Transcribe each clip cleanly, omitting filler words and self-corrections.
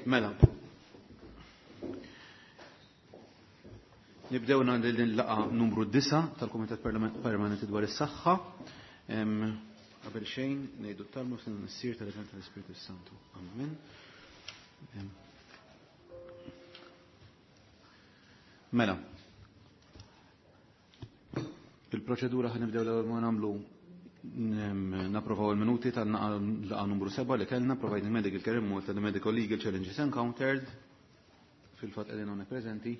Mela. Nibdew din laqa numru 9 tal-Kumitat Permanenti dwar is-Saħħa. Qabel xejn ngħidu t-talmu fil-Missier tal-Iben tal-Ispirtu Santu. Amen. Mela. Il-proċedura ħa nibdew l-ewwel ma nagħmlu napprovaw il-minuti tal-laqa numru 7 li kellna providing medical care in Malta the medical legal challenges encountered fil-fatt qegħdin hawnhekk preżenti.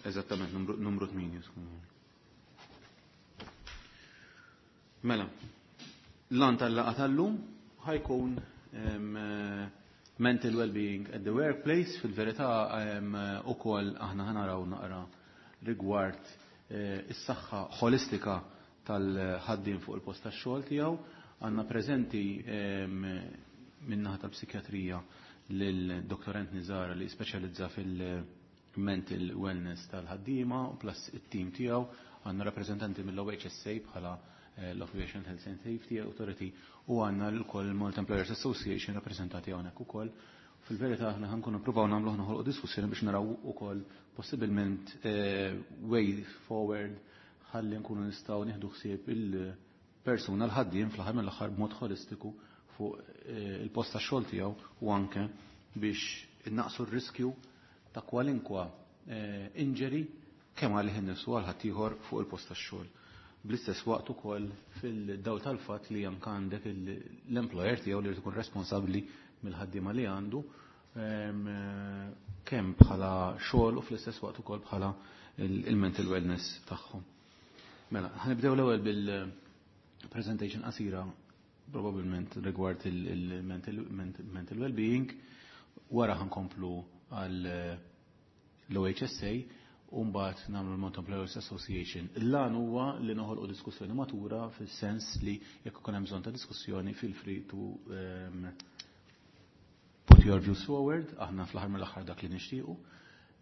Eżattament, numru 8. Mela, l-għan tal-laqa tal-lum ħajkun mental well-being at the workplace, fil-verità ukoll aħna ħanaraw naqra rigward is-saħħa ħolistika tal-ħaddiem fuq il-post tax-xogħol tiegħu. Għandna preżenti min-naħa tal-psikjatrija lil Dr. Anthony Zara li speċjalizza fil-mental wellness tal-ħaddiema u plus it-tim tiegħu. Għandna rappreżentanti mill-OHSA bħala l-Occupational Health and Safety Authority u għandna l-ukoll Malta Employers Association rappreżentati hawnhekk ukoll. Fil-verità aħna ħankunu nippruvaw nagħmlu noħolqu diskussjoni biex naraw ukoll possibilment way forward ħalli nkunu nistgħu nieħdu ħsieb il-persuna l-ħaddiem fl-aħħar mill-aħħar b'mod ħolistiku fuq il-post tax-xogħol tiegħu u anke biex innaqsu r-riskju ta' kwalinkwa injury kemm għalih innifsu għal ħaddieħor fuq il-post tax-xogħol. Bl-istess waqt ukoll fil-dawl tal-fatt li anke għandek l-employer tiegħu li jrid ikun responsabbli mill-ħaddiema li għandu kemm bħala xogħol u fl-istess waqt ukoll bħala il-mental wellness tagħhom. Mela, ħanibdew l-ewwel bil-presentation qasira probabbilment rigward il-mental well-being, wara ħankomplu għal l-OHSA u mbagħad nagħmlu l-Malta Employers Association. Il-lan huwa li noħolqu diskussjoni matura fis-sens li jekk ikun hemm bżonn ta' diskussjoni feel free to put your views forward, aħna fl-aħħar mill-aħħar dak li nixtiequ.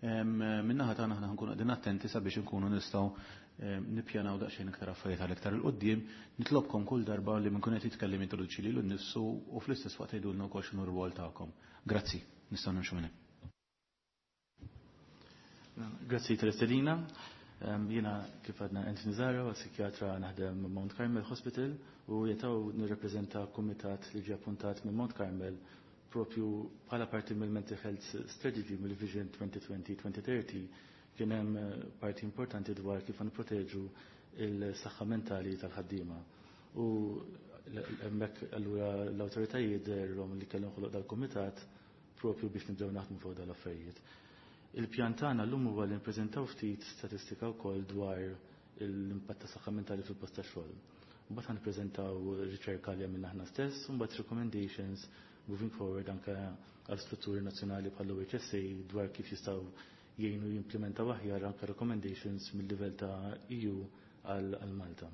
Min-naħa tagħna aħna nkunu qegħdin attenti sabiex inkunu nistgħu nippjanaw daqsxejn iktar affarijiet għal iktar 'il quddiem. Nitlobkom kull darba li min kun qed jitkellem jintroduċi lilu nnifsu u fl-istess waqt tgħidulna wkoll x'inhu r-rwol tagħkom. Grazzi, nistgħu nimxu minn hemm. Grazzi tal-istedina. Jiena kif għadna Anthony Zara, psikjatra naħdem Mount Carmel Hospital u jetaw nirrepreżenta kumitat li ġie appuntat minn Mount Carmel propju bħala parti mill-Mental Health Strategy mill-Vision 2020-2030 kien hemm parti importanti dwar kif nproteġu il-saħħa mentali tal-ħaddiema. U hemmhekk allura l-awtoritajiet dehrilhom li kellhom ħoloq dal-kumitat propju biex nibdew naħdmu fuq dal-affarijiet. Il-pjan tagħna llum huwa li nippreżentaw ftit statistika wkoll dwar l-impatt ta' saħħa mentali fil-post tax-xogħol. Mbagħad ħanippreżentaw riċerka li għamilna aħna stess u mbagħad recommendations moving forward anke għal strutturi nazzjonali bħal OHSA dwar kif jistgħu jgħinu jimplementaw aħjar anke recommendations mill-livell ta' EU għal Malta.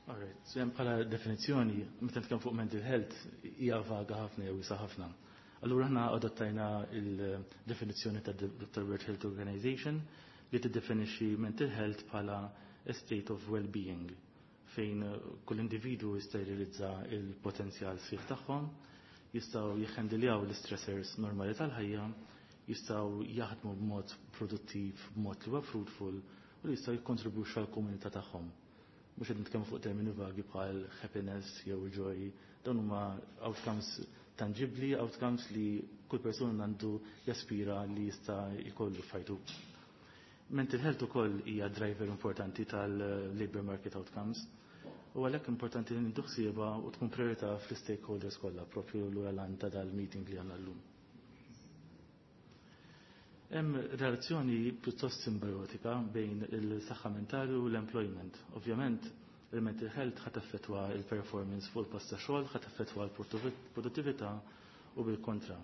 Alright, so hemm bħala definizzjoni, meta nitkellmu fuq mental health hija vaga ħafna jew wiesa ħafna. Allura aħna adottajna il-definizzjoni ta' World Health Organization li tiddefinixxi mental health bħala a state of well-being fejn kull individu jista' jirrealizza il-potenzjal sħiħ tagħhom, jistgħu jihhandiljaw l-stressors normali tal-ħajja, jistgħu jaħdmu b'mod produttiv, b'mod li huwa fruitful u li jistgħu jikkontribwixxu għall-komunità tagħhom. Mhux qed nitkellmu fuq termini vagi bħal happiness jew joy, dawn huma outcomes tangibli, outcomes li kull persuna għandu jaspira li jista' jkollu f'ħajtu. Mental health ukoll hija driver importanti tal-labor market outcomes. U għalhekk importanti li nieħdu ħsiebha u tkun priorità fl-stakeholders kollha propju lura l ta' dal-meeting li għandna llum. Hemm relazzjoni pjuttost simbiotika bejn il-saħħa mentali u l-employment. Ovvjament, il-mental health ħa taffettwa il-performance fuq il-post ta' xogħol, ħa taffettwa l-produttività u bil-kontra.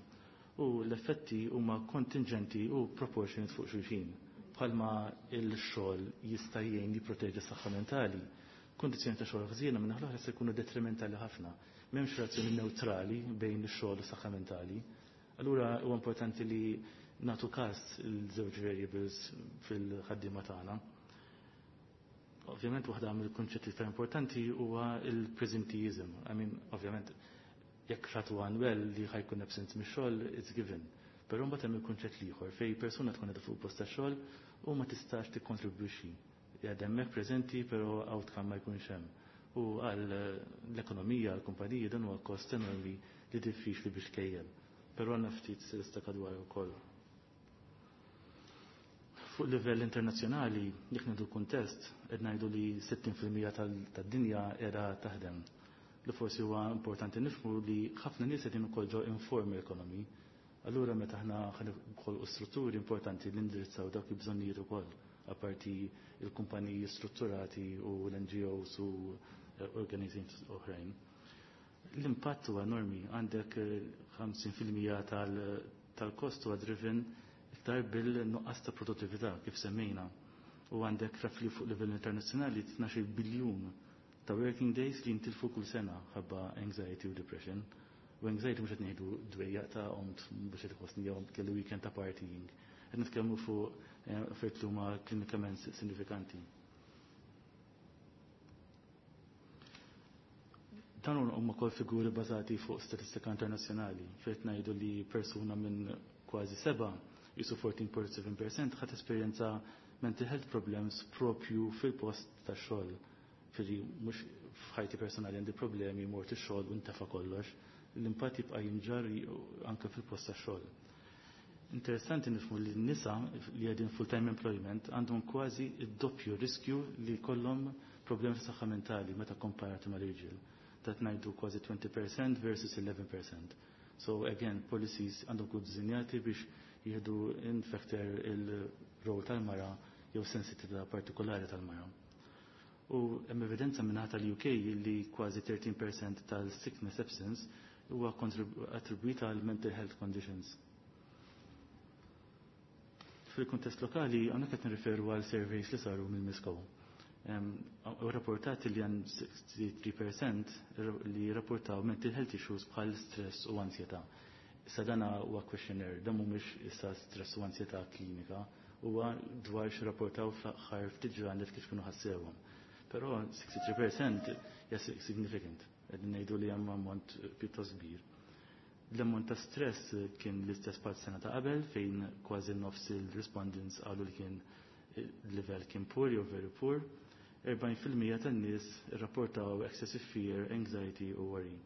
U l-effetti huma kontingenti u proportionate fuq xulxin. Bħalma il-xogħol jista' jgħin jipproteġi s-saħħa mentali. Kondizzjoni ta' xogħol ħżiena minn l-oħra se jkunu detrimentali ħafna. M'hemmx relazzjoni neutrali bejn ix-xogħol u s-saħħa mentali. Allura huwa importanti li nagħtu każ il-żewġ variables fil-ħaddiema tagħna. Ovvjament waħda mill-kunċetti iktar importanti huwa il-presenteeism. I mean, ovvjament jekk xatu well li ħa jkun absent mix-xogħol, it's given. Però mbagħad hemm il-kunċett ieħor fejn persuna tkun qiegħda fuq post tax-xogħol u ma tistax tikkontribwixxi. Qiegħed hemmhekk preżenti però outcome ma jkunx hemm. U għal l-ekonomija, għall-kumpaniji dan huwa kost enormi li diffiċli biex tkejjel. Però għandna ftit statistika dwar ukoll. Fuq livell internazzjonali, jekk ngħidu kuntest, qed ngħidu li 60% tad-dinja qiegħda taħdem. Li forsi huwa importanti nifhmu li ħafna nies qegħdin ukoll ġo informal economy. Allura meta aħna ħanħolqu strutturi importanti li indirizzaw dawk il-bżonnijiet ukoll, apparti il-kumpaniji strutturati u l-NGOs u organizzations oħrajn. L-impatt huwa enormi, għandek 50% tal-kost huwa driven iktar bil-nuqqas ta' produttività kif semmejna. U għandek roughly fuq livell internazzjonali 12 biljun ta' working days li jintilfu kull sena ħabba anxiety u depression. U anxiety mhux qed ngħidu dwejjaq ta' qomt biex qed iħossni jew kelli weekend ta' partying. Qed nitkellmu fuq affarijiet li huma klinikament sinifikanti. Dan huma wkoll figuri bażati fuq statistika internazzjonali fejn ngħidu li persuna minn kważi seba' jisu 14.7% ħat esperjenza mental health problems propju fil-post ta' xogħol. Firri mhux f'ħajti personali għandi problemi mort ix-xogħol u ntefa' kollox, l-impatt jibqa' jinġar anke fil-post ta' xogħol. Interessanti nifhmu li n-nisa li qegħdin full-time employment għandhom kważi id-doppju riskju li jkollhom problemi ta' saħħa mentali meta komparati mal-irġiel. Dat ngħidu kważi 20% versus 11%. So again, policies għandhom kunu dizinjati biex jieħdu in factor il-rol tal-mara jew sensitività partikolari tal-mara. U hemm evidenza minn tal-UK li kważi 13% tal-sickness absence huwa attribwita għal mental health conditions. Fil-kuntest lokali, għandna qed nirriferu għal surveys li saru mill-MISCO. U rapportati li għan 63% li rapportaw mental health issues bħal stress u ansjetà. Issa dana huwa questionnaire, dan mhumiex issa stress u ansjetà klinika, huwa dwar x'rapportaw fl-aħħar ftit ġranet kif kienu ħassewhom. Però 63% hija significant, qegħdin ngħidu li hemm ammont pjuttost kbir. L-ammont ta' stress kien l-istess bħal sena ta' qabel fejn kważi nofs il-respondents qalu li kien il-level kien poor jew very poor. 40% tan-nies irrapportaw excessive fear, anxiety u worry.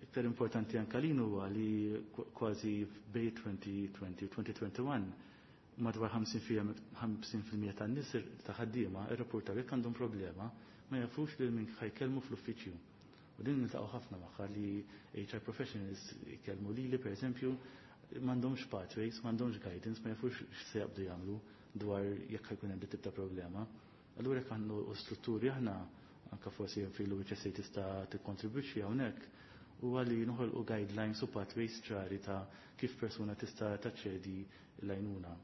Iktar importanti anka lin huwa li kważi bej 2020 u 2021 madwar 50% tan-nies ta' ħaddiema irrapportaw jekk għandhom problema ma jafux lil min ħa jkellmu fl-uffiċċju. U din niltaqgħu ħafna magħha li HR professionals jkellmu lili pereżempju m'għandhomx pathways, m'għandhomx guidance, ma jafux x'se jaqbdu jagħmlu dwar jekk ħa jkun hemm tip ta' problema. Allura jekk għandu strutturi aħna anka forsi fil-HSA tista' tikkontribwixxi hawnhekk huwa li noħolqu guidelines u pathways ċari ta' kif persuna tista' taċċedi l-għajnuna.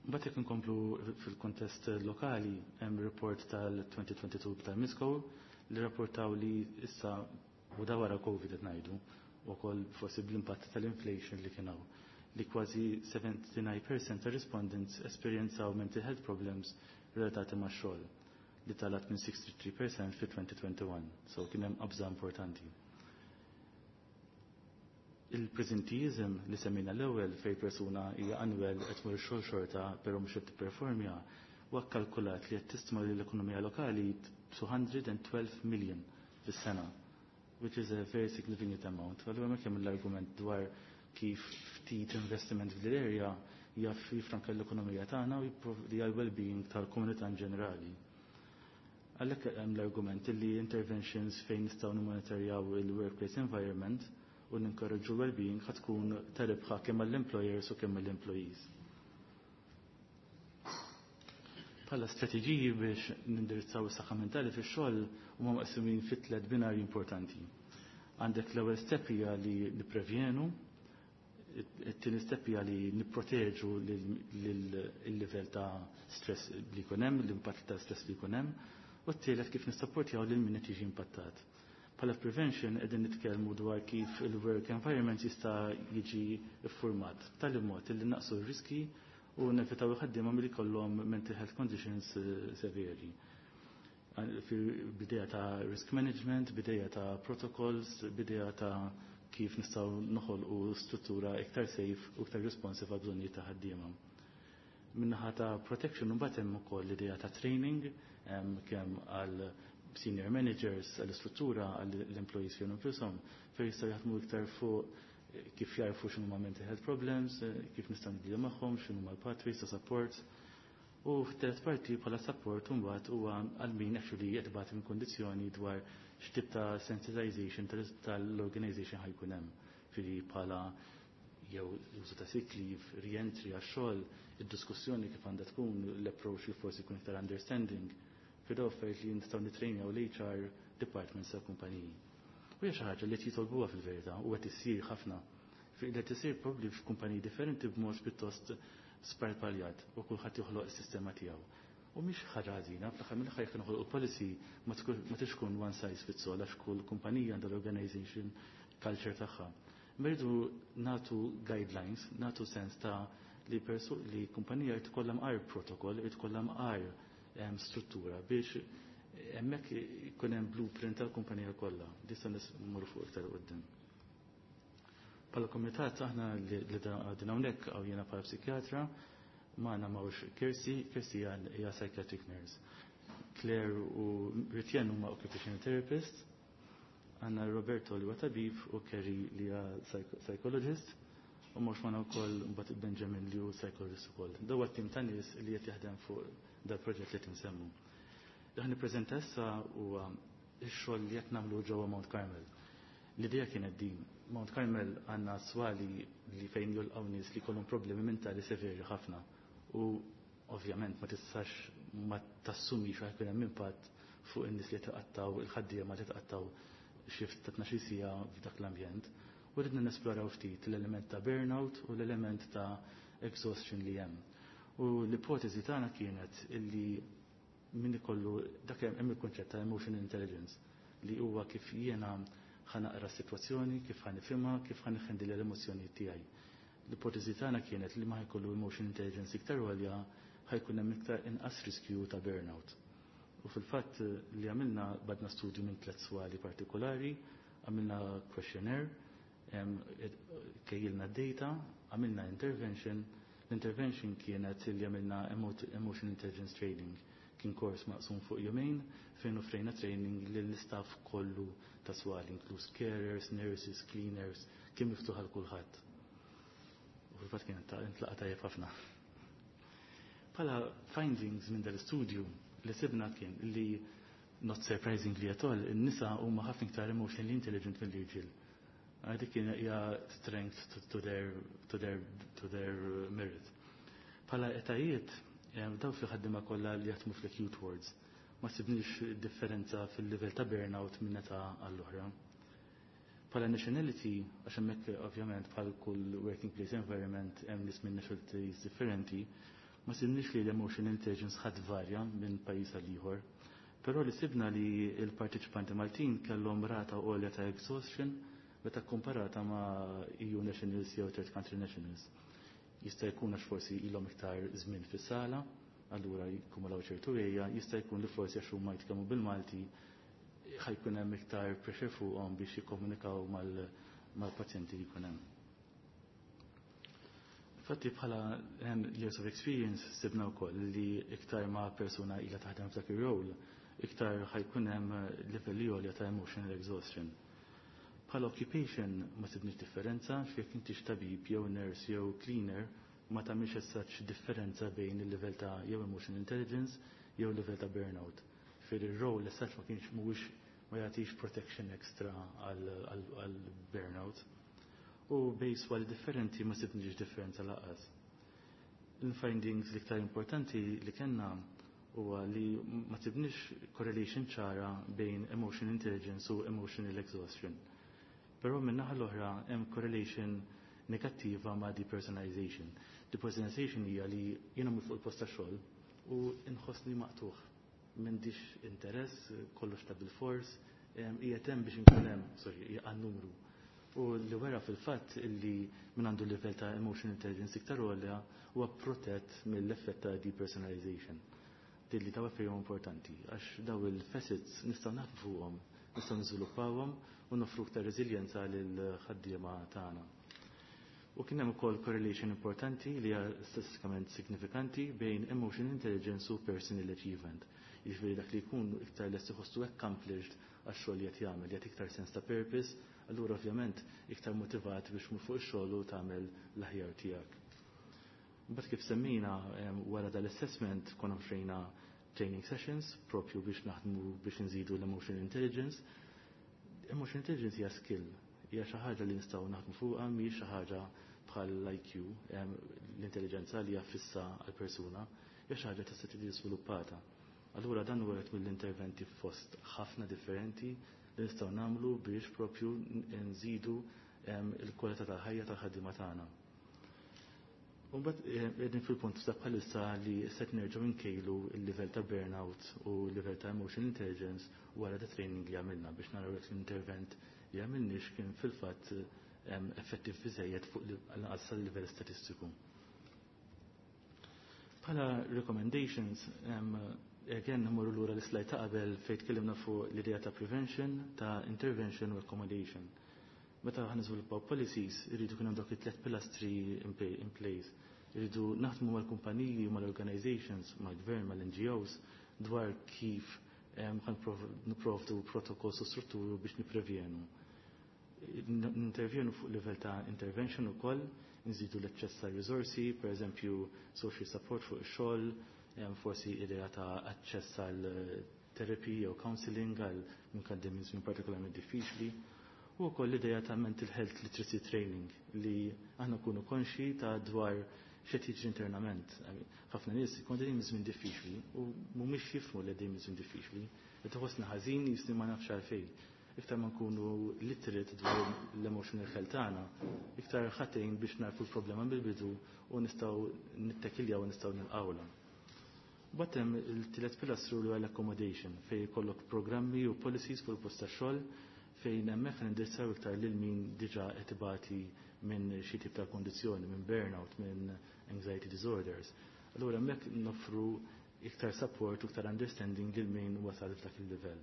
Mbagħad jekk inkomplu fil-kontest lokali hemm report tal-2022 tal-MISCO li rapportaw li issa u da wara Covid qed ngħidu wkoll forsi bl-impatt tal-inflation li kien hawn li kważi 79% ta' respondents esperjenzaw mental health problems relatati ma' xogħol li talat minn 63% fi 2021, so kien hemm qabża importanti. Il-presenteeism li semmejna l-ewwel fej persuna hija unwell qed tmur ix-xogħol xorta però mhux qed tipperformja huwa kkalkulat li qed tistma lill ekonomija lokali 212 million fis-sena, which is a very significant amount. Allura hemmhekk hemm l-argument dwar kif ftit investiment f'dil area Jaf jifranka l-ekonomija tagħna u jipprovdi għal well-being tal-komunità in ġenerali. Għalhekk hemm l-argument li interventions fejn nistgħu nimmonitorjaw il-workplace environment u ninkoraġġu well-being ħa tkun ta' rebħa kemm għall-employers u kemm għall-employees. Bħala strateġiji biex nindirizzaw is-saħħa mentali fix-xogħol huma maqsumin fit tliet binarji importanti. Għandek l-ewwel step hija li nipprevjenu, it-tieni step hija li nipproteġu l-livell ta' stress li jkun hemm, l-impatt ta' stress li jkun hemm, u t-tielet kif nissapportjaw lil min qed jiġi impattat. Bħala prevention qegħdin nitkellmu dwar kif il-work environment jista' jiġi ffurmat b'tali mod li naqsu r-riski u nevitaw il-ħaddiema milli jkollhom mental health conditions severi. Bidea ta' risk management, bidea ta' protocols, bidea ta' kif nistgħu noħolqu struttura iktar safe u iktar responsive għal bżonnijiet ta' ħaddiema. Min-naħa ta' protection mbagħad hemm ukoll l-idea ta' training kemm għal senior managers, għall-istruttura, għall-employees fejn infushom, fejn jistgħu jaħdmu iktar fuq kif jarfu x'inhuma mental health problems, kif nistgħu nidilju magħhom, x'inhuma l-pathways ta' support. U fit-tielet parti bħala support mbagħad huwa għal min actually qed ibati minn kondizzjoni dwar x'tip ta' sensitization tal-organization ħa jkun hemm. Fili bħala jew użu ta' sick leave, re-entry għax-xogħol, id-diskussjoni kif għandha tkun, l-approach li forsi jkun iktar understanding. Fida affarijiet li nistgħu nitrejnjaw l-HR departments ta' kumpaniji. U hija xi ħaġa li qed jitolbuha fil-verità u qed issir ħafna. Li qed isir probabbli f'kumpaniji differenti b'mod pjuttost sparpaljat u kulħadd joħloq is-sistema tiegħu. U mhix ħaġa ħażina, fl-aħħar mill-aħħar jekk noħolqu policy ma tix tkun one size fits all għax kull kumpanija għandha l-organization culture tagħha. Rridu nagħtu guidelines, nagħtu sens ta' li persu li kumpanija jrid ikollha mqar protokoll, jrid ikollha mqar struttura biex hemmhekk ikun hemm blueprint tal-kumpanija kollha. Dista mmur fuq iktar quddiem. Bħala komitat aħna li din hawnhekk hawn jiena bħala psikjatra, magħna m'hawnx Kirsi, Kirsi hija psychiatric nurse. Claire u Ritjen huma occupational therapist, għandna Roberto li huwa tabib u Kerry li hija psychologist, u mhux magħna wkoll mbagħad Benjamin li hu psychologist ukoll. Daw tim ta' nies li qed jaħdem fuq dal-proġett li tinsemmu. Li nippreżenta issa huwa x-xogħol li qed nagħmlu ġewwa Mount Carmel. L-idea kienet din. Mount Carmel għandna swali li fejn jolqgħu nies li jkollhom problemi mentali severi ħafna. U ovvjament ma tistax ma tassumix ħa jkun hemm impatt fuq in-nies li taqattaw il-ħaddiema li taqattaw shift ta' 12 siegħa f'dak l-ambjent. U ridna nesploraw ftit l-element ta' burnout u l-element ta' exhaustion li hemm. U l-ipotezi tagħna kienet illi min ikollu dak hemm il-konċett ta' emotional intelligence li huwa kif jiena ħa naqra s-sitwazzjoni, kif ħa nifhimha, kif ħa nħendil l-emozzjoni tiegħi. L-ipotezi tagħna kienet li ma jkollu emotional intelligence iktar għolja ħa jkun hemm iktar inqas riskju ta' burnout. U fil-fatt li għamilna badna studju minn tliet swali partikolari, għamilna questionnaire, kejjilna data, għamilna intervention. L-intervention kienet li għamilna emotion intelligence training. Kien kors maqsum fuq jumejn fejn offrejna training lill-istaff kollu ta' swali, inkluż carers, nurses, cleaners, kien miftuħ għal kulħadd. U fil-fatt kien intlaqa tajjeb ħafna. Bħala findings minn dal-istudju li sibna kien li, not surprisingly at all, in-nisa huma ħafna iktar emotionally intelligent mill-irġiel. Dik kien hija strength to their merit. Bħala etajiet, daw fi ħaddiema kollha li jaħdmu fl-acute wards. Ma sibniex differenza fil-livell ta' burnout minn età għall-oħra. Bħala nationality, għax hemmhekk ovvjament bħal kull working place environment hemm nies minn nationalities differenti, ma sibniex li l-emotional intelligence ħadd varja minn pajjiż għal ieħor. Però li sibna li l-partiċipanti Maltin kellhom rata għolja ta' exhaustion meta komparata ma' EU nationals jew third country nationals. Jista' jkun għax forsi ilhom iktar żmien fis-sala, allura jikkumulaw ċertu għeja, jista' jkun li forsi għax huma jitkellmu bil-Malti ħa jkun hemm iktar pressure fuqhom biex jikkomunikaw mal-pazjenti li jkun hemm. Infatti bħala years of experience sibna wkoll li iktar ma persuna ilha taħdem f'dak ir-role, iktar ħa jkun hemm livelli għolja ta' emotional exhaustion. Bħala occupation ma sibniex differenza jekk inti tabib jew nurse jew cleaner. ma tagħmilx as such differenza bejn il-livell ta' jew emotional intelligence jew livell ta' burnout. Fir ir-role as such ma kienx mhuwiex ma jagħtix protection extra għal burnout. U bejn swali differenti ma sibniex differenza lanqas. Il-findings l-iktar importanti li kellna huwa li ma sibniex correlation ċara bejn emotional intelligence u emotional exhaustion. Però min-naħa l-oħra hemm correlation negattiva ma' depersonalization. Depersonalization hija li jiena fuq il-post ta' xogħol u nħossni maqtuħ. M'għandix interess, kollox ta' bil-fors, hija hemm biex inkun hemm, sorry, hija numru. U li wera fil-fatt illi min għandu livell ta' emotional intelligence iktar għolja huwa protett mill-effett ta' depersonalization. Dilli ta' ferm importanti, għax daw il-facets nistgħu naħdmu fuqhom, nistgħu niżviluppawhom u nofru iktar reżiljenza lil ħaddiema tagħna. U kien hemm ukoll correlation importanti li hija statistikament signifikanti bejn emotional intelligence u personal achievement. Jiġifieri dak li jkun iktar lest iħossu accomplished għax-xogħol li qed jagħmel, jagħti iktar sens ta' purpose, allura ovvjament iktar motivat biex mur fuq ix-xogħol u tagħmel l-aħjar tiegħek. Mbagħad kif semmejna, wara dal-assessment konna offrejna training sessions propju biex naħdmu biex nżidu l-emotional intelligence. Emotional intelligence hija skill, hija xi ħaġa li nistgħu naħdmu fuqha, mhijiex xi ħaġa bħal l-IQ, l-intelligenza li hija fissa għal persuna, hija xi ħaġa tista' tiġi żviluppata. Allura dan huwa wieħed mill-interventi fost ħafna differenti li nistgħu nagħmlu biex propju nżidu il-kwalità tal-ħajja tal-ħaddiema tagħna. Mbagħad qegħdin fil-punt ta' bħalissa li se nerġgħu nkejlu l-livell ta' burnout u l-livell ta' emotional intelligence wara da training li għamilna biex naraw jekk l-intervent li għamilniex kien fil-fatt effettiv biżejjed fuq l-anqas livell statistiku. Bħala recommendations, again nmorru lura l-slide ta' qabel fejn tkellimna fuq l-idea ta' prevention, ta' intervention u accommodation. Meta ħa niżviluppaw policies, irridu kien hemm dawk it-tliet pilastri in place. Irridu naħdmu mal-kumpaniji, mal-organizations, mal-gvern, mal-NGOs dwar kif ħa nipprovdu protokolls u strutturu biex niprevjenu. Nintervjenu fuq livell ta' intervention ukoll, nżidu l-aċċess ta' risorsi, per eżempju social support fuq ix-xogħol, forsi idea ta' aċċess għal therapy jew counseling għal min minn żmien partikolarment diffiċli. U wkoll l-idea ta' mental health literacy training li aħna nkunu konxi ta' dwar x'qed jiġri internament. Ħafna nies ikun qegħdin żmien diffiċli u mhumiex jifhmu li qegħdin żmien diffiċli. Qed iħossna ħażin jisni ma nafx għalfejn. Iktar ma nkunu literate dwar l-emotional health tagħna, iktar ħatejn biex narfu l-problema bil-bidu u nistgħu nittekiljaw u nistgħu nilqawla. Batem il-tielet pilastru li l-accommodation fejn jkollok programmi u policies fuq il-post tax-xogħol fejn hemmhekk nindirizzaw iktar lil min diġà qed ibati minn xi tip ta' kondizzjoni, minn burnout, minn anxiety disorders. Allura hemmhekk noffru iktar support u iktar understanding lil min wasal f'dak il-livell.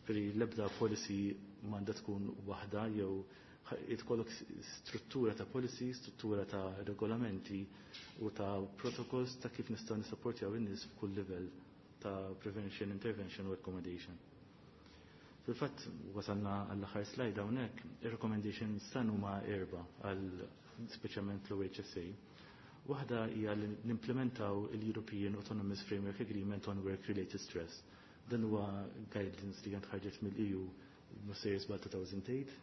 Fri l-ebda policy m'għandha tkun waħda jew jitkollok struttura ta' policy, struttura ta' regolamenti u ta' protocols ta' kif nistgħu nisapportjaw in-nies f'kull livell ta' prevention, intervention u accommodation. Fil-fatt wasalna għall-aħħar slide hawnhekk, ir-recommendations tan huma erba' għal speċjalment l-OHSA. Waħda hija li nimplementaw il-European Autonomous Framework Agreement on Work-Related Stress. Dan huwa guidance li kien ħarġet mill-EU mhux 2008.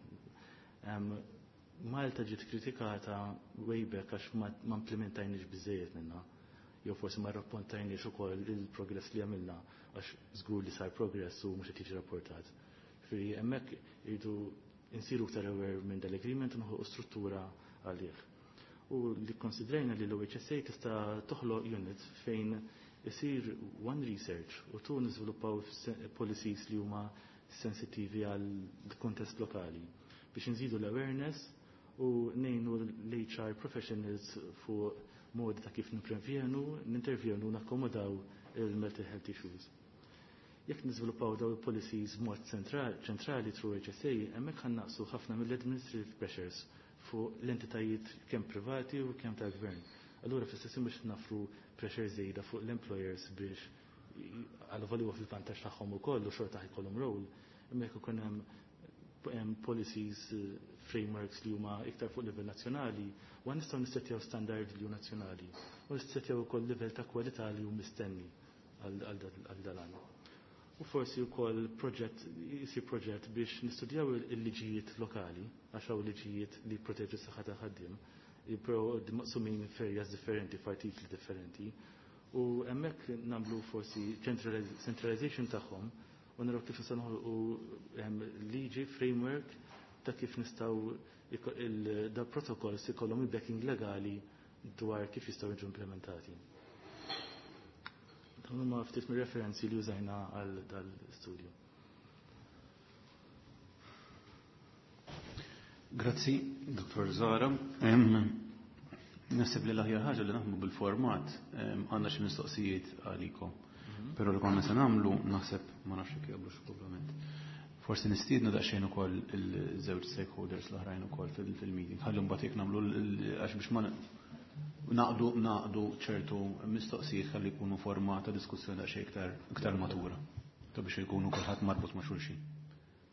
Malta ġiet kritikata way back għax ma implementajniex biżejjed minnha. Jew forsi ma rrapportajniex ukoll il-progress li għamilna għax żgur li sar progress u mhux qed jiġi rapportat. Ġifieri hemmhekk irridu insiru iktar aware minn dal-agreement u noħolqu struttura għalih. U li konsidrajna li l-OHSA tista' toħloq unit fejn isir one research u tu niżviluppaw policies li huma sensittivi għal kontest lokali biex nżidu l-awareness u nejnu l-HR professionals fuq modi ta' kif niprevjenu, nintervjenu, nakkomodaw il-mental health issues. Jekk niżviluppaw daw il-policies mod ċentrali through HSA, hemmhekk ħannaqsu ħafna mill-administrative pressures fuq l-entitajiet kemm privati u kemm tal-gvern. Allura fl-istess biex nafru pressure żejda fuq l-employers biex għal huwa fil-vantaġġ tagħhom ukoll u xorta ħajkollhom role, imma jekk ikun hemm policies, frameworks li huma iktar fuq livell nazzjonali, u nistgħu nissettjaw standard li hu nazzjonali u nissettjaw ukoll livell ta' kwalità li hu mistenni għal dalan. U forsi wkoll proġett isir proġett biex nistudjaw il-liġijiet lokali, għax hawn liġijiet li jproteġu s-saħħa tal-ħaddiem, però maqsumin f'areas differenti, f'artikli differenti. U hemmhekk nagħmlu forsi centralization tagħhom u naraw kif nistgħu noħolqu liġi framework ta' kif nistgħu da protokolls ikollhom il-backing legali dwar kif jistgħu jiġu implementati. Dawn huma ftit mir-referenzi li użajna għal dal-studju. Grazzi, Dr. Zara. Naħseb li l-aħjar ħaġa li naħdmu bil-format, għandna xi mistoqsijiet għalikom. Però li konna se nagħmlu naħseb ma nafx jekk jaqblux ovvjament. Forsi nistiednu daqsxejn ukoll il-żewġ stakeholders l-oħrajn ukoll fil-meeting. Ħalli mbagħad jekk nagħmlu għax biex ma naqdu ċertu mistoqsijiet ħalli jkunu forma ta' diskussjoni daqsxejn iktar matura. Ta' biex jkunu kulħadd marbut ma' xulxin.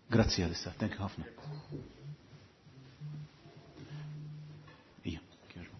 Grazzi għalissa, thank you ħafna. Ija, kjerġbu.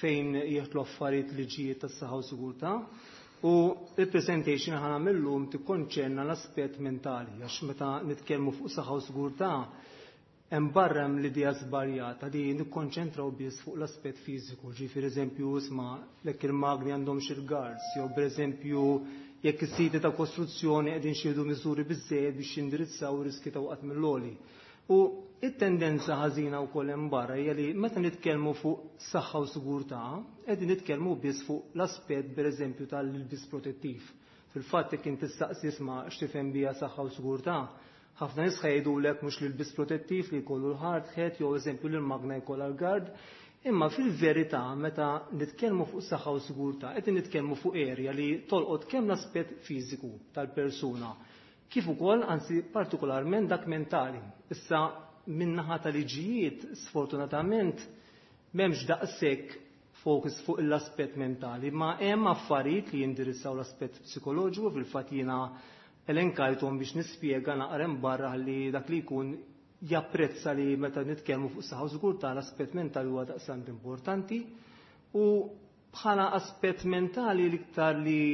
Fejn jieħdu affarijiet liġijiet tas-saħħa u sigurtà, u il-presentation ħa nagħmel illum tikkonċerna l-aspett mentali, għax meta nitkellmu fuq saħħa u sigurtà hemm barra hemm l-idea żbaljata li nikkonċentraw biss fuq l-aspett fiżiku, ġifieri eżempju isma' jekk il-magni għandhom xi guards, jew pereżempju jekk is-siti ta' kostruzzjoni qegħdin xieħdu miżuri biżżejjed biex jindirizzaw riski ta' waqt mill-għoli. U it-tendenza ħażina wkoll hemm barra hija li meta nitkellmu fuq saħħa u sigurtà, qegħdin nitkellmu biss fuq l-aspett pereżempju tal-ilbis protettiv. Fil-fatt jekk inti tistaqsi isma' x'tifhem biha saħħa u sigurtà, Ħafna nies jgħidulek mhux li l-bis protettiv li jkollu l-hard hat jew eżempju li l-magna jkollha l-guard, imma fil-verità meta nitkellmu fuq saħħa u sigurtà qed nitkellmu fuq area li tolqot kemm l-aspett fiżiku tal-persuna kif ukoll anzi partikolarment dak mentali. Issa min-naħa tal-liġijiet sfortunatament m'hemmx daqshekk focus fuq l-aspett mentali, ma hemm affarijiet li jindirizzaw l-aspett psikoloġiku. Fil-fatt jiena elenkajthom biex nispjega naqra barra li dak li jkun japprezza li meta nitkellmu fuq saħħa u sigurtà l-aspett mentali huwa daqstant importanti. U bħala aspett mentali l-iktar li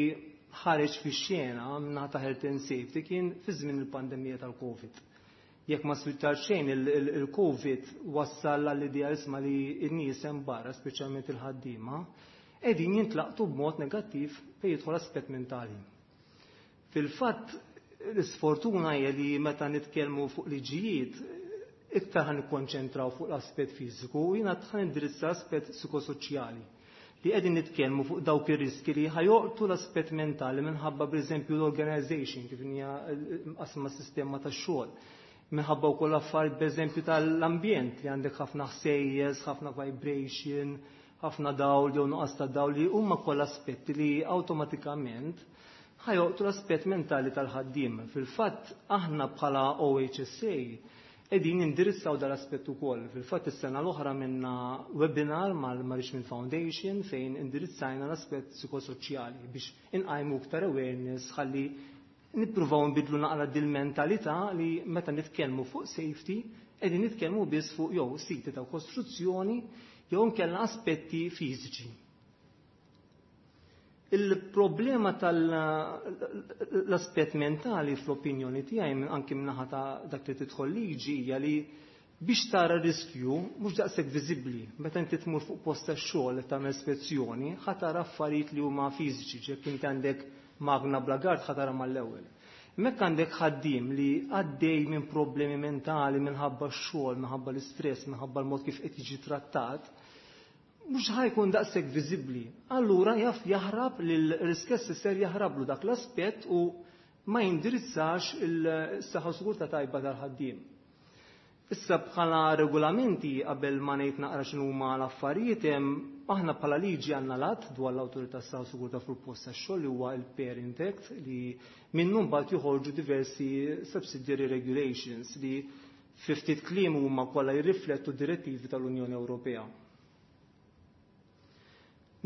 ħareġ fix-xena minnaħa ta' health and safety kien fi żmien il-pandemija tal-Covid. Jekk ma swittar xejn, il-Covid wassal għall-idea isma' li n-nies hemm barra, speċjalment il-ħaddiema, qegħdin jintlaqtu b'mod negattiv fejn jidħol aspett mentali. Fil-fatt, l-isfortuna hija li meta nitkellmu fuq liġijiet iktar ħan nikkonċentraw fuq l-aspett fiżiku u jiena ħan indirizza aspett psikosoċjali li qegħdin nitkellmu fuq dawk ir-riski li ħajoqtu l-aspett mentali minħabba pereżempju l-organization kif hija qasma sistema tax-xogħol. Minħabba wkoll affarijiet pereżempju tal-ambjent li għandek ħafna ħsejjes, ħafna vibration, ħafna dawl jew nuqqas ta' dawl li huma kollha aspetti li awtomatikament ħajoqtu l-aspett mentali tal-ħaddiem. Fil-fatt aħna bħala OHSA qegħdin indirizzaw dal-aspett ukoll. Fil-fatt is-sena l-oħra minna webinar mal-Richmond Foundation fejn indirizzajna l-aspett psikosoċjali biex inqajmu iktar awareness ħalli nippruvaw nbidlu naqra dil-mentalità li meta nitkellmu fuq safety qegħdin nitkellmu biss fuq jew siti ta' kostruzzjoni jew nkella aspetti fiżiċi. Il-problema tal-aspett mentali fl-opinjoni tiegħi anki minnaħa ta' dak li tidħol liġi hija li biex tara riskju mhux daqshekk viżibbli. Meta inti tmur fuq post tax-xogħol tagħmel spezzjoni, ħa tara affarijiet li huma fiżiċi, ġekk inti għandek magna bla gard ħa tara mal-ewwel. Mekk għandek ħaddiem li għaddej minn problemi mentali minħabba x-xogħol, minħabba l-istress, minħabba l-mod kif qed jiġi trattat, mhux ħajkun daqshekk viżibbli. Allura jaf jaħrab lil risk assessor, jaħrablu dak l-aspett u ma jindirizzax il-saħħa sigurtà tajba tal-ħaddiem. Issa bħala regolamenti, qabel ma ngħid naqra x'inhuma l-affarijiet hemm, aħna bħala liġi għandna lat dwar l-awtorità saħħa sigurtà fuq post tax-xogħol li huwa il-Parent Act, li minnu mbagħad joħorġu diversi subsidiary regulations li fi ftit kliem huma kollha jirriflettu direttivi tal-Unjoni Ewropea.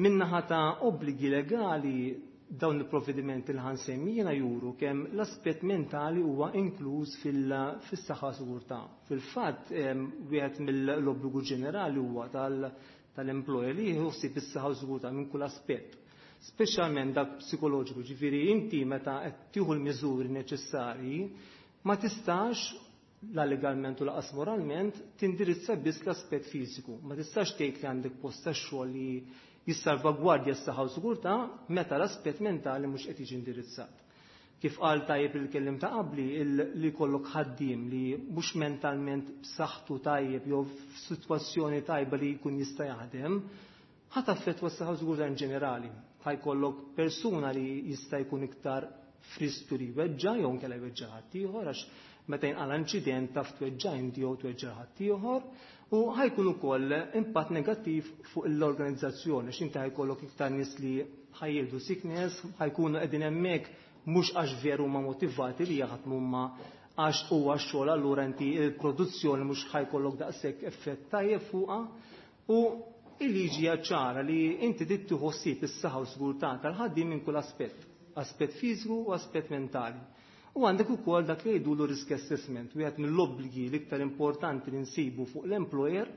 Minnaħa ta' obbligi legali, dawn il-provvedimenti li ħansemmi jiena juru kemm l-aspett mentali huwa inkluż fis-saħħa sigurtà. Fil-fatt, wieħed mill-obbligu ġenerali huwa tal-employer li jħossib is-saħħa sigurtà minn kull aspett, speċjalment dak psikoloġiku, ġifieri inti meta qed tieħu l-miżuri neċessarji ma tistax la legalment u laqas moralment tindirizza biss l-aspett fiżiku. Ma tistax tgħid li għandek post tax-xogħol li jissalvagwardja s-saħħa u sigurtà meta l-aspett mentali mhux qed jiġi indirizzat. Kif qal tajjeb il-kellim ta' qabli, li jkollok ħaddiem li mhux mentalment b'saħħtu tajjeb jew f'sitwazzjoni tajba li jkun jista' jaħdem, ħa taffettwa s-saħħa u sigurtà in ġenerali. Ħa jkollok persuna li jista' jkun iktar fristu li jweġġa' jew inkella jweġġa' ħaddieħor, għax meta jinqala inċident taf tweġġa' inti jew tweġġa' ħaddieħor, u ħajkun ukoll impatt negattiv fuq l-organizzazzjoni għax inti ħajkollok iktar nies li ħajjieħdu sickness, ħajkunu qegħdin hemmhekk mhux għax veru huma motivati li jaħdmu ma għax huwa x-xogħol, allura inti l-produzzjoni mhux ħajkollok daqshekk effett tajjeb fuqha. U il-liġi hija ċara li inti trid tieħu ħsieb is-saħħa u sigurtà tal-ħaddiem minn kull aspett, aspett fiżiku u aspett mentali. U għandek ukoll dak li jgħidulu risk assessment. Wieħed mill-obbligi l-iktar importanti li nsibu fuq l-employer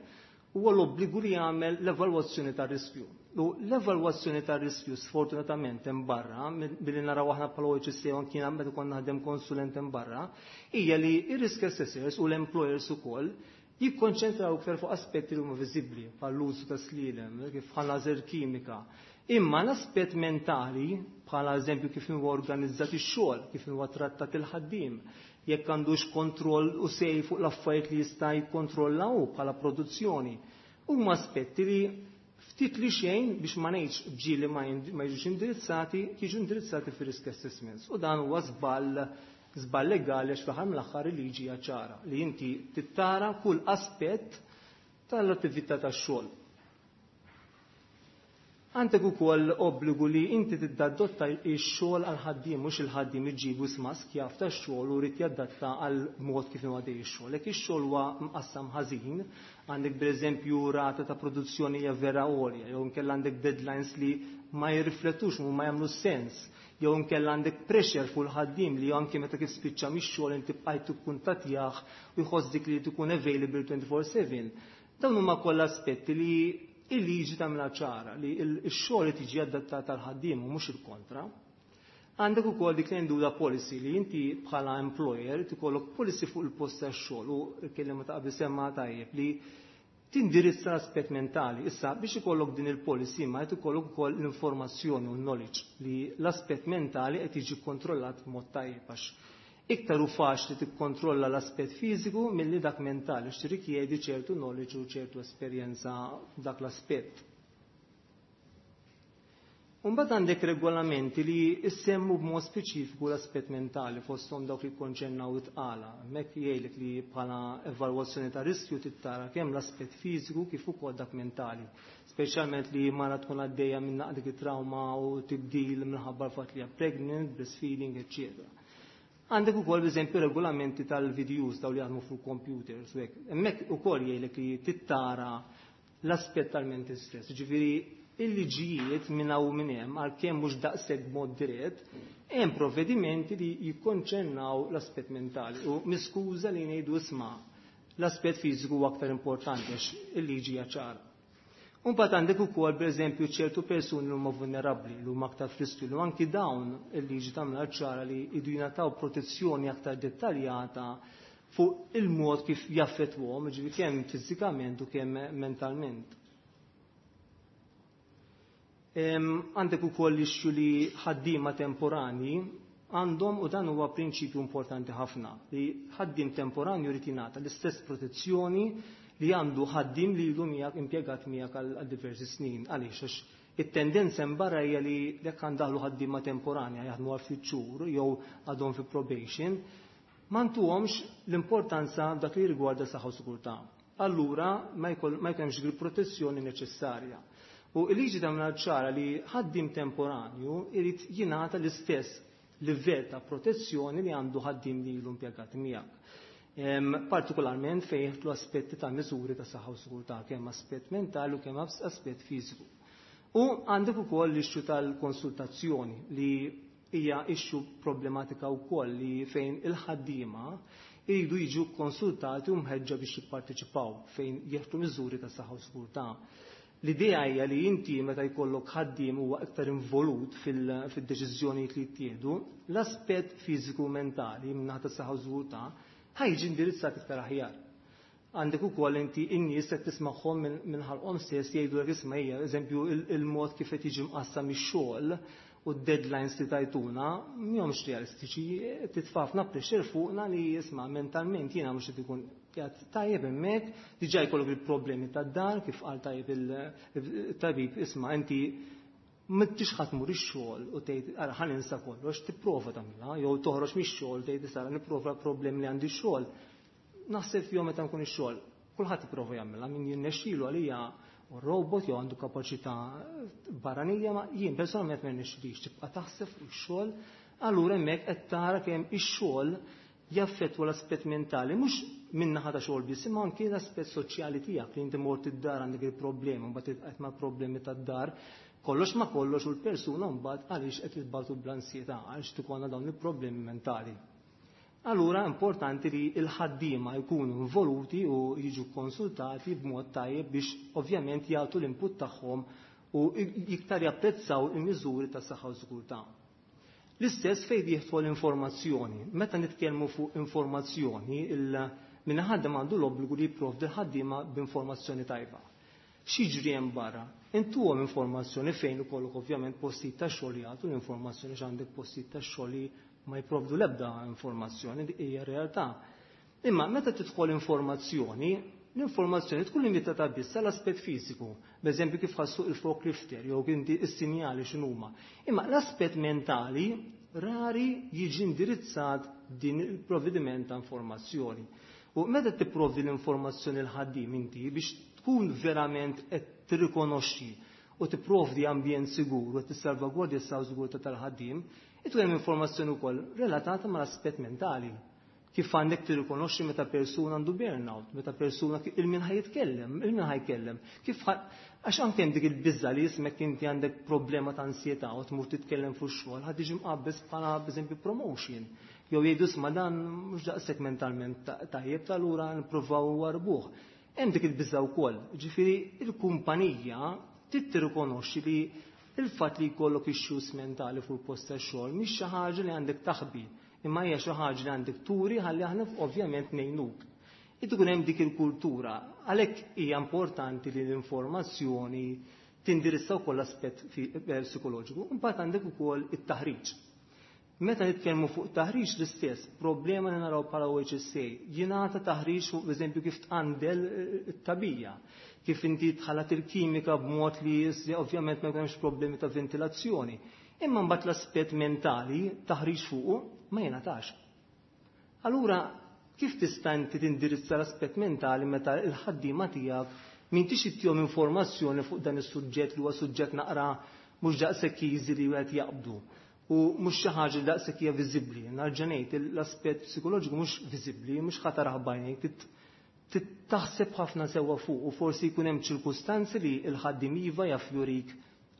huwa l-obbligu li jagħmel l-evalwazzjoni tar-riskju. U l-evalwazzjoni tar-riskju sfortunatament hemm barra, billi naraw aħna bħala OHSA u anki meta konna naħdem konsulent hemm barra, hija li r-risk assessors u l-employers ukoll jikkonċentraw iktar fuq aspetti li huma viżibbli bħall-użu ta' slielem, kif bħala kimika. Imma l-aspett mentali, bħala eżempju kif huwa organizzat ix-xogħol, kif huwa trattat il-ħaddiem, jekk għandux kontroll u sej fuq l-affarijiet li jista' jikkontrollaw bħala produzzjoni, huma aspetti li ftit li xejn, biex ma ngħidx ġieli ma jiġux indirizzati, jiġu indirizzati fir-risk assessments. U dan huwa żball Żball legali għax fl-aħħar mill-aħħar il-liġi hija ċara li inti tittara kull aspett tal-attività tax-xogħol. Għandek ukoll obbligu li inti tiddadotta x-xogħol għal ħaddiem mhux il-ħaddiem iġibu smask jaf tax-xogħol u rid jadatta għal mod kif huwa dej ix-xogħol. Jekk ix-xogħol huwa mqassam ħażin, għandek pereżempju rata ta' produzzjoni hija vera għolja, jew inkella għandek deadlines li ma jirriflettux u ma jagħmlu sens, jew inkella għandek pressure fuq il-ħaddiem li anke meta kif spiċċa mix-xogħol inti bqajt tikkuntattjah u jħoss dik li tkun available 24/7. Dawn huma kollha aspetti li il-liġi tagħmilha ċara li x-xogħol tiġi adattat għal ħaddiem u mhux il-kontra. Għandek ukoll dik li ndura policy li inti bħala employer tikollok policy fuq il-post tax-xogħol u l-kelliema ta' qabel semma tajjeb li tindirizza l-aspett mentali. Issa biex ikollok din il-policy ma qed ikollok ukoll l-informazzjoni u l-knowledge li l-aspett mentali qed jiġi kontrollat b'mod tajjeb għax iktar hu faċli tikkontrolla l-aspett fiżiku milli dak mentali għax tirrikjedi ċertu knowledge u ċertu esperjenza f'dak l-aspett. Mbagħad għandek regolamenti li jsemmu b'mod speċifiku l-aspett mentali fosthom dawk li jikkonċernaw it-tqala. Hemmhekk jgħidlek li bħala evalwazzjoni ta' riskju tittara kemm l-aspett fiżiku kif ukoll dak mentali. Speċjalment li mara tkun għaddejja minn dik it-trauma u tibdil minħabba l-fatt li hija pregnant, breastfeeding, eċċetera. Għandek ukoll b'eżempju regolamenti tal-videos daw li jaħdmu fuq computers u hekk. Hemmhekk ukoll jgħidlek li tittara l-aspett tal-mental stress. Ġifieri il-liġijiet minn hawn minn hemm għalkemm mhux daqshekk b'mod dirett, hemm provvedimenti li jikkonċernaw l-aspett mentali. U miskuża li ngħidu isma' l-aspett fiżiku huwa aktar importanti għax il-liġi hija ċara. Mbagħad għandek ukoll pereżempju ċertu persuni li huma vulnerabbli, li huma aktar f'riskju, li anki dawn il-liġi tagħmilha ċara li jridu jingħataw protezzjoni aktar dettaljata fuq il-mod kif jaffettwhom, ġifieri kemm fiżikament u kemm mentalment. Għandek ukoll issue li ħaddiema temporani għandhom, u dan huwa prinċipju importanti ħafna, li ħaddiem temporanju jrid jingħata l-istess protezzjoni li għandu ħaddiem li ilu miegħek impjegat miegħek għal diversi snin. Għaliex? Għax it-tendenza hemm barra hija li jekk għandaħlu ħaddiema temporanja jaħdmu għal ftit xhur jew għadhom fi probation, ma ntuhomx l-importanza dak li rigwarda saħħa u sigurtà. Allura ma jkunx il-protezzjoni neċessarja. U l-liġi tagħmilha ċara li ħaddiem temporanju irid jingħata l-istess livell ta' protezzjoni li għandu ħaddiem li ilu impjegat miegħek. Partikolarment fejn jidħlu aspetti ta' miżuri ta' saħħa u sigurtà, kemm aspett mentali u kemm aspett fiżiku. U għandek ukoll l-issue tal-konsultazzjoni li hija issue problematika wkoll li fejn il-ħaddiema jridu jiġu konsultati u mħeġġa biex jipparteċipaw fejn jieħdu miżuri ta' saħħa u sigurtà. L-idea hija li inti meta jkollok ħaddiem huwa iktar involut fid-deċiżjonijiet li jittieħdu, l-aspett fiżiku u mentali min-naħa ta' saħħa u sigurtà ħajġi indirizzat iktar aħjar. Għandek ukoll inti in-nies qed tismagħhom minn ħalqhom stess jgħidu isma' hija, eżempju, il-mod kif qed jiġi mqassam ix-xogħol u d-deadlines li tajtuna mhomx realistiċi, titfa' ħafna pressure fuqna li isma' mentalment jiena mhux qed ikun qiegħed tajjeb hemmhekk, diġà jkollok il-problemi tad-dar kif qal tajjeb il-tabib isma' inti m'intix ħadd tmur ix-xogħol u tgħid ara ħa ninsa kollox, tipprova tagħmilha, jew toħroġ mix-xogħol tgħid issa nipprova problemi li għandi x-xogħol. Naħseb fihom meta nkun ix-xogħol. Kulħadd ipprova jagħmilha, min jirnexxielu għalija u robot jew għandu kapaċità barranija, ma jien personalment ma jirnexxilix tibqa' taħseb fuq ix-xogħol, allura hemmhekk qed tara kemm ix-xogħol jaffettwa l-aspett mentali, mhux min-naħa ta' xogħol biss, imma anke l-aspett soċjali tiegħek li inti mort id-dar għandek il-problemi, mbagħad tibqa' ma' problemi tad-dar, kollox ma kollox u l-persuna mbagħad għaliex qed tibgħatu bl-ansjetà, għaliex tkollna dawn il-problemi mentali. Allura importanti li l-ħaddiema jkunu involuti u jiġu konsultati b'mod tajjeb biex ovvjament jagħtu l-input tagħhom u iktar japprezzaw il-miżuri ta' saħħa u sigurtà. L-istess fejn jidħol l-informazzjoni. Meta nitkellmu fuq informazzjoni, min ħaddem għandu l-obbligu li jipprovdi l-ħaddiema b'informazzjoni tajba. X'jiġri hemm barra? Intuhom informazzjoni fejn ikollok ovvjament postijiet ta' xogħol jagħtu l-informazzjoni x'għandek postijiet ta' xogħol li ma jipprovdu l-ebda informazzjoni, dik hija realtà. Imma meta tidħol informazzjoni, l-informazzjoni tkun limitata biss għall-aspett fiżiku, b'eżempju kif ħassu il-forklifter jew inti s-sinjali x'inhuma. Imma l-aspett mentali, Rari jiġi indirizzat din il-provvediment ta' informazzjoni. U meta tipprovdi l-informazzjoni l-ħaddiem inti biex tkun verament qed tirrikonoxxi u tipprovdi ambjent sigur u tissalvagwardja s-sigurtà tal-ħaddiem, ikun hemm informazzjoni wkoll relatata mal-aspett mentali. Kif għandek tirrikonoxxi meta persuna għandu burnout, meta persuna il-min ħa jitkellem, il-min ħa jkellem. Kif għax anke hemm dik il-biża li jismek inti għandek problema ta' ansjetà u tmur titkellem fuq xogħol, ħa tiġi mqabbeż bħala b'eżempju promotion. Jew jgħidu isma' dan mhux daqshekk mentalment tajjeb, tal-ura nippruvaw warbuh. Hemm dik il-biża wkoll. Ġifieri il-kumpanija trid tirrikonoxxi li il-fatt li jkollok issues mentali fuq il-post tax-xogħol mhix xi ħaġa li għandek taħbi, imma hija xi ħaġa li għandek turi ħalli aħna ovvjament ngħinuk. Ikun hemm dik il-kultura, għalhekk hija importanti li l-informazzjoni tindirizza wkoll l-aspett psikoloġiku, imbagħad għandek ukoll it-taħriġ. Meta nitkellmu fuq taħriġ l-istess, problema li naraw bħala OHSA, jingħata taħriġ fuq eżempju kif tqandel it-tagħbija, kif inti tħallat il-kimika b'mod li ovvjament ma jkunx problemi ta' ventilazzjoni. Imma mbagħad l-aspett mentali taħriġ fuqu ma jingħatax. Allura kif tista' inti tindirizza l-aspett mentali meta l-ħaddiema tiegħek m'intix ittihom informazzjoni fuq dan is-suġġett li huwa suġġett naqra mhux daqshekk easy li wieħed jaqbdu u mhux xi ħaġa li daqshekk hija viżibbli. Nerġa' ngħid l-aspett psikoloġiku mhux viżibbli, mhux ħa tarah b'għajnejk, taħseb ħafna sewwa fuq u forsi jkun hemm ċirkustanzi li l-ħaddiem iva jaf jurik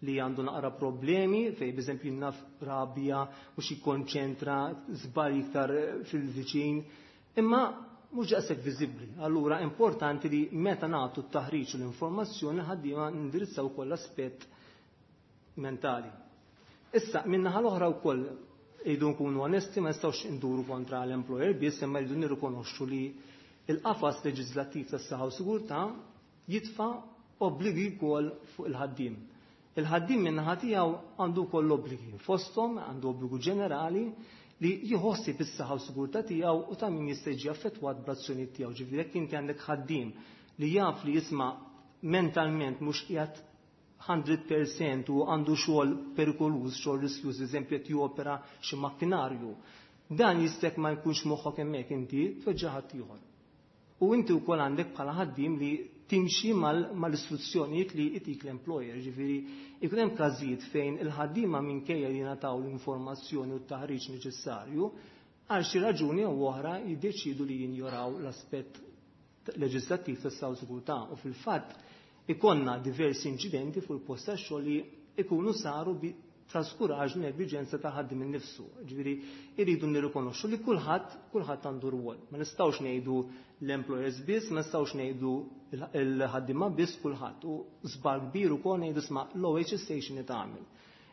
li għandu naqra problemi, fej b'eżempju naf rabja, mhux jikkonċentra, żball iktar fil-viċin, imma mhux daqshekk viżibbli. Allura importanti li meta nagħtu t-taħriġ u l-informazzjoni ħaddiema nindirizzaw ukoll l-aspett mentali. Issa, min-naħa l-oħra wkoll irridu nkunu onesti, ma nistgħux induru kontra l-employer biss, imma rridu nirrikonoxxu li il-qafas leġislattiv tas-saħħa u sigurtà jitfa' obbligi wkoll fuq il-ħaddiem. Il-ħaddiem min-naħa tiegħu għandu wkoll obbligi, fosthom għandu obbligu ġenerali li jħossi bis-saħħa u sigurtà tiegħu u ta' min jista' jiġi affettwat bl-azzjonijiet tiegħu. Ġifieri jekk inti għandek ħaddiem li jaf li jisma' mentalment mhux qiegħed 100% u għandu xogħol perikoluż, xogħol riskjuż, eżempju qed jopera xi makkinarju, dan jistek ma jkunx moħħok hemmhekk inti tweġġa' ħadd ieħor. U inti wkoll għandek bħala ħaddiem li timxi mal-istruzzjonijiet li itik l-employer, ġifieri ikun hemm każijiet fejn il-ħaddiema minkejja li jingħataw l-informazzjoni u t-taħriġ neċessarju, għal xi raġuni jew oħra jiddeċidu li jinjoraw l-aspett leġislattiv tas-saħħa u sigurtà u fil-fatt ikonna diversi inċidenti fuq il-post tax-xogħol li ikunu saru bi traskuraġni negliġenza ta' ħaddiem innifsu. Ġifieri irridu nirrikonoxxu li kulħadd għandu rwol. Ma nistgħux ngħidu l-employers biss, ma nistgħux ngħidu l-ħaddiema biss, kulħadd. U żball kbir ukoll ngħidu sma' l-OHSA x'inhi tagħmel.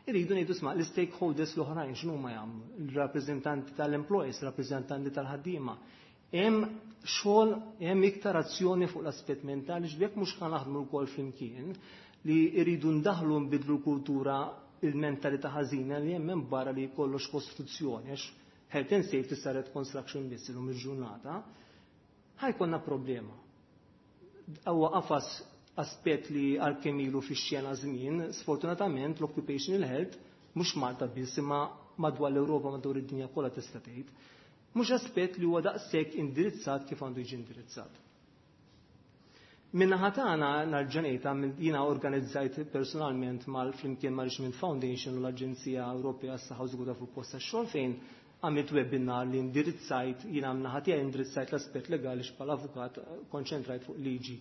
Irridu ngħidu sma' l-stakeholders l-oħrajn x'inhuma jagħmlu, il-rappreżentanti tal-employers, il-rappreżentanti tal-ħaddiema. Hemm xogħol, hemm iktar azzjoni fuq l-aspett mentali, x'bek mhux ħa naħdmu wkoll flimkien li rridu ndaħlu nbidlu l-kultura, il-mentalità ħażina li hemm hemm barra li kollox kostruzzjoni, għax health and safety saret construction biss illum il-ġurnata, ħajkonna problema. Huwa qafas aspett li għalkemm ilu fix-xena żmien, sfortunatament l-occupational health mhux Malta biss imma madwar l-Ewropa, madwar id-dinja kollha tista' tgħid, mhux aspett li huwa daqshekk indirizzat kif għandu jiġi indirizzat. Min-naħa tagħna nerġa' ngħid jiena organizzajt personalment mal flimkien ma' Richmond Foundation u l-Aġenzija Ewropea għas-Saħħa u Sigurtà fuq post tax-xogħol fejn għamilt webinar li indirizzajt, jiena min-naħa tiegħi indirizzajt l-aspett legali bħala avukat konċentrajt fuq liġi.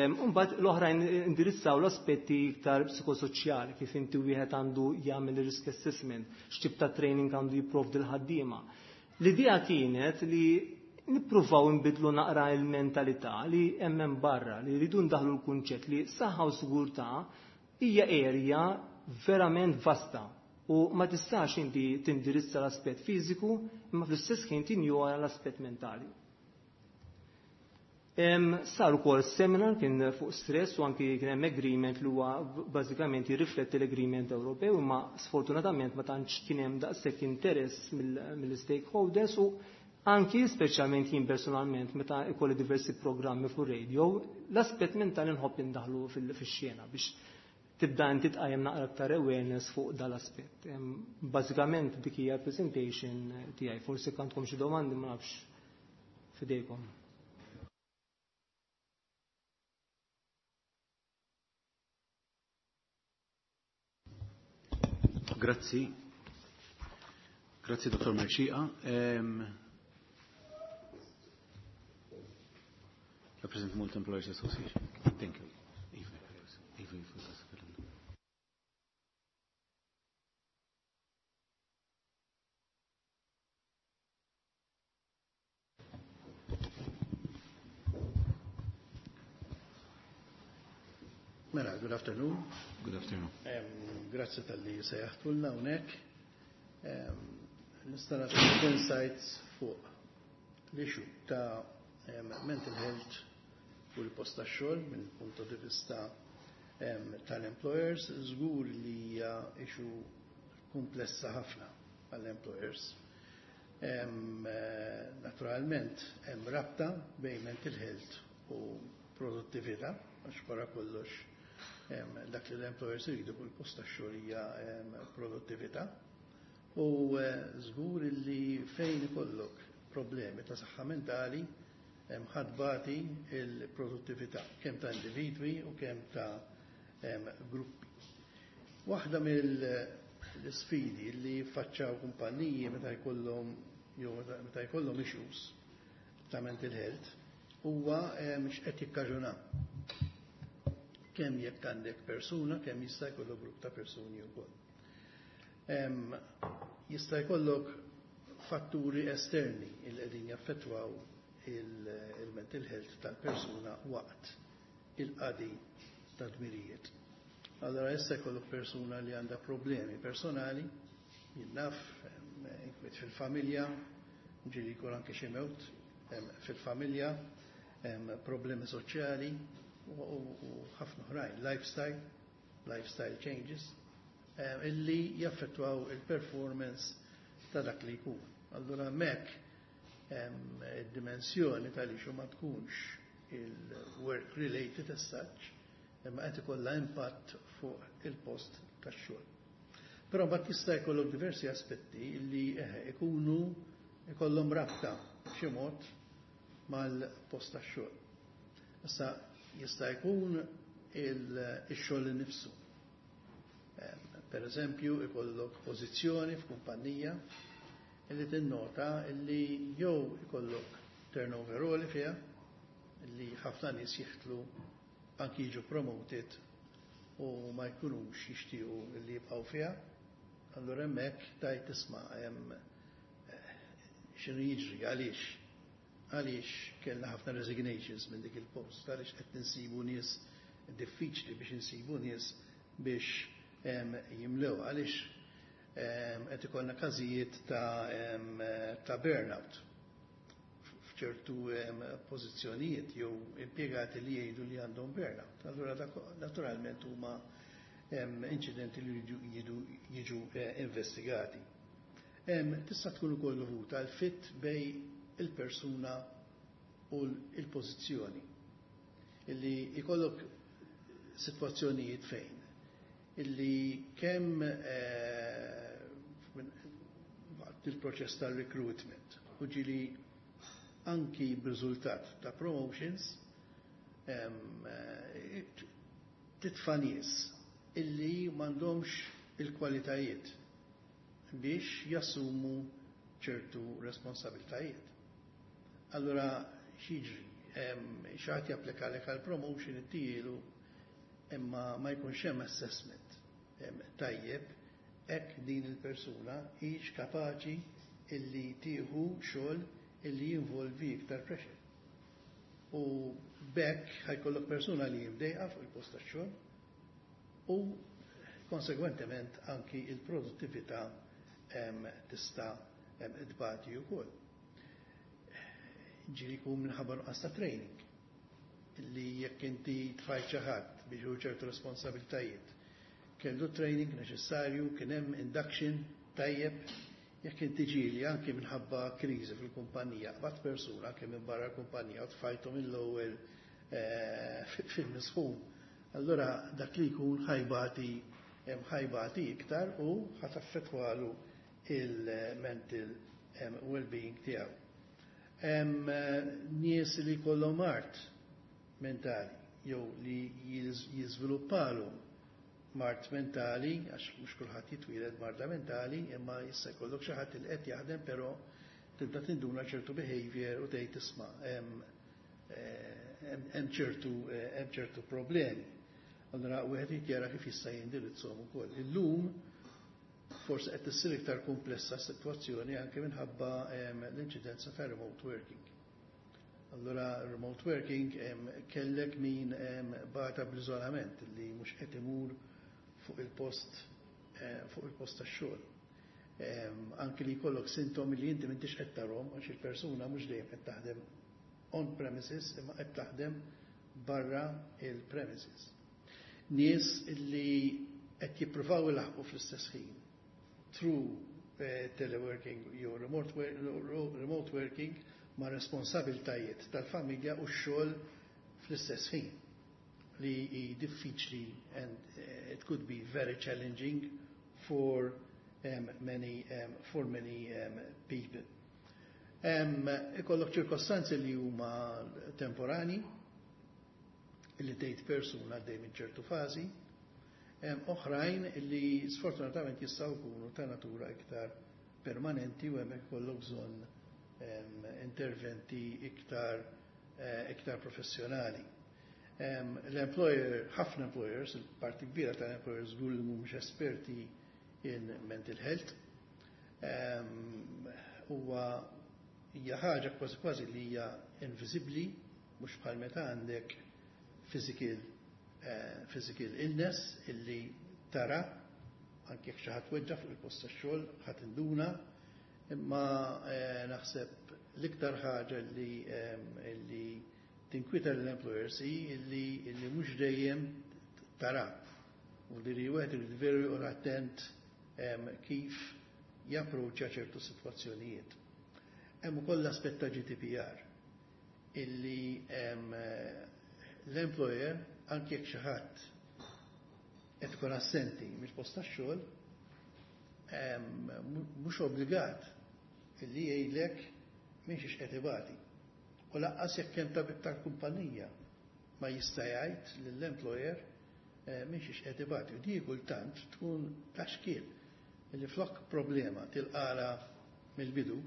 Imbagħad l-oħrajn indirizzaw l-aspetti iktar psikosoċjali, kif inti wieħed għandu jagħmel risk assessment, x'tip ta' training għandu jipprovdi l-ħaddiema. L-idea kienet li nippruvaw nbidlu naqra il-mentalità li hemm hemm barra, li rridu ndaħlu l-kunċett li saħħa u sigurtà hija area verament vasta u ma tistax inti tindirizza l-aspett fiżiku imma fl-istess ħin tinjora l-aspett mentali. Sar ukoll seminar kien fuq stress u anki kien hemm agreement li huwa bażikament jirrifletti l-agreement Ewropew, imma sfortunatament ma tantx kien hemm daqshekk interess mill-stakeholders u anki speċjalment jien personalment meta ikolli diversi programmi fuq radio, l-aspett mentali nħobb indaħlu fix-xena biex Tibda inti tqajjem naqra aktar awareness fuq dal-aspett. Bażikament dik hija presentation tiegħi. Forsi għandkom xi domandi, ma nafx, fidejkom. Grazzi. Grazzi, Dr. Merxieqa. Represent Malta Employers Association. Thank you. Iva, Iva, Iva. Mela, good afternoon. Good afternoon. Grazzi talli sejjaħtulna hawnhekk. Nista' nagħti insights fuq l-issue ta' mental health u l-post tax-xogħol minn punto di vista tal-employers. Żgur li hija issue komplessa ħafna għall-employers. Naturalment hemm rabta bejn mental health u produttività, għax wara kollox dak li l-employers iridu fuq il-post tax-xogħol hija produttività. U żgur li fejn ikollok problemi ta' saħħa mentali ħa tbati il-produttività kemm ta' individwi u kemm ta' gruppi. Waħda mill-sfidi li faċċaw kumpanniji meta jkollhom jew meta jkollhom issues ta' mental health huwa x'qed jikkaġuna. Kemm jekk għandek persuna, kemm jista' jkollok grupp ta' persuni wkoll. Jista' jkollok fatturi esterni il qegħdin jaffettwaw il-mental health tal-persuna waqt il-qadi ta' dmirijiet. Allora issa jkollok persuna li għandha problemi personali, jien naf, inkwiet fil-familja, ġieli jkun anke xi mewt fil-familja, problemi soċjali u ħafna oħrajn, lifestyle changes, illi jaffettwaw il-performance ta' dak li jkun. Allura hemmhekk id-dimensjoni tal-issue ma tkunx il-work related as such, imma qed ikollha impatt fuq il-post tax-xogħol. Però mbagħad jista' jkollok diversi aspetti li ikunu ikollhom rabta b'xi mod mal-post tax-xogħol. Issa jista' jkun il-xogħol innifsu. Per eżempju, ikollok pożizzjoni f'kumpanija illi tinnota illi jew ikollok turnover għoli fiha, illi ħafna nies jiħtlu, anki jiġu promoted u ma jkunux jixtiequ illi jibqgħu fiha. Allura hemmhekk tajt tisma' hemm x'inhu jiġri, għaliex kellna ħafna resignations minn dik il-post, għaliex qed ninsibu nies, diffiċli biex insibu nies biex jimlew, għaliex qed ikollna każijiet ta' burnout f'ċertu pożizzjonijiet jew impjegati li jgħidu li għandhom burnout. Allura dak naturalment huma inċidenti li jiġu investigati. Tista' tkun ukoll dovuta għal fit bejn il-persuna u l-pożizzjoni. Illi jkollok sitwazzjonijiet fejn illi kemm waqt il-proċess tal-recruitment u ġieli anki b'riżultat ta' promotions titfa' nies illi m'għandhomx il-kwalitajiet biex jassumu ċertu responsabiltajiet. Allura x'jiġri? Xi ħadd japplika lek għal promotion, ittijielu, imma ma jkunx hemm assessment tajjeb hekk din il-persuna hix kapaċi illi tieħu xogħol illi jinvolvi iktar pressure. U b'hekk ħa jkollok persuna li jimdejqa fuq il-post tax-xogħol u konsegwentement anki il-produttività tista' tbati wkoll. Ġieli jkun minħabba nuqqas ta' training li jekk inti tfajt xi ħadd biex hu ċertu responsabiltajiet, kellu training neċessarju, kien hemm induction tajjeb? Jekk inti ġieli anke minħabba kriżi fil-kumpanija, qbadt persuna anke minn barra l-kumpanija u tfajtu mill-ewwel fil-misħun. Allura dak li jkun ħa jbati iktar u ħa taffettwalu il-mental well-being tiegħu. Nies li jkollhom mard mentali jew li jiżviluppalu mard mentali, għax mhux kulħadd jitwieled marda mentali, imma jista' jkollok xi ħadd li qed jaħdem, però tibda tinduna ċertu behavior u tgħid, "Isma', hemm ċertu problemi." Allora wieħed jara kif jista' jindirizzhom ukoll. Illum forsi qed issir iktar komplessa sitwazzjoni anke minħabba l-inċidenza ta' remote working. Allora remote working, kellek min bata bl-iżolament li mhux qed imur fuq il-post tax-xogħol. Anke li jkollok sintomi li inti m'intix qed tarhom, għax il-persuna mhux dejjem qed taħdem on premises imma qed taħdem barra il-premises. Nies li qed jippruvaw ilaħqu fl-istess ħin through teleworking jew remote working ma' responsabiltajiet tal-familja u x-xogħol fl-istess ħin, li hi diffiċli and it could be very challenging for many people. Ikollok ċirkostanzi li huma temporani, li tgħid persuna għaddej minn ċertu fażi, oħrajn li sfortunatament jistgħu jkunu ta' natura iktar permanenti u hemmhekk ikollok bżonn interventi iktar professjonali. L-employer, ħafna employers, il-parti kbira tal-employers żgur li mhumiex esperti in mental health. Huwa hija ħaġa kważi kważi li hija inviżibbli, mhux bħal meta għandek physical illness illi tara, anke jekk xi ħadd weġġa fuq il-post tax-xogħol ħadd induna, imma naħseb l-iktar ħaġa li tinkwita l-employers hi li mhux dejjem tara. U li wieħed irid veru joqgħod attent kif japproċċja ċertu sitwazzjonijiet. Hemm ukoll l-aspett ta' GDPR illi l-employer, anke jekk xi ħadd qed ikun assenti mill-post tax-xogħol, mhux obbligat illi jgħidlek minn xiex qed ibati. U lanqas jekk hemm tabib tal-kumpanija ma jista' jgħid lill-employer minn xiex qed ibati. U di kultant tkun ta' xkiel illi flok problema tilqala mill-bidu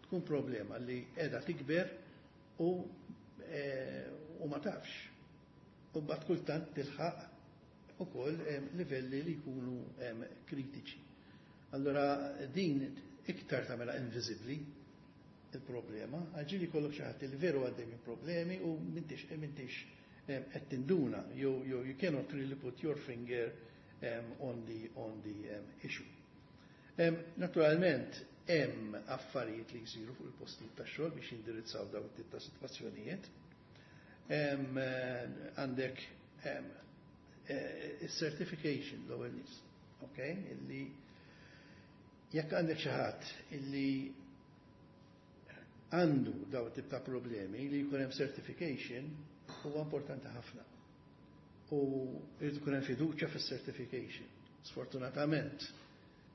tkun problema li qiegħda tikber u ma tafx. U mbagħad kultant tilħaq ukoll livelli li jkunu kritiċi. Allora din iktar tagħmilha inviżibbli il-problema, għax ġieli jkollok xi ħadd li veru għaddej minn problemi u m'intix qed tinduna, you cannot really put your finger on the issue. Naturalment, hemm affarijiet li jsiru fuq il-postijiet tax-xogħol biex jindirizzaw dawn it-tip ta' sitwazzjonijiet. Għandek certification l-ewwel nies, okay? Illi jekk għandek xi ħadd illi għandu daw tip ta' problemi, li jkun hemm certification huwa importanti ħafna. U jrid ikun hemm fiduċja fis-certification. Sfortunatament,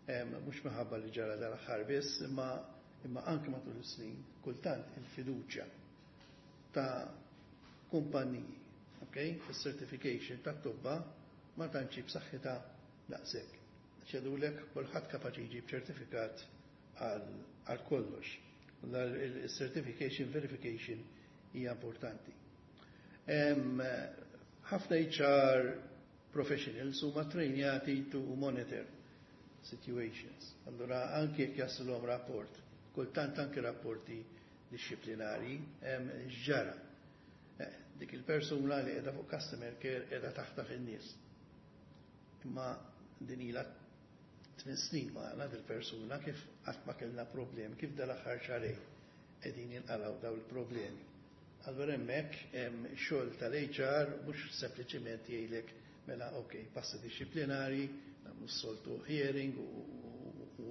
mhux minħabba li ġara dal-aħħar biss, imma anke matul is-snin, kultant il-fiduċja ta' kumpaniji, okay, fis-certification ta' tobba ma tantx b'saħħitha daqshekk. Jgħidulek kulħadd kapaċi jġib ċertifikat għal kollox. Il-certification verification hija importanti. Ħafna HR professionals huma trejnjati to monitor situations. Allora anke jekk jaslhom rapport, kultant anke rapporti disciplinari, ġara. Dik il-persuna li qiegħda fuq customer care qiegħda taħtaf in-nies. Imma din ilha 8 snin magħna dil-persuna, kif qatt ma kellna problemi, kif dal-aħħar xahrejn qegħdin jinqalgħu daw il-problemi? Allora hemmhekk hemm xogħol tal-HR, mhux sempliċiment jgħidlek, "Mela ok, passi disciplinari, nagħmlu soltu hearing u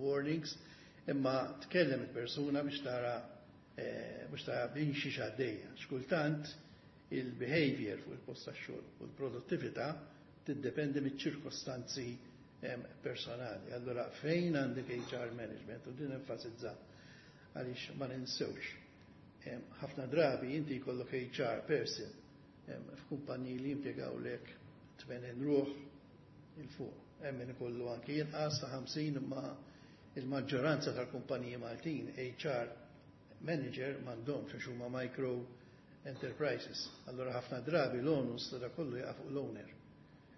warnings," imma tkellem il-persuna biex tara biex tara minn xiex għaddejja. Xkultant Il-behavior fuq il-post tax-xogħol u l-produttività tiddependi miċ-ċirkostanzi personali. Allora fejn għandek HR management, u din enfasizza għaliex ma ninsewx. Ħafna drabi inti jkollok HR person f'kumpaniji li jimpjegawlek 80 ruħ 'il fuq. Hemm min ikollu anki inqas ta' 50, imma il-maġġoranza tal-kumpaniji Maltin HR manager m'għandhomx għax huma micro enterprises. Allora ħafna drabi l-onus ta' kollu jaqa' fuq l-owner.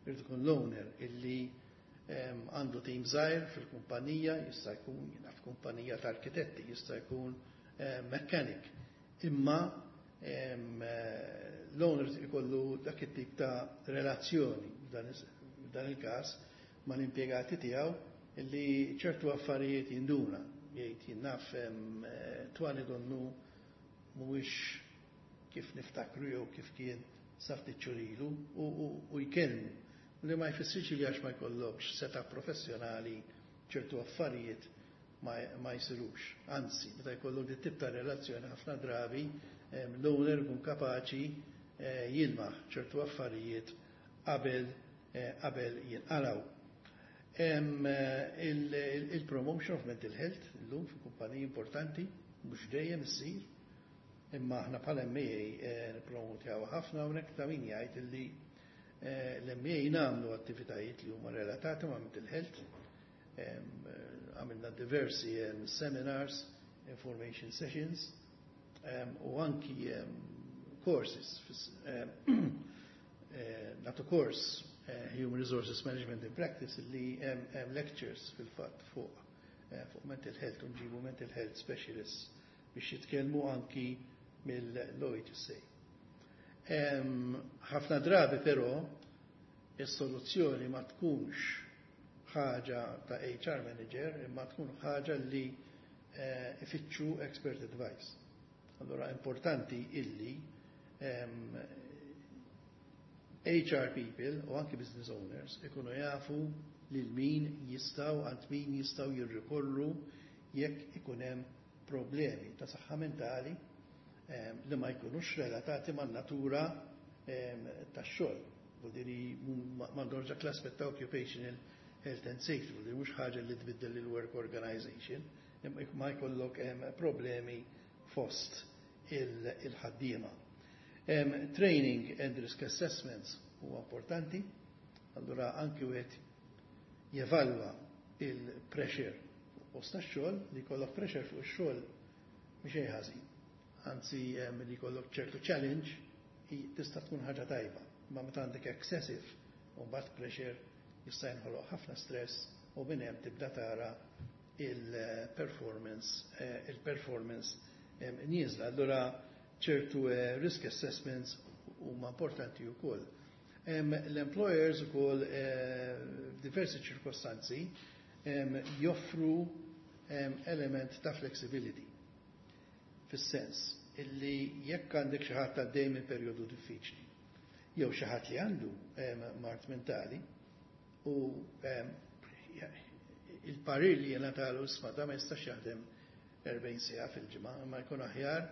Irid ikun l-owner illi għandu tim żgħir fil-kumpanija, jista' jkun jiena f'kumpanija ta' arkitetti, jista' jkun mechanic. Imma l-owner ikollu dak it-tip ta' relazzjoni f'dan il-każ mal-impjegati tiegħu illi ċertu affarijiet jinduna. Jgħid, "Jien naf Twani donnu mhuwiex kif niftakru jew kif kien sa ftit xhur ilu", u jkellmu. Li ma jfissirx li għax ma jkollokx setup professjonali ċertu affarijiet ma jsirux. Anzi, meta jkollok dit tip ta' relazzjoni, ħafna drabi l-owner ikun kapaċi jilmaħ ċertu affarijiet qabel jinqalaw. Il-promotion of mental health illum fi kumpaniji importanti, mhux dejjem issir, imma aħna bħala MA nippromotjaw ħafna. Hawnhekk ta' min jgħid illi l-MA nagħmlu attivitajiet li huma relatati ma' mental health. Għamilna diversi seminars, information sessions u anki courses. Nagħtu course Human Resources Management in Practice li hemm lectures fil-fatt fuq mental health u nġibu mental health specialists biex jitkellmu anki mill-OHSA. Ħafna drabi però is-soluzzjoni ma tkunx ħaġa ta' HR manager, imma tkun ħaġa li ifittxu expert advice. Allora importanti illi HR people u anki business owners ikunu jafu lil min jistgħu, għand min jistgħu jirrikorru jekk ikun hemm problemi ta' saħħa mentali li ma jkunux relatati man natura tax-xogħol. Vuol m'għandhomx dak l-aspett ta' occupational health and safety, vuol mhux ħaġa li tbiddel il-work organization, imma ma jkollok problemi fost il-ħaddiema. Training and risk assessments huwa importanti, allura anki wieħed jevalwa il-pressure fuq post tax-xogħol. Li jkollok pressure fuq ix-xogħol mhix xejn ħażin. Anzi, li jkollok ċertu challenge tista' tkun ħaġa tajba. Ma meta għandek excessive u mbagħad pressure jista' jinħoloq ħafna stress u minn hemm tibda tara il-performance nieżla. Allura ċertu risk assessments huma importanti wkoll. L-employers ukoll f'diversi ċirkostanzi joffru element ta' flexibility. Fis-sens illi jekk għandek xi ħadd għaddej minn perjodu diffiċli, jew xi ħadd li għandu mard mentali u il-parir li jingħatalu, "Isma', da ma jistax jaħdem 40 siegħa fil-ġimgħa, imma jkun aħjar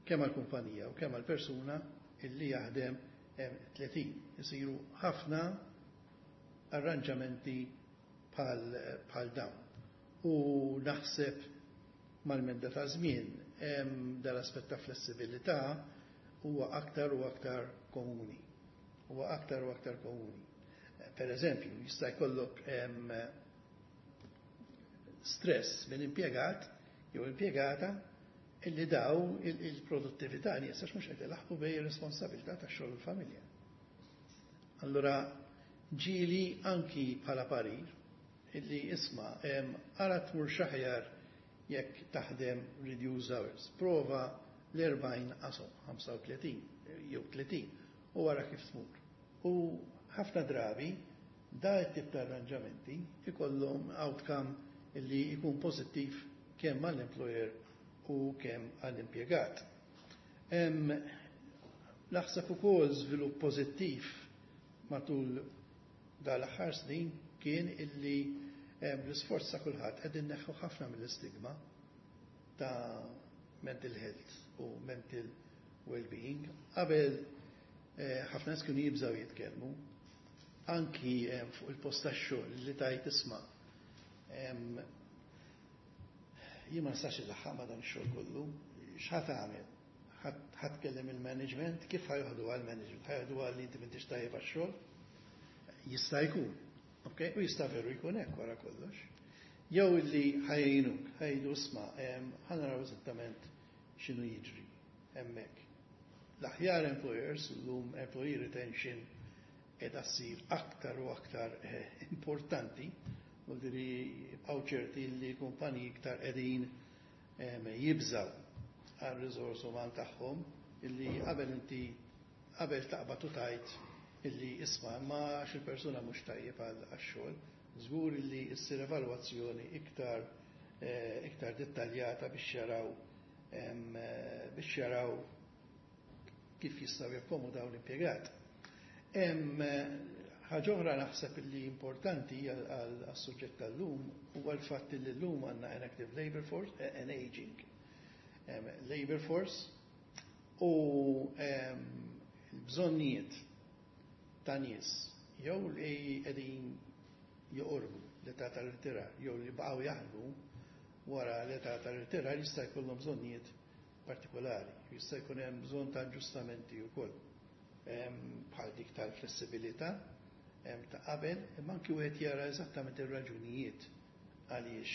kemm għall-kumpanija u kemm għall-persuna illi jaħdem 30." Isiru ħafna arranġamenti bħal dawn. U naħseb mal-medda ta' żmien dal-aspett ta' flessibilità huwa aktar u aktar komuni. Huwa aktar u aktar komuni. Per eżempju, jista' jkollok stress minn impjegat jew impjegata illi daw il-produttività nieqsa mhux qed ilaħqu bejn ir-responsabilità tax-xogħol u l-familja. Allura ġieli anki bħala parir illi, "Isma', ara tmur x'aħjar jekk taħdem reduced hours. Prova l-40 qasom 35 jew 30 u wara kif tmur." U ħafna drabi da tip ta' arranġamenti ikollhom outcome illi jkun pożittiv kemm għall-employer u kemm għall-impjegat. Naħseb ukoll żvilupp pożittiv matul dal-aħħar snin kien illi l-isforz ta' kulħadd qegħdin neħħu ħafna mill-istigma ta' mental health u mental well-being. Qabel ħafna nies kienu jibżgħu jitkellmu, anki fuq il-post tax-xogħol li tajt isma'. Jien ma nistax ilaħħaq ma' dan ix-xogħol kollu, x'ħa tagħmel? Ħa tkellem il-management, kif ħa joħdu għal-management? Ħa joħdu għal li inti m'intix tajjeb għax-xogħol? Jista' jkun. Ok, u jista' veru jkun hekk wara kollox. Jew illi ħa jgħinuk, ħa jgħidu isma', ħa naraw eżattament x'inhu jiġri hemmhekk. L-aħjar employers, llum employee retention qiegħda ssir aktar u aktar importanti, u diri jibqgħu ċerti li kumpaniji iktar qegħdin jibżaw għal riżors uman tagħhom illi qabel inti qabel taqbad u tajt illi isma' ma għax il-persuna mhux tajjeb għax-xogħol, żgur illi ssir evalwazzjoni iktar dettaljata biex jaraw kif jistgħu jakkomodaw l-impjegat. Ħaġa oħra naħseb li importanti għas-suġġett tal-lum huwa l-fatt li llum għandna an active labor force, an aging labor force u l-bżonnijiet ta' nies jew li qegħdin joqorbu l-età tal-irtirar jew li baqgħu jaħdmu wara l-età tal-irtirar jista' jkollhom bżonnijiet partikolari, jista' jkun hemm bżonn ta' aġġustamenti wkoll bħal dik tal-flessibilità ta' qabel, imma anki wieħed jara eżattament ir-raġunijiet għaliex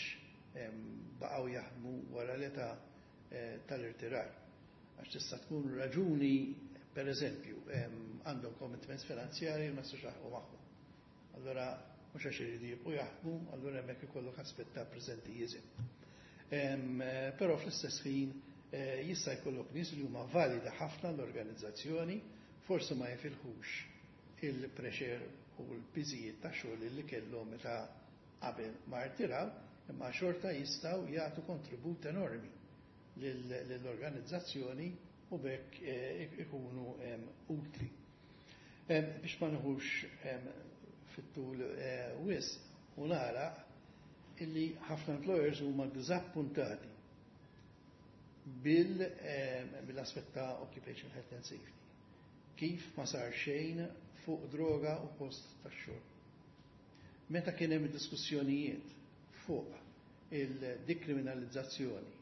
baqgħu jaħdmu wara l-età tal-irtirar. Għax tista' tkun raġuni, per eżempju, għandhom commitments finanzjari ma jistax jaħdmu magħhom. Allora, mhux għax iridu jibqgħu jaħdmu, allura hemmhekk ikollok aspett ta' presenteeism. Però fl-istess ħin jista' jkollok nies li huma valida ħafna l-organizzazzjoni, forsi ma jifilħux il-pressure u l-piżijiet ta' xogħol li kellhom meta qabel ma rtiraw, imma xorta jistgħu jagħtu kontribut enormi lill-organizzazzjoni u b'hekk ikunu utli. Biex ma nħux fit-tul wisq u nara illi ħafna employers huma diżappuntati bil-aspett ta' occupational health and safety. Kif ma sar xejn fuq droga u post ta' xogħol. Meta kien hemm diskussjonijiet fuq il-dikriminalizzazzjoni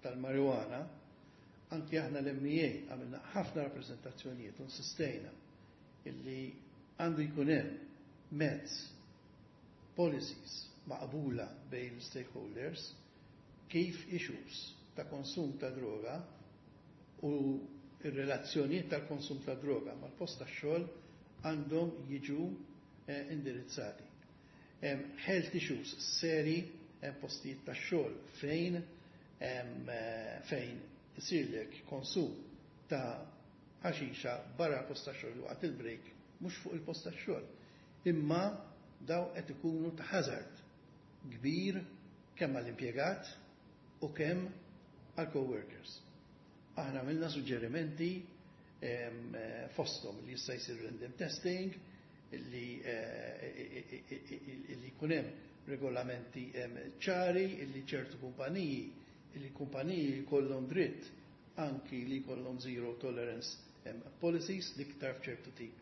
tal-marijuana, anki aħna l-MEA għamilna ħafna rappresentazzjonijiet u insistejna illi għandu jkun hemm mezz policies maqbula bejn stakeholders kif issues ta' konsum ta' droga u il-relazzjonijiet tal-konsum ta' droga mal-post ta' xogħol għandhom jiġu indirizzati. Health issues seri, hemm postijiet ta' xogħol fejn isirlek konsum ta' ħaxixa barra l-post ta' xogħol waqt il-break, mhux fuq il-post ta' xogħol. Imma daw qed ikunu ta' hazard kbir kemm għall-impjegat u kemm għall-coworkers. Aħna għamilna suġġerimenti fosthom li jista' jsir random testing, li jkun hemm regolamenti ċari, illi ċertu kumpaniji, illi kumpaniji jkollhom dritt anki li jkollhom zero tolerance policies l-iktar f'ċertu tip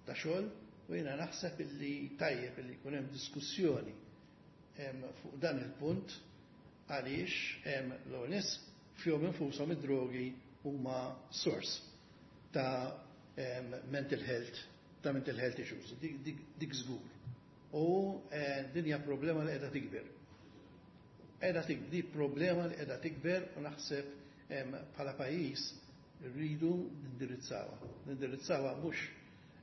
ta' xogħol, u jiena naħseb illi tajjeb illi jkun hemm diskussjoni fuq dan il-punt għaliex l-nies fihom infushom id-drogi huma source ta' mental health issues, dik żgur. U din hija problema li qiegħda tikber. Qiegħda tikber, di problema li qiegħda tikber u naħseb bħala pajjiż rridu nindirizzawha. Nindirizzawha mhux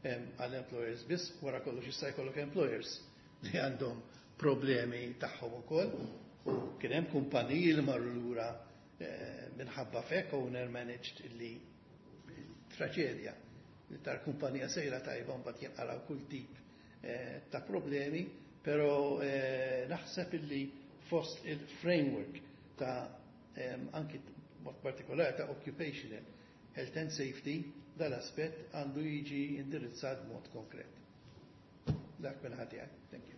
għall-employers biss, wara kollox jista' jkollok employers li għandhom problemi tagħhom ukoll u kien hemm kumpaniji li marru lura minħabba fek owner managed illi traġedja li tal-kumpanija sejra tajba mbagħad jinqalgħu kull tip ta' problemi, però naħseb illi fost il-framework ta' anki mod partikolari ta' occupational health and safety dal-aspett għandu jiġi indirizzat b'mod konkret. Dak minn ħati. Thank you.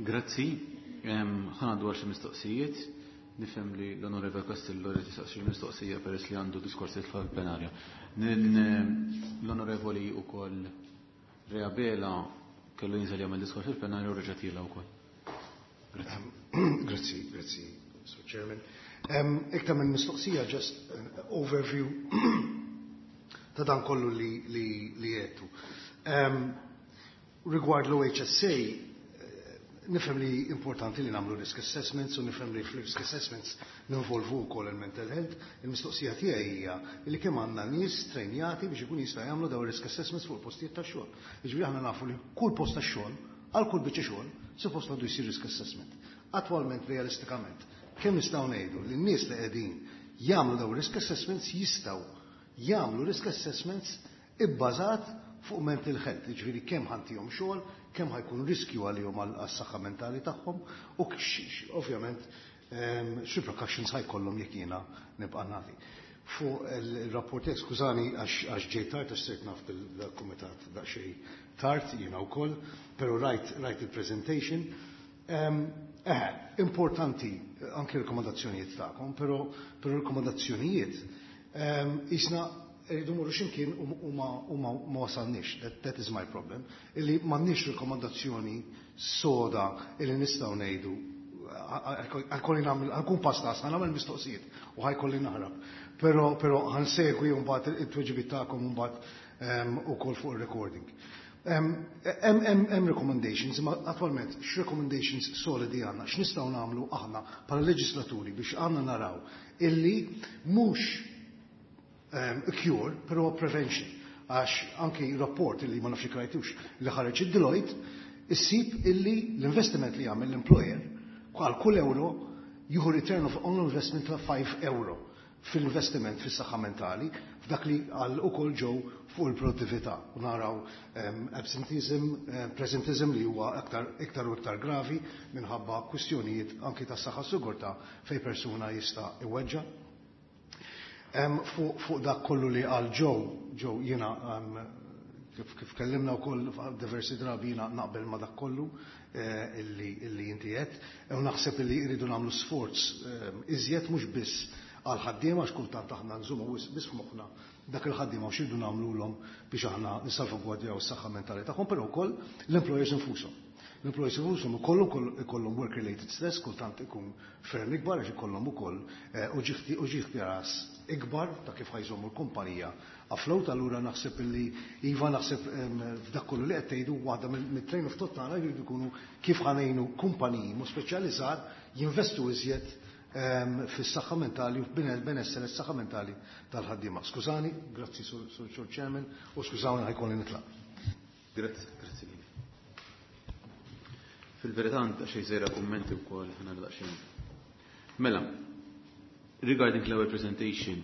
Grazzi. Ħa ngħaddu għal xi mistoqsijiet. Nifhem li l-Onorevole Castillo li tisaqsi mistoqsija peress li għandu diskors fil-plenarja. L-Onorevoli ukoll Reabela kellu jinżel jagħmel diskors fil-plenarja u reġa' tiela wkoll. Grazzi. Grazzi, grazzi, Sir Chairman. Iktar minn mistoqsija, just an overview ta' dan kollu li għedtu. Rigward l-OHSA, nifhem li importanti li nagħmlu risk assessments u nifhem li fl-risk assessments ninvolvu wkoll il-mental health. Il-mistoqsija tiegħi hija li kemm għandna nies trejnjati biex ikun jista' jagħmlu dawn risk assessments fuq il-postijiet tax-xogħol. Jiġifieri aħna nafu li kull post tax-xogħol, għal kull biċċa xogħol, suppost għandu jsir risk assessment. Attwalment, realistikament, kemm nistgħu ngħidu li n-nies li qegħdin jagħmlu dawn risk assessments jistgħu jagħmlu risk assessments ibbażat fuq mental health, jiġifieri kemm ħa ntihom xogħol, kemm ħa jkun riskju għalihom għas-saħħa mentali tagħhom u ovvjament x'repercussions ħa jkollhom jekk jiena nibqa' nagħti. Fuq il-rapport, skużani għax ġejt tard, għax sirt naf bil-kumitat daqsxejn tard jiena wkoll, però rajt il-presentation. Importanti anke rekomandazzjonijiet tagħkom, però rekomandazzjonijiet isna rridu morru x'imkien u ma wasalniex. That is my problem. Illi m'għandniex rekomandazzjoni soda illi nistgħu ngħidu ħa jkolli nagħmel, ħa nkun pastas, ħa nagħmel mistoqsijiet u ħa jkolli naħrab. Però ħa nsegwi mbagħad it-tweġibiet tagħkom mbagħad ukoll fuq il-recording. Hemm recommendations, ma attwalment x'recommendations solidi għandna, x'nistgħu nagħmlu aħna bħala leġislaturi biex għandna naraw illi mhux a cure, però prevention? Għax anki rapport illi ma nafx rajtux li ħareġ id-Deloitte, issib illi l-investiment li jagħmel l-employer għal kull euro jieħu return of on investment ta' 5 euro fil-investiment fis-saħħa mentali, f'dak li għal ukoll ġew fuq il-produttività. U naraw absenteeism, presentism li huwa aktar iktar u iktar gravi minħabba kwistjonijiet anki tas saħħa sigurtà fej persuna jista' iweġġa. Fuq dak kollu li għal ġew jiena kif kellimna wkoll diversi drabi, jiena naqbel ma dak kollu illi inti qed. U naħseb illi jridu nagħmlu sforz iżjed mhux biss għal ħaddiema, għax kultant aħna nżumu biss f'moħħna dak il-ħaddiema u x'irridu nagħmluhom biex aħna nissalvagwardjaw is-saħħa mentali tagħhom, però wkoll l-employers infushom. L-employers infushom ukoll ikollhom work-related stress, kultant ikun ferm ikbar għax ikollhom ukoll uġigħ ras ikbar ta' kif ħa jżommu l-kumpanija afloat. Allura naħseb illi iva, naħseb f'dak kollu li qed tgħidu, waħda mit-train of thought tagħna jridu jkunu kif ħa ngħinu kumpaniji mu speċjalizzat jinvestu iżjed fis-saħħa mentali u f'benessere s-saħħa mentali tal-ħaddiema. Skużani, grazzi, Sur Chairman, u skużawni, ħa jkolli nitlaq. Grazzi, grazzi. Fil-verità għandha xejn żejra kummenti wkoll ħana daqsxejn. Mela, regarding l-ewwel presentation,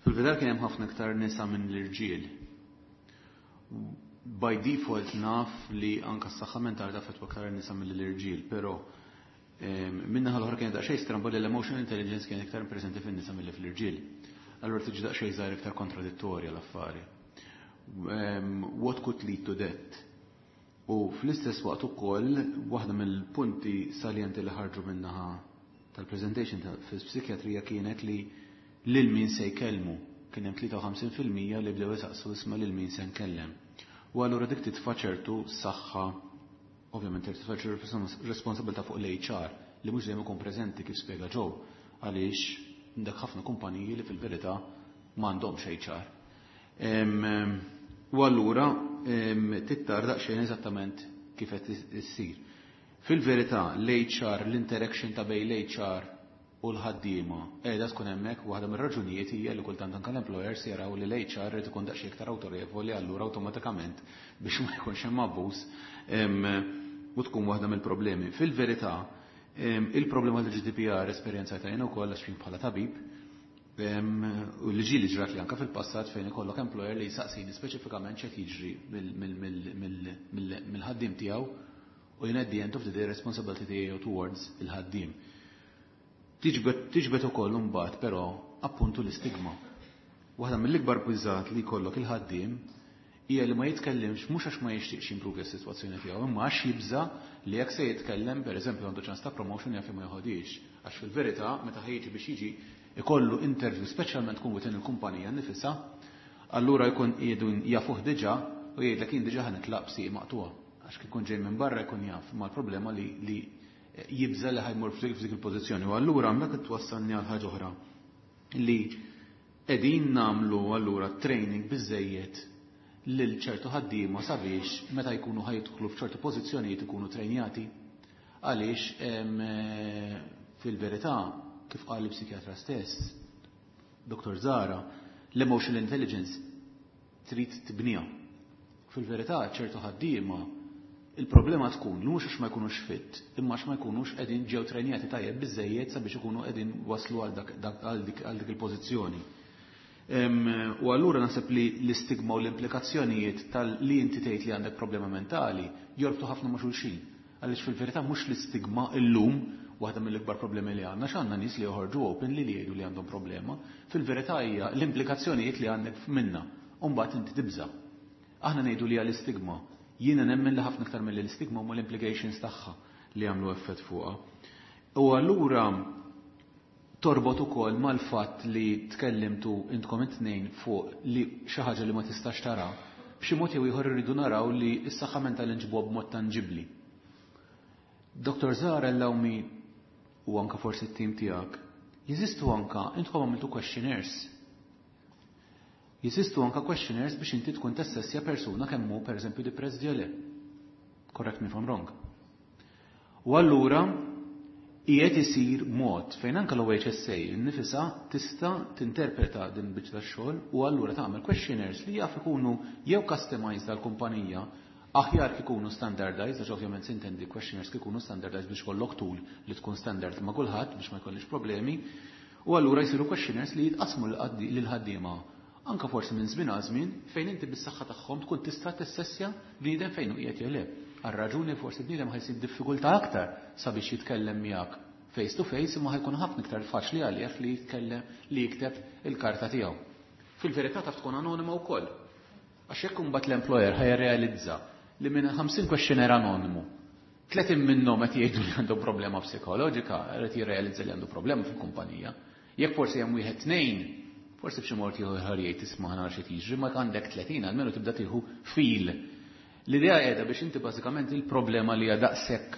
fil-verità kien hemm ħafna iktar nisa minn l-irġiel. By default naf li anka s-saħħa mentali taffettwa aktar nisa mill-irġiel, però minna l-oħra kienet daqsxejn stramba li l-emotional intelligence kienet iktar preżenti fin-nisa milli fl-irġiel. Allura tiġi daqsxejn żgħir iktar kontradittorja l-affari. What could lead to that? U fl-istess waqt ukoll waħda mill-punti salienti li ħarġu minnaħa tal-presentation fil-psikjatrija kienet li lil min se jkellmu, kien hemm 53% li bdew isaqsu, "Isma', lil min se nkellem?" U allura dik titfa' ċertu saħħa, ovvjament titfa' ċertu responsabilità fuq l-HR li mhux dejjem ikun preżenti, kif spjega Joe, għaliex dak ħafna kumpaniji li fil-verità m'għandhomx HR. U allura tittar daqsxejn eżattament kif qed issir. Fil-verità l-HR, l-interaction ta' bejn l-HR u l-ħaddiema qiegħda tkun hemmhekk. Waħda mir-raġunijiet hija li kultant anke l-employers jaraw li l-HR irid ikun daqsxejn iktar awtorevoli, allura awtomatikament biex ma jkunx hemm abbuż u tkun waħda mill-problemi. Fil-verità il-problema tal-GDPR esperjenzajtha jien ukoll għax bħala tabib u li ġieli ġrat li anka fil-passat fejn ikollok employer li jsaqsini speċifikament x'qed jiġri mill-ħaddiem tiegħu u jien at the end of the day responsibility tiegħu towards il-ħaddiem. Tiġbed ukoll imbagħad però appuntu l-istigma. Waħda mill-ikbar biżgħat li jkollok il-ħaddiem Hija li ma jitkellimx mhux għax ma jixtieqx jimpruvi s-sitwazzjoni tiegħu, imma għax jibża li jekk se jitkellem, pereżempju għandu ċans ta' promotion jaf li ma joħodhiex. Għax fil-verità meta ħa jiġi biex jiġi ikollu interview speċjalment tkun within il-kumpanija nnifisha, allura jkun qiegħdu jafuh diġà u jgħidlek jien diġà ħa nitlaq b'sieq maqtugħa. Għax kif ikun ġej minn barra jkun jaf, imma l-problema li li jibża li ħa jmur f'dik il-pożizzjoni. U allura hemmhekk twassalni għal ħaġa oħra li qegħdin nagħmlu allura training biżejjed lil ċertu ħaddiema sabiex meta jkunu ħa jidħlu f'ċertu pożizzjonijiet ikunu trejnjati. Għaliex fil-verità, kif qal il-psikjatra stess, Dr. Zara, l-emotional intelligence trid tibniha. Fil-verità, ċertu ħaddiema il-problema tkun li mhux għax ma jkunux fit, imma għax ma jkunux qegħdin ġew trejnjati tajjeb biżejjed sabiex ikunu qegħdin waslu għal dik il-pożizzjoni. U allura naħseb li l-istigma u l-implikazzjonijiet tal-li inti tgħid li għandek problema mentali jorbtu ħafna ma' xulxin. Għaliex fil-verità mhux l-istigma illum waħda mill-ikbar problemi li għandna, x'għandna nies li joħorġu openly li jgħidu li għandhom problema, fil-verità hija l-implikazzjonijiet li għandek minna. U mbagħad inti tibża'. Aħna ngħidu li hija l-istigma. Jiena nemmen li ħafna iktar mill l-istigma huma l-implications tagħha li jagħmlu effett fuqha. U allura torbot ukoll mal-fatt li tkellimtu intkom it-tnejn fuq li xi ħaġa li ma tistax tara, b'xi mod jew ieħor irridu naraw li s-saħħa mentali nġibuha b'mod tanġibbli. Dr. Zara allow me u anka forsi t-tim tiegħek, jeżistu anka intkom għamiltu questionnaires. Jeżistu anka questionnaires biex inti tkun tassessja persuna kemm hu pereżempju depressed jew le. Correct me if I'm wrong. U allura qiegħed isir mod fejn anke l-OHSA innifisha tista' tinterpreta din biċċa tax-xogħol u allura tagħmel questionnaires li jaf ikunu jew customized għall-kumpanija aħjar kikunu standardized, għax ovvjament sintendi questionnaires kikunu standardized biex kollok tool li tkun standard ma' kulħadd biex ma jkollix problemi. U allura jsiru questionnaires li jitqasmu lil ħaddiema anka forsi minn żmien għal żmien fejn inti bis-saħħa tagħhom tkun tista' tessessja bniedem fejn hu qiegħed jew le. Għar-raġuni forsi bniedem ħa jsib diffikultà aktar sabiex jitkellem miegħek face to face imma ħa jkun ħafna iktar faċli għalih li jitkellem li jikteb il-karta tiegħu. Fil-verità taf tkun anonima wkoll. Għax jekk imbagħad l-employer ħa jirrealizza li minn 50 questionnaire anonimu 30 minnhom qed jgħidu li għandhom problema psikoloġika, qed jirrealizza li għandu problema fil-kumpanija. Jekk forsi hemm wieħed tnejn, forsi b'xi mod ieħor jgħid isma' nara xi jiġri, ma għandek 30 almenu tibda tieħu feel. L-idea qiegħda biex inti bażikament il-problema li hija daqshekk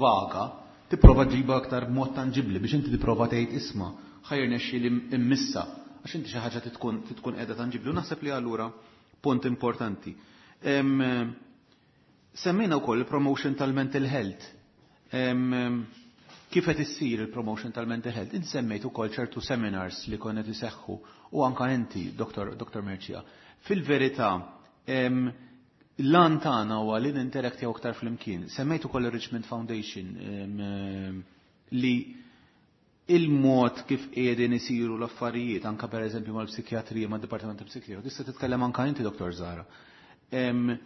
vaga, tipprova ġiba aktar b'mod tanġibli biex inti tipprova tgħid isma' ħa jirnexxi li immissa għax inti xi ħaġa tkun qiegħda tanġibli u naħseb li allura punt importanti. Semmejna wkoll il-promotion tal-mental health. Kif qed issir il-promotion tal-mental health? Insemmejt ukoll ċertu seminars li konna iseħħu u anka inti, Dr. Dr. Mercia. Fil-verità, l-għan tagħna huwa li ninteraktjaw aktar flimkien. Semmejt ukoll il-Richmond Foundation li il-mod kif qiegħdin isiru l-affarijiet, anka per eżempju mal-psikjatrija, mad-Dipartiment ta' Psikjatrija, tista' titkellem anka inti, Dr. Zara. Kemm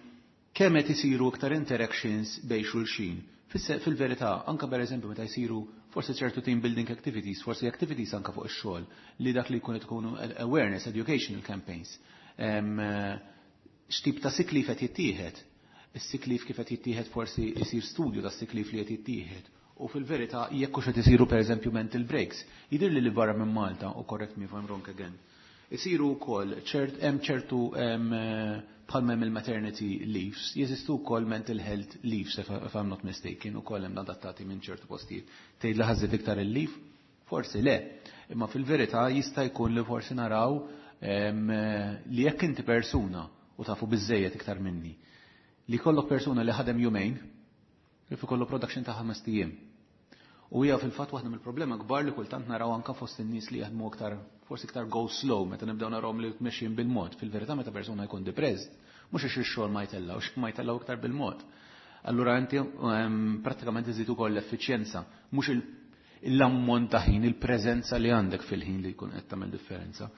qed isiru iktar interactions bejn xulxin. Fil-verità, anka per eżempju meta jsiru forsi ċertu team building activities, forsi activities anka fuq ix-xogħol li dak li jkun tkunu awareness, educational campaigns. X'tip ta' sick leave qed jittieħed? Is-sick leave kif qed jittieħed forsi jsir studju ta' sick leave li qed jittieħed. U fil-verità jekk hux qed isiru pereżempju mental breaks. Jidher li barra minn Malta, u correct me if I'm wrong again, isiru wkoll ċert hemm ċertu bħalma hemm il-maternity leaves, jeżistu wkoll mental health leaves if I'm not mistaken, ukoll hemm adattati minn ċertu postijiet. Tgħid li ħażet iktar il-leave? Forsi le, imma fil-verità jista' jkun li forsi naraw li jekk inti persuna u tafu biżejjed iktar minni, li kollok persuna li ħadem jumejn, li fi kollu production ta' 5 ijiem. U hija fil-fatt waħda mill-problema kbar li kultant naraw anka fost in-nies li jaħdmu aktar forsi iktar go slow meta nibdew narawhom li mexjin bil-mod. Fil-verità meta persuna jkun depressed, mhux għax ix-xogħol ma jtellgħux, ma jtellgħu iktar bil-mod. Allura inti prattikament iżid ukoll l-effiċjenza, mhux l-ammont ta' ħin, il-preżenza li għandek fil-ħin li jkun qed tagħmel differenza.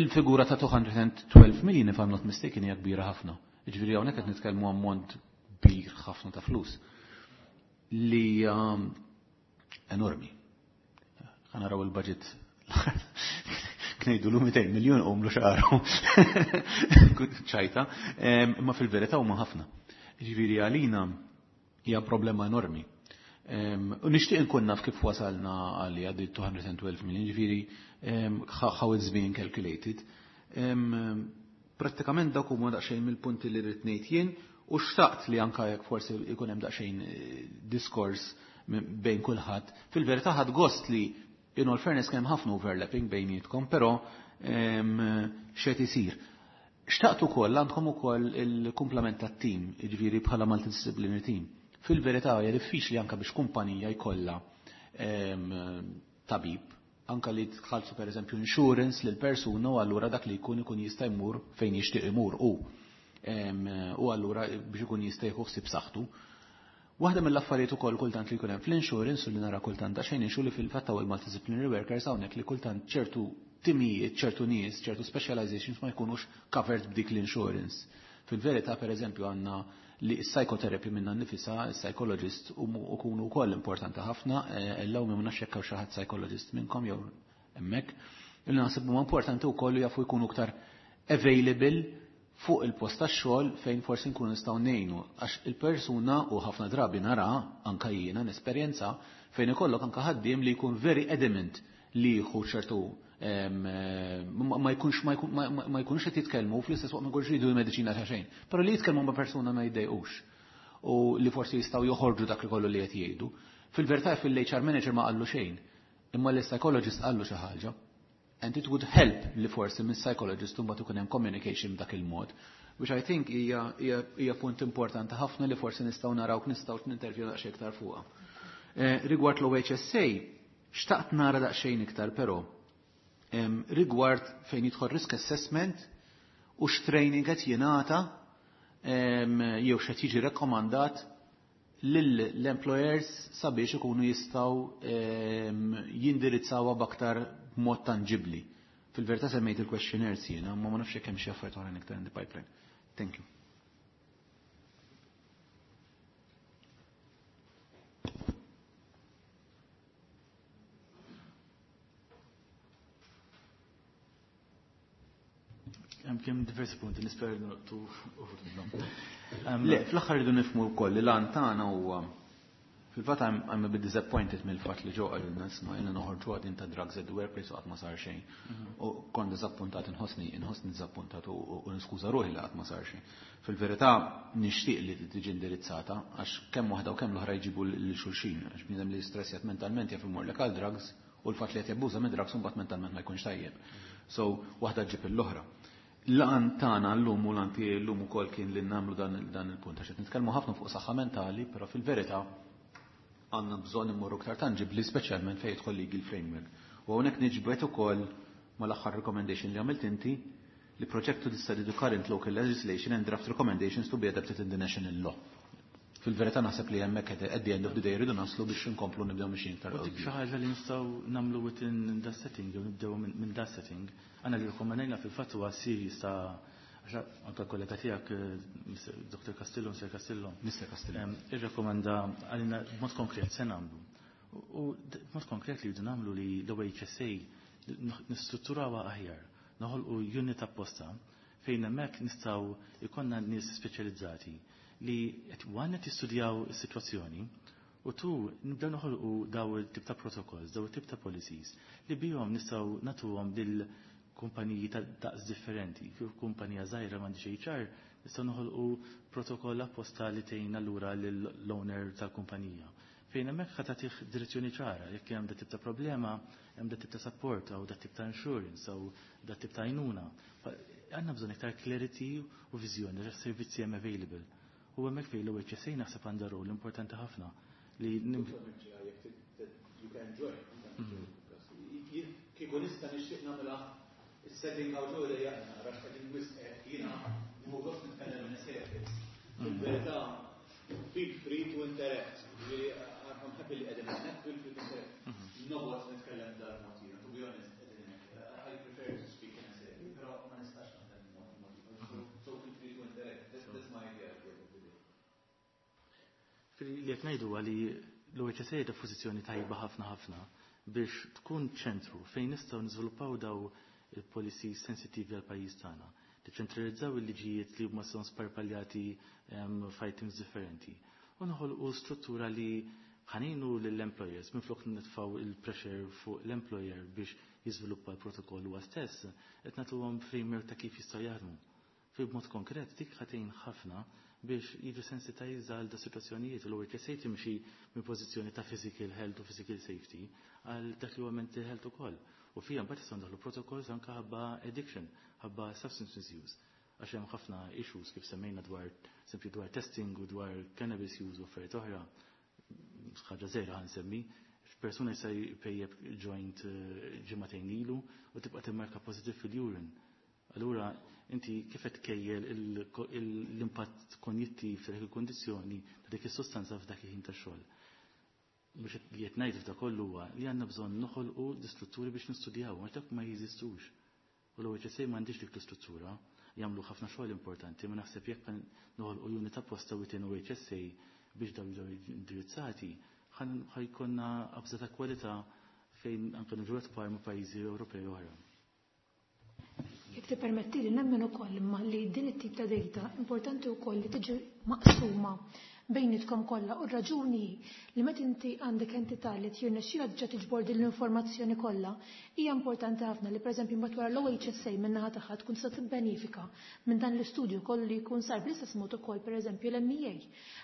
Il-figura ta' 212 million, if I'm not mistaken, hija kbira ħafna. Jiġifieri hawnhekk qed nitkellmu ammont kbir ħafna ta' flus li enormi. Ħa naraw il-budget. Knejdu l 200 miljon u mlu xaru. ċajta, imma fil-verità huma ħafna. Ġifieri għalina hija problema enormi. U nixtieq inkun naf kif wasalna għalli għaddi 212 million, ġifieri how it's being calculated. Prattikament dak huma daqsxejn mill-punti li rrid ngħid jien u xtaqt li anka jekk forsi jkun hemm daqsxejn diskors bejn kulħadd. Fil-verità ħadd gost li in all fairness kemm ħafna overlapping bejnietkom, però x'qed isir. Xtaqt ukoll għandkom ukoll il-kumplament tat-tim, jiġifieri bħala multidisciplinary team. Fil-verità hija diffiċli anke biex kumpanija jkollha tabib anka li tħallsu per eżempju insurance lil persuna u allura dak li jkun ikun jista' jmur fejn jixtieq imur u u allura biex ikun jista' jieħu ħsieb saħħtu. Waħda mill-affarijiet ukoll kultant li jkun hemm fl-insurance u li nara kultant daqsxejn inxu li fil-fatt hawn il-multidisciplinary workers hawnhekk li kultant ċertu timijiet, ċertu nies, ċertu specializations ma jkunux covered b'dik l-insurance. Fil-verità per eżempju għandna li s-psychotherapy minna nifisa, s-psychologist u kunu wkoll importanti ħafna, ellaw minn nafx jekk hawn xi ħadd psychologist minnkom jew hemmhekk. Illi naħseb huma importanti wkoll li jafu jkunu iktar available fuq il-post tax-xogħol fejn forsi nkunu nistgħu ngħinu għax il-persuna u ħafna drabi nara anka jiena nesperjenza fejn ikollok anka ħaddiem li jkun very adamant li jieħu ċertu ma jkunx ma jkunx qed jitkellmu fl-istess waqt ma jkunx jridu l-mediċina ta' xejn. Però li jitkellmu ma' persuna ma jiddejqux u li forsi jistgħu joħorġu dak li kollu li qed jgħidu. Fil-verità fil-HR manager ma qallu xejn, imma l-psychologist qallu xi ħaġa. And it would help li forsi minn psychologist mbagħad ikun hemm communication b'dak il-mod. Which I think hija punt importanti ħafna li forsi nistgħu naraw nistgħu nintervju daqsxejn iktar fuqha. Rigward l-OHSA, xtaqt nara daqsxejn iktar però rigward fejn jidħol risk assessment u x'training qed jingħata jew x'qed jiġi rekkomandat lill-employers sabiex ikunu jistgħu jindirizzawha b'aktar mod tangibbli. Fil-verità semmejt il-questionnaires jiena, ma nafx jekk hemm xi affarijiet oħrajn iktar in the pipeline. Thank you. Hemm kien diversi punti nisper noqtu uħud minnhom. Le, fl-aħħar rridu nifhmu wkoll li l-għan tagħna huwa fil-fatt I'm a bit disappointed mill-fatt li ġew qalilna isma' jiena noħorġu għadin ta' drugs at the workplace u qatt ma sar xejn. U kont diżappuntat inħossni inħossni diżappuntat u niskuża ruħi li qatt ma sar xejn. Fil-verità nixtieq li tiġi indirizzata għax kemm waħda u kemm l-oħra jġibu lil xulxin għax bniedem li stressjat mentalment jaf imur lek għal drugs u l-fatt li qed jabbuża minn drugs imbagħad mentalment ma jkunx tajjeb. So waħda ġġib l-oħra. L-għan tagħna llum u l-għan tiegħi llum ukoll kien li nagħmlu dan il-punt għax qed nitkellmu ħafna fuq saħħa mentali, però fil-verità għandna bżonn immorru iktar tangibbli speċjalment fejn jidħol legal framework. U hawnhekk niġbed ukoll mal-aħħar recommendation li għamilt inti li project to study the current local legislation and draft recommendations to be adopted in the national law. Fil-verità naħseb li hemmhekk at the end of the day rridu naslu biex inkomplu nibdew mixjin iktar U dik xi ħaġa li nistgħu nagħmlu within that setting, jew nibdew minn that setting. Għandna li rikkomandajna fil-fatt huwa series ta' għax anke kollega tiegħek Dr. Castillo, Mr. Castillo. Mr. Castillo. Irrekomenda għalina b'mod konkret se nagħmlu. U b'mod konkret li rridu nagħmlu li l-OHSA nistrutturawha aħjar, noħolqu unit apposta fejn hemmhekk nistgħu jkollna nies speċjalizzati li qed one qed jistudjaw is-sitwazzjoni u tu nibdew noħolqu daw il-tip ta' protocols, daw il-tip ta' policies li bihom nistgħu nagħtuhom lil kumpaniji ta' daqs differenti. Kif kumpanija żgħira m'għandix HR, nistgħu noħolqu protokoll apposta li tgħin allura lill-owner tal-kumpanija. Fejn hemmhekk ħa tagħtih direzzjoni ċara, jekk hemm dat tip ta' problema, hemm dat tip ta' support, jew dat tip ta' insurance, jew dat tip ta' għajnuna. Għandna bżonn iktar clarity u viżjoni għax servizzi hemm available. U hemmhekk fejn l-OHSA naħseb għandha rol importanti ħafna li You can join. Kieku nista' nixtieq nagħmilha is-setting hawn ġew idejja nara x'qegħdin wisq jiena nieħu gost nitkellem minn service. Fil-verità feel free to interact. Ġifieri I'm happy li qegħdin hemmhekk, feel free to interact. Noqgħod nitkellem dal-mod jiena, to be honest, qegħdin hemmhekk. I prefer to speak in a setting, però ma nistax naħdem mod ieħor. So feel free to interact. That's my idea at the end of the day. Li qed ngħidu huwa li l-OHSA ta' pożizzjoni tajba ħafna ħafna biex tkun ċentru fejn nistgħu niżviluppaw daw il-policies sensittivi għal pajjiż tagħna. Niċċentralizzaw il-liġijiet li huma son sparpaljati f'items differenti. U noħolqu struttura li ħaninu lill-employers minflok nitfgħu il-pressure fuq l-employer biex jiżviluppa l-protokoll huwa stess, qed nagħtuhom framework ta' kif jistgħu jaħdmu. Fi b'mod konkret dik ħatejn ħafna biex jiġu sensitized għal da situazzjonijiet u l-OHSA timxi minn pożizzjoni ta' physical health u physical safety għal dak li huwa mental health ukoll. U fija mbagħad jistgħu ndaħlu protocols anke ħabba addiction, ħabba substance misuse. Għax hemm ħafna issues kif semmejna dwar sempli dwar testing u dwar cannabis use u affarijiet oħra. Ħaġa żgħira ħansemmi, persuna jista' jpejjeb joint ġimagħtejn ilu u tibqa' timmarka positive fil-urine. Allura inti kif qed tkejjel l-impatt konjittiv ta' dik il-kondizzjoni ta' dik is-sostanza f'dak il-ħin tax-xogħol. Biex li qed ngħid f'da kollu huwa li għandna bżonn noħolqu l-istrutturi biex nistudjaw, għax dak ma jeżistux. U l-OHSA m'għandix dik l-istruttura, jagħmlu ħafna xogħol importanti, ma naħseb jekk noħolqu unit apposta within OHSA biex dawn jiġu indirizzati, ħajkonna qabża ta' kwalità fejn anke niġu par ma' pajjiżi Ewropej oħra. Jekk tippermettili nemmen ukoll imma li din it-tip ta' data importanti wkoll li tiġi maqsuma bejnietkom kollha u r-raġuni li meta inti għandek entità li tirnexxilha diġà tiġbor din l-informazzjoni kollha hija importanti ħafna li pereżempju mbagħad wara l-OHSA min-naħa tagħha tkun tista' tibbenifika minn dan l-istudju kollu li jkun sar bl-istess mod ukoll pereżempju l-MEA.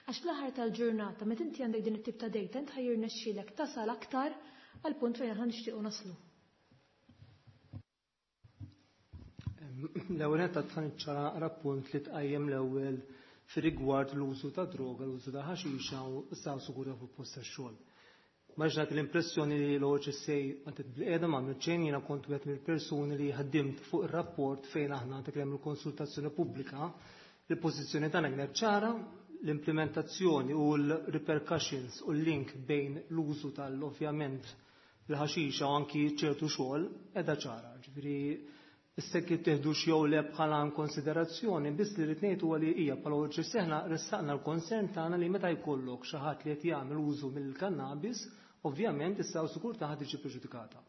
Għax fl-aħħar tal-ġurnata meta inti għandek din it-tip ta' data int ħajrnexxielek tasal aktar għal punt fejn aħna nixtiequ naslu. L-ewwel nett għad ċara rapport li tqajjem l-ewwel fir-rigward l-użu ta' droga, l-użu ta' ħaxixa u s-saħħa sigura fuq post tax-xogħol. Maġnat l-impressjoni li l-OHSA għandet bil-qeda ma' xejn, jiena kont wieħed mill-persuni li ħaddimt fuq ir-rapport fejn aħna dak il-konsultazzjoni pubblika, il-pożizzjoni tagħna kienet ċara, l-implementazzjoni u l-repercussions u l-link bejn l-użu tal-ovvjament l-ħaxixa u anki ċertu xogħol qiegħda ċara. Ġifieri issa kif teħdux jew le bħala konsiderazzjoni, biss li rrid ngħid huwa li hija bħala OHSA aħna ressaqna l-konsern tagħna li meta jkollok xi ħadd li qed jagħmel użu mill-kannabis, ovvjament issa sigurtà ħad tiġi preġudikata.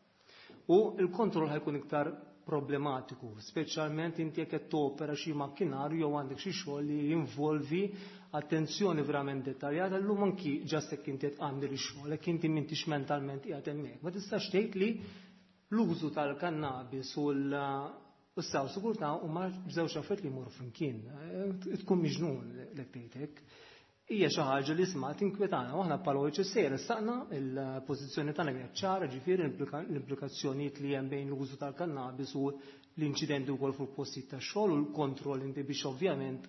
U l-kontroll ħajkun iktar problematiku, speċjalment inti jekk qed topera xi makkinarju jew għandek xi xogħol li jinvolvi attenzjoni verament dettaljata, llum anki ġast jekk inti qed għandi x-xogħol, jekk inti m'intix mentalment qiegħed hemmhekk. Ma tistax tgħid li l-użu tal-kannabis u l-saw sigurtà huma żewġ affarijiet li jmorru flimkien. Tkun miġnun lek tgħid hekk. Hija xi ħaġa li isma' tinkwetana u aħna bħala OHSA ressaqna il-pożizzjoni tagħna kienet ċara, ġifieri l-implikazzjonijiet li hemm bejn l-użu tal-kannabis u l-inċidenti wkoll fuq postijiet tax-xogħol u l-kontroll inti biex ovvjament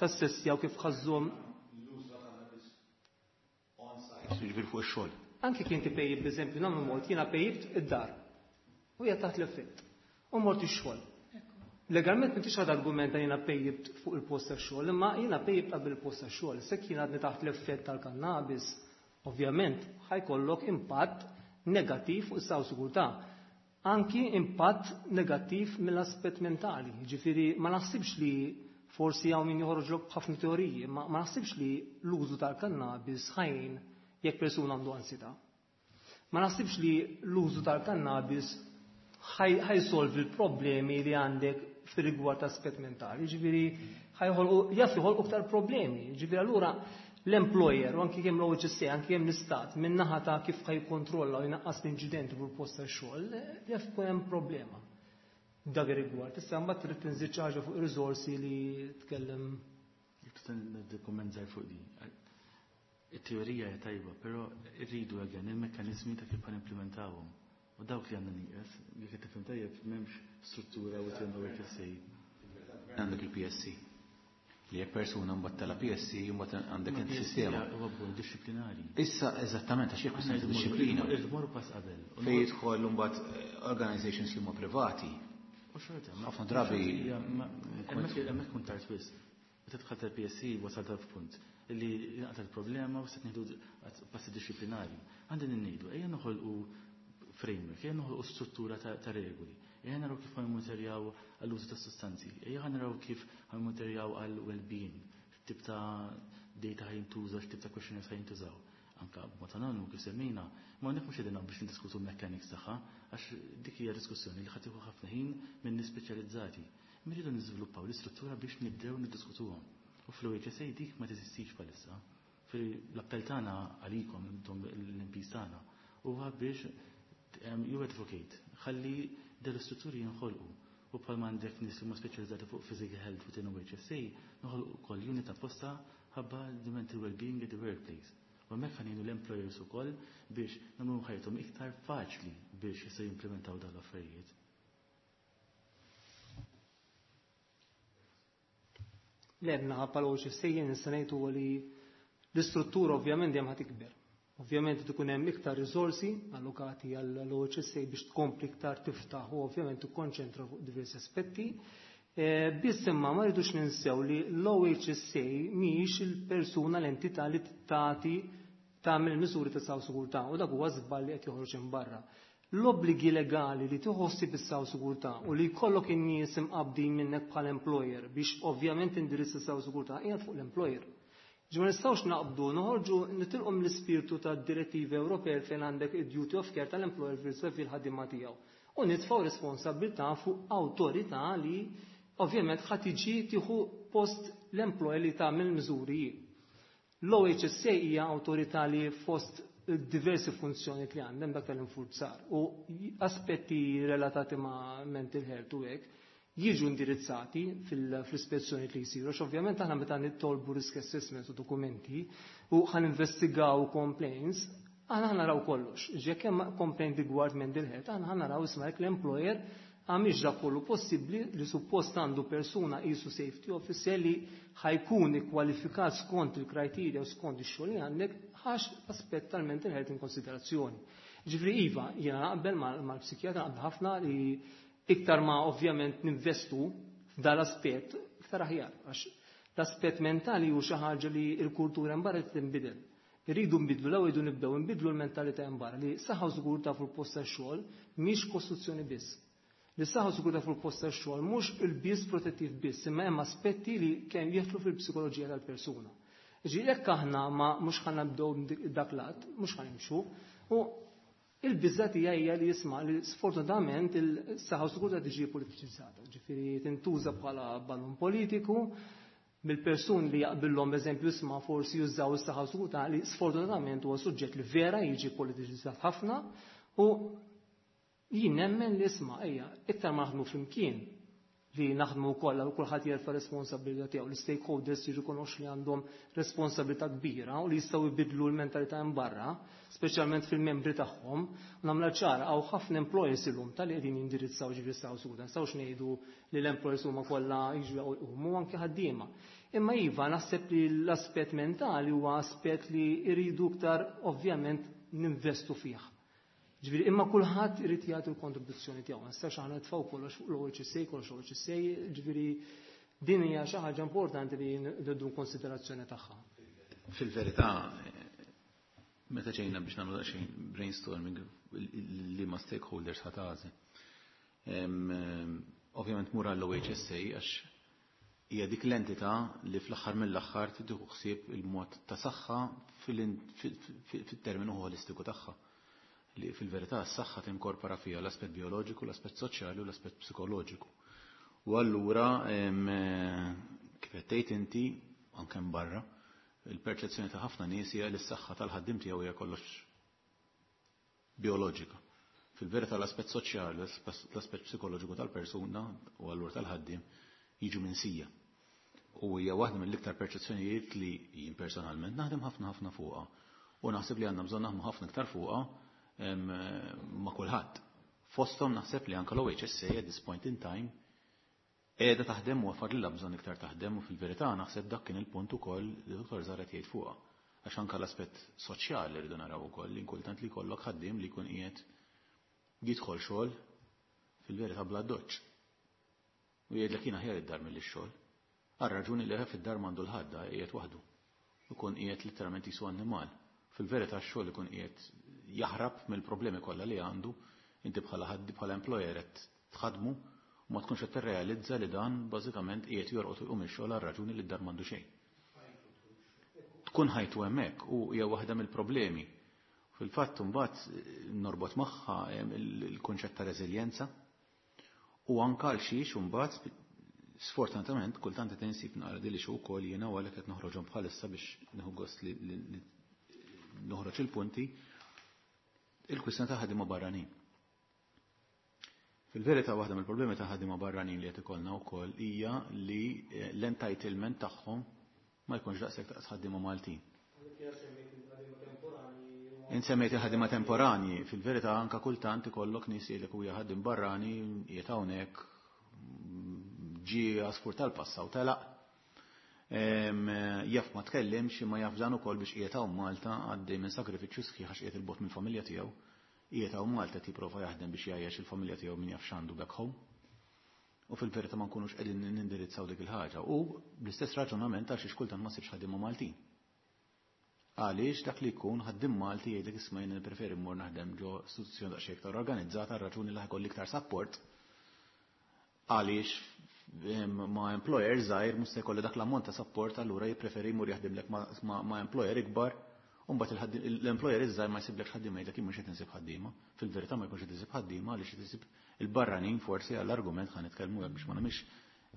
tassessjaw kif ħażhom l-użu tal-kannabis on-site, jiġifieri fuq ix-xogħol. Anke kien tipejjib b'eżempju nagħmlu mod, jiena pejjibt id-dar. U hija taħt l-effett. U mort ix-xogħol. Legalment m'intix għad argumenta jiena pejjibt fuq il-post tax-xogħol, imma jiena pejjibt qabel il-post tax-xogħol. Se kien għadni taħt l-effett tal-kannabis, ovvjament ħajkollok impatt negattiv fuq is-saħħa u sigurtà. Anki impatt negattiv mill-aspett mentali. Ġifieri ma naħsibx li forsi hawn min joħroġlok b'ħafna teoriji, ma ma naħsibx li l-użu tal-kannabis ħajn jekk persuna għandu ansjetà. Ma naħsibx li l-użu tal-kannabis ħajsolvi l-problemi li għandek fir-rigward aspett mentali. Ġifieri jaf joħolqu aktar problemi. Ġifieri allura l-employer u anki kemm l-OHSA, anki kemm l-istat, minn naħa ta' kif ħajkontrolla u jnaqqas l-inċidenti fuq il-post tax-xogħol, jaf ikun hemm problema. Dak ir-rigward. Issa mbagħad trid tinżid xi ħaġa fuq ir-riżorsi li tkellem. Jekk tista' ngħaddi kumment żgħir fuq di. It-teorija hija tajba, però rridu again il-mekkaniżmi ta' kif ħanimplementawhom. U dawk li għandna nieqes, jekk qed tifhem tajjeb m'hemmx struttura within OHSA. Għandek il-PSC. Li jekk persuna mbagħad tela PSC mbagħad għandek Ma inti PSC sistema. Huwa bord dixxiplinari. Issa eżattament għax jekk Aħna kwistjoni ta' dixxiplina. irridu mmorru pass qabel. U Fejn nmorru jidħol mbagħad organizations li huma privati. U xorta, ma Ħafna drabi xorta hija, ma hemmhekk kun tard wisq. Meta dħalt tal-PSC wasalt f'punt li naqta' l-problema u se nieħdu passi dixxiplinari. Għandna ngħidu, ejja noħolqu framework, ejja noħolqu struttura ta' regoli, ejja naraw kif ħajmonterjaw għall-użu ta' sostanzi, ejja naraw kif ħajmonterjaw għall-well-being, x'tip ta' data ħajintuża, x'tip ta' questionnaires ħajintużaw. Anka b'mod anonimu kif semmejna, ma hawnhekk mhux qegħdin biex niddiskutu l-mechanics tagħha, għax dik hija diskussjoni li ħadd tieħu ħafna ħin minn nies speċjalizzati. Imma rridu niżviluppaw l-istruttura biex nibdew niddiskutuhom. U fl-OHSA dik ma teżistix bħalissa. L-appell tagħna għalikom intom l-MPs tagħna huwa biex you advocate, ħalli dal-istrutturi jinħolqu. U bħalma għandek nies li huma speċjalizzati fuq physical health within OHSA, noħolqu ukoll unit apposta ħabba the mental well-being at the workplace. U hemmhekk ħa ngħinu l-employers ukoll biex nagħmlu ħajjithom iktar faċli biex jistgħu jimplementaw dawn l-affarijiet. Le, naħa bħala OHSA jien nista' ngħid huwa li l-istruttura ovvjament dejjem ħa tikber. Ovvjament ikun hemm iktar riżorsi allokati għall-OHSA biex tkompli iktar tiftaħ u ovvjament tikkonċentra fuq diversi aspetti. Biss imma ma rridux ninsew li l-OHSA mhijiex il-persuna l-entità li tagħti tagħmel miżuri ta' saw sigurtà u dak huwa żball li qed joħroġ minn barra. L-obbligi legali li tħossi bis-saw sigurtà u li jkollok in-nies imqabbdin minnek bħal employer biex ovvjament indirizza saw sigurtà qiegħed fuq l-employer. Ġi ma nistgħux naqbdu noħorġu nitilqu mill-ispirtu tad-direttivi Ewropej fejn għandek id-duty of care tal-employer versus il-ħaddiema tiegħu. U nitfgħu responsabilità fuq awtorità li ovvjament ħa tiġi tieħu post l-employer li tagħmel miżuri. L-OHSA hija awtorità li fost diversi funzjoni li għandhem dak tal-infurzar u aspetti relatati ma' mental health u hekk jiġu indirizzati fl-ispezzjoni li jsiru, għax ovvjament aħna meta nittolbu risk assessment u dokumenti u ħan investigaw complaints, aħna naraw kollox. Jekk hemm complaint rigward mental health, aħna naraw isma' jekk l-employer għamilx dak kollu possibbli li suppost għandu persuna qisu safety officer li ħa jkun ikkwalifikat skont il-criteria u skont ix-xogħol li għandek ħax aspett tal-mental health in konsiderazzjoni. Ġifieri iva, jiena naqbel mal-psikjatra naqbel ħafna li iktar ma ovvjament ninvestu f'dal-aspett iktar aħjar, għax l-aspett mentali hu xi ħaġa li l-kultura mbarra tinbidel. Irridu nbidlu l-ewwel irridu nibdew nbidlu l-mentalità mbarra li saħħa u sigurtà fuq il-post tax-xogħol mhix kostruzzjoni biss. Li saħħa u sigurtà fuq il-post tax-xogħol mhux il-biss protettiv biss, imma hemm aspetti li kemm jidħlu fil-psikoloġija tal-persuna. Ġi jekk aħna ma mhux ħa nibdew dak lat, mhux ħa nimxu, u il-biża tiegħi hija li jisma' li sfortunatament il-saħħa u sigurtà tiġi politiċizzata, ġifieri tintuża bħala ballun politiku mill-persuni li jaqbillhom eżempju isma' forsi jużaw is-saħħa u sigurtà li sfortunatament huwa suġġett li vera jiġi politiċizzat ħafna u jien nemmen li isma' ejja iktar ma naħdmu flimkien li naħdmu wkoll u kulħadd jerfa' responsabilità tiegħu, l-stakeholders jirrikonoxxu li għandhom responsabilità kbira u li jistgħu jbidlu l-mentalità hemm barra, speċjalment fil-membri tagħhom. U nagħmilha ċara hawn ħafna employers illum tal-li qegħdin jindirizzaw ġifieri saw suda. Nistgħux ngħidu li l-employers huma kollha jiġu jqumu anke ħaddiema. Imma iva naħseb li l-aspett mentali huwa aspett li jridu iktar ovvjament ninvestu fih. Ġifieri imma kulħadd irid jagħti l-kontribuzzjoni tiegħu. Ma nistax aħna nitfgħu kollox fuq l-OHSA, kollox l-OHSA, ġifieri din hija xi ħaġa importanti li nieħdu konsiderazzjoni tagħha. Fil-verità, meta ġejna biex nagħmlu daqsxejn brainstorming li ma stakeholders ħa tagħżel. Ovvjament mur għall-OHSA għax hija dik l-entità li fl-aħħar mill-aħħar tieħu ħsieb il-mod ta' saħħa fil-terminu holistiku tagħha. Li fil-verità s-saħħa tinkorpora fiha l-aspett bioloġiku, l-aspett soċjali u l-aspett psikoloġiku. U allura kif qed tgħid inti anke barra, il-perċezzjoni ta' ħafna nies hija li s-saħħa tal-ħaddiem tiegħu hija kollox bioloġika. Fil-verità l-aspett soċjali, l-aspett psikoloġiku tal-persuna u allura tal-ħaddiem jiġu minsija. U hija waħda mill-iktar perċezzjonijiet li jien personalment naħdem ħafna ħafna fuqha. U naħseb li għandna bżonn naħdmu ħafna iktar fuqha ma' kulħadd. Fosthom naħseb li anke l-OHSA at this point in time qiegħda taħdem u għafar bżonn iktar taħdem u fil-verità naħseb dak kien il-punt ukoll li Dr. Zaret jgħid fuqha. Għax anke l-aspett soċjali rridu naraw ukoll li kultant li jkollok ħaddiem li jkun qiegħed jidħol xogħol fil-verità bla doċċ. U jgħidlek jiena aħjar id-dar milli x-xogħol. Għal raġuni li fid-dar m'għandu l-ħadda qiegħed waħdu. Ikun qiegħed literalment jisu annimal. Fil-verità x-xogħol ikun qiegħed jaħrab mill-problemi kollha li għandu, inti bħala ħaddi bħala employer qed tħadmu u ma tkunx qed tirrealizza li dan bażikament qiegħed jorqod u jqum ix-xogħol għal raġuni li d-dar m'għandu xejn. tkun ħajtu hemmhekk u hija waħda mill-problemi. Fil-fatt imbagħad norbot magħha il-kunċett ta' reżiljenza u anke għal xiex imbagħad sfortunatament kultant qed insib naqra dili xi wkoll jiena u għalhekk qed noħroġhom bħalissa biex nieħu gost li noħroġ il-punti, il-kwistjoni ta' ħaddiema barranin. Fil-verità, waħda mill-problemi ta' ħaddiema barranin li qed ikollna wkoll hija li l-entitlement tagħhom ma jkunx daqshekk daqs ħaddiema Maltin. Insemmejt il-ħaddiema temporanji, fil-verità anka kultant ikollok nies jgħidlek huwa ħaddiem barrani, qiegħed hawnhekk, ġie għasfur tal-passa u telaq. Jaf ma tkellimx, imma jaf dan ukoll biex qiegħed hawn Malta għaddej minn sagrifiċċju sħiħ għax qiegħed il-bogħod mill-familja tiegħu. Qiegħed hawn Malta jipprova jaħdem biex jgħajjex il-familja tiegħu, min jaf x'għandu back home. U fil-verità ma nkunux qegħdin nindirizzaw dik il-ħaġa. U bl-istess raġunament għal xiex kultant ma ssibx ħaddiema Maltin. Għaliex dak li jkun ħaddiem Malti jgħidlek, "Isma', jien nippreferi mmur naħdem ġo istituzzjoni daqsxejn iktar organizzata, raġuni li ħa jkolli iktar support, għaliex ma' employer żgħir mhux se jkolli dak l-ammont ta' support." Allura jippreferi jmur jaħdimlek ma' employer ikbar. U mbagħad l-employer iż-żgħir ma jsiblekx ħaddiema, jgħidlek, "Jien mhux qed insib ħaddiema." Fil-verità ma jkunx qed isib ħaddiema għaliex qed isib il-barranin, forsi għall-argument ħa nitkellmu hekk biex ma nagħmilx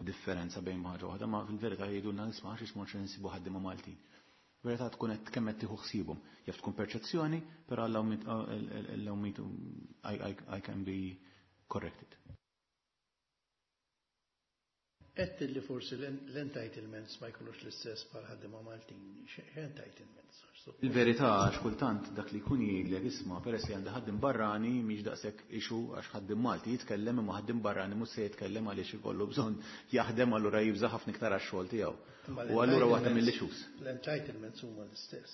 differenza bejn ħaġa waħda, ma fil-verità jgħidulna, "Nisma', għax mhux insibu ħaddiema Maltin." Verità tkun qed kemm qed tieħu ħsiebhom. Jaf tkun perċezzjoni, però allow me to I can be corrected. Għedt li forsi l-entitlements ma jkunux l-istess bħal ħaddiema Maltin. X'entitlements? Il-verità, għax kultant dak li jkun jgħidlek, "Isma', peress li għandi ħaddiem barrani mhix daqshekk issue, għax ħaddiem Malti jitkellem imma ħaddiem barrani mhux se jitkellem għaliex ikollu bżonn jaħdem, allura jibża' ħafna iktar għax-xogħol tiegħu." U allura waħda mill-issues. L-entitlements huma l-istess.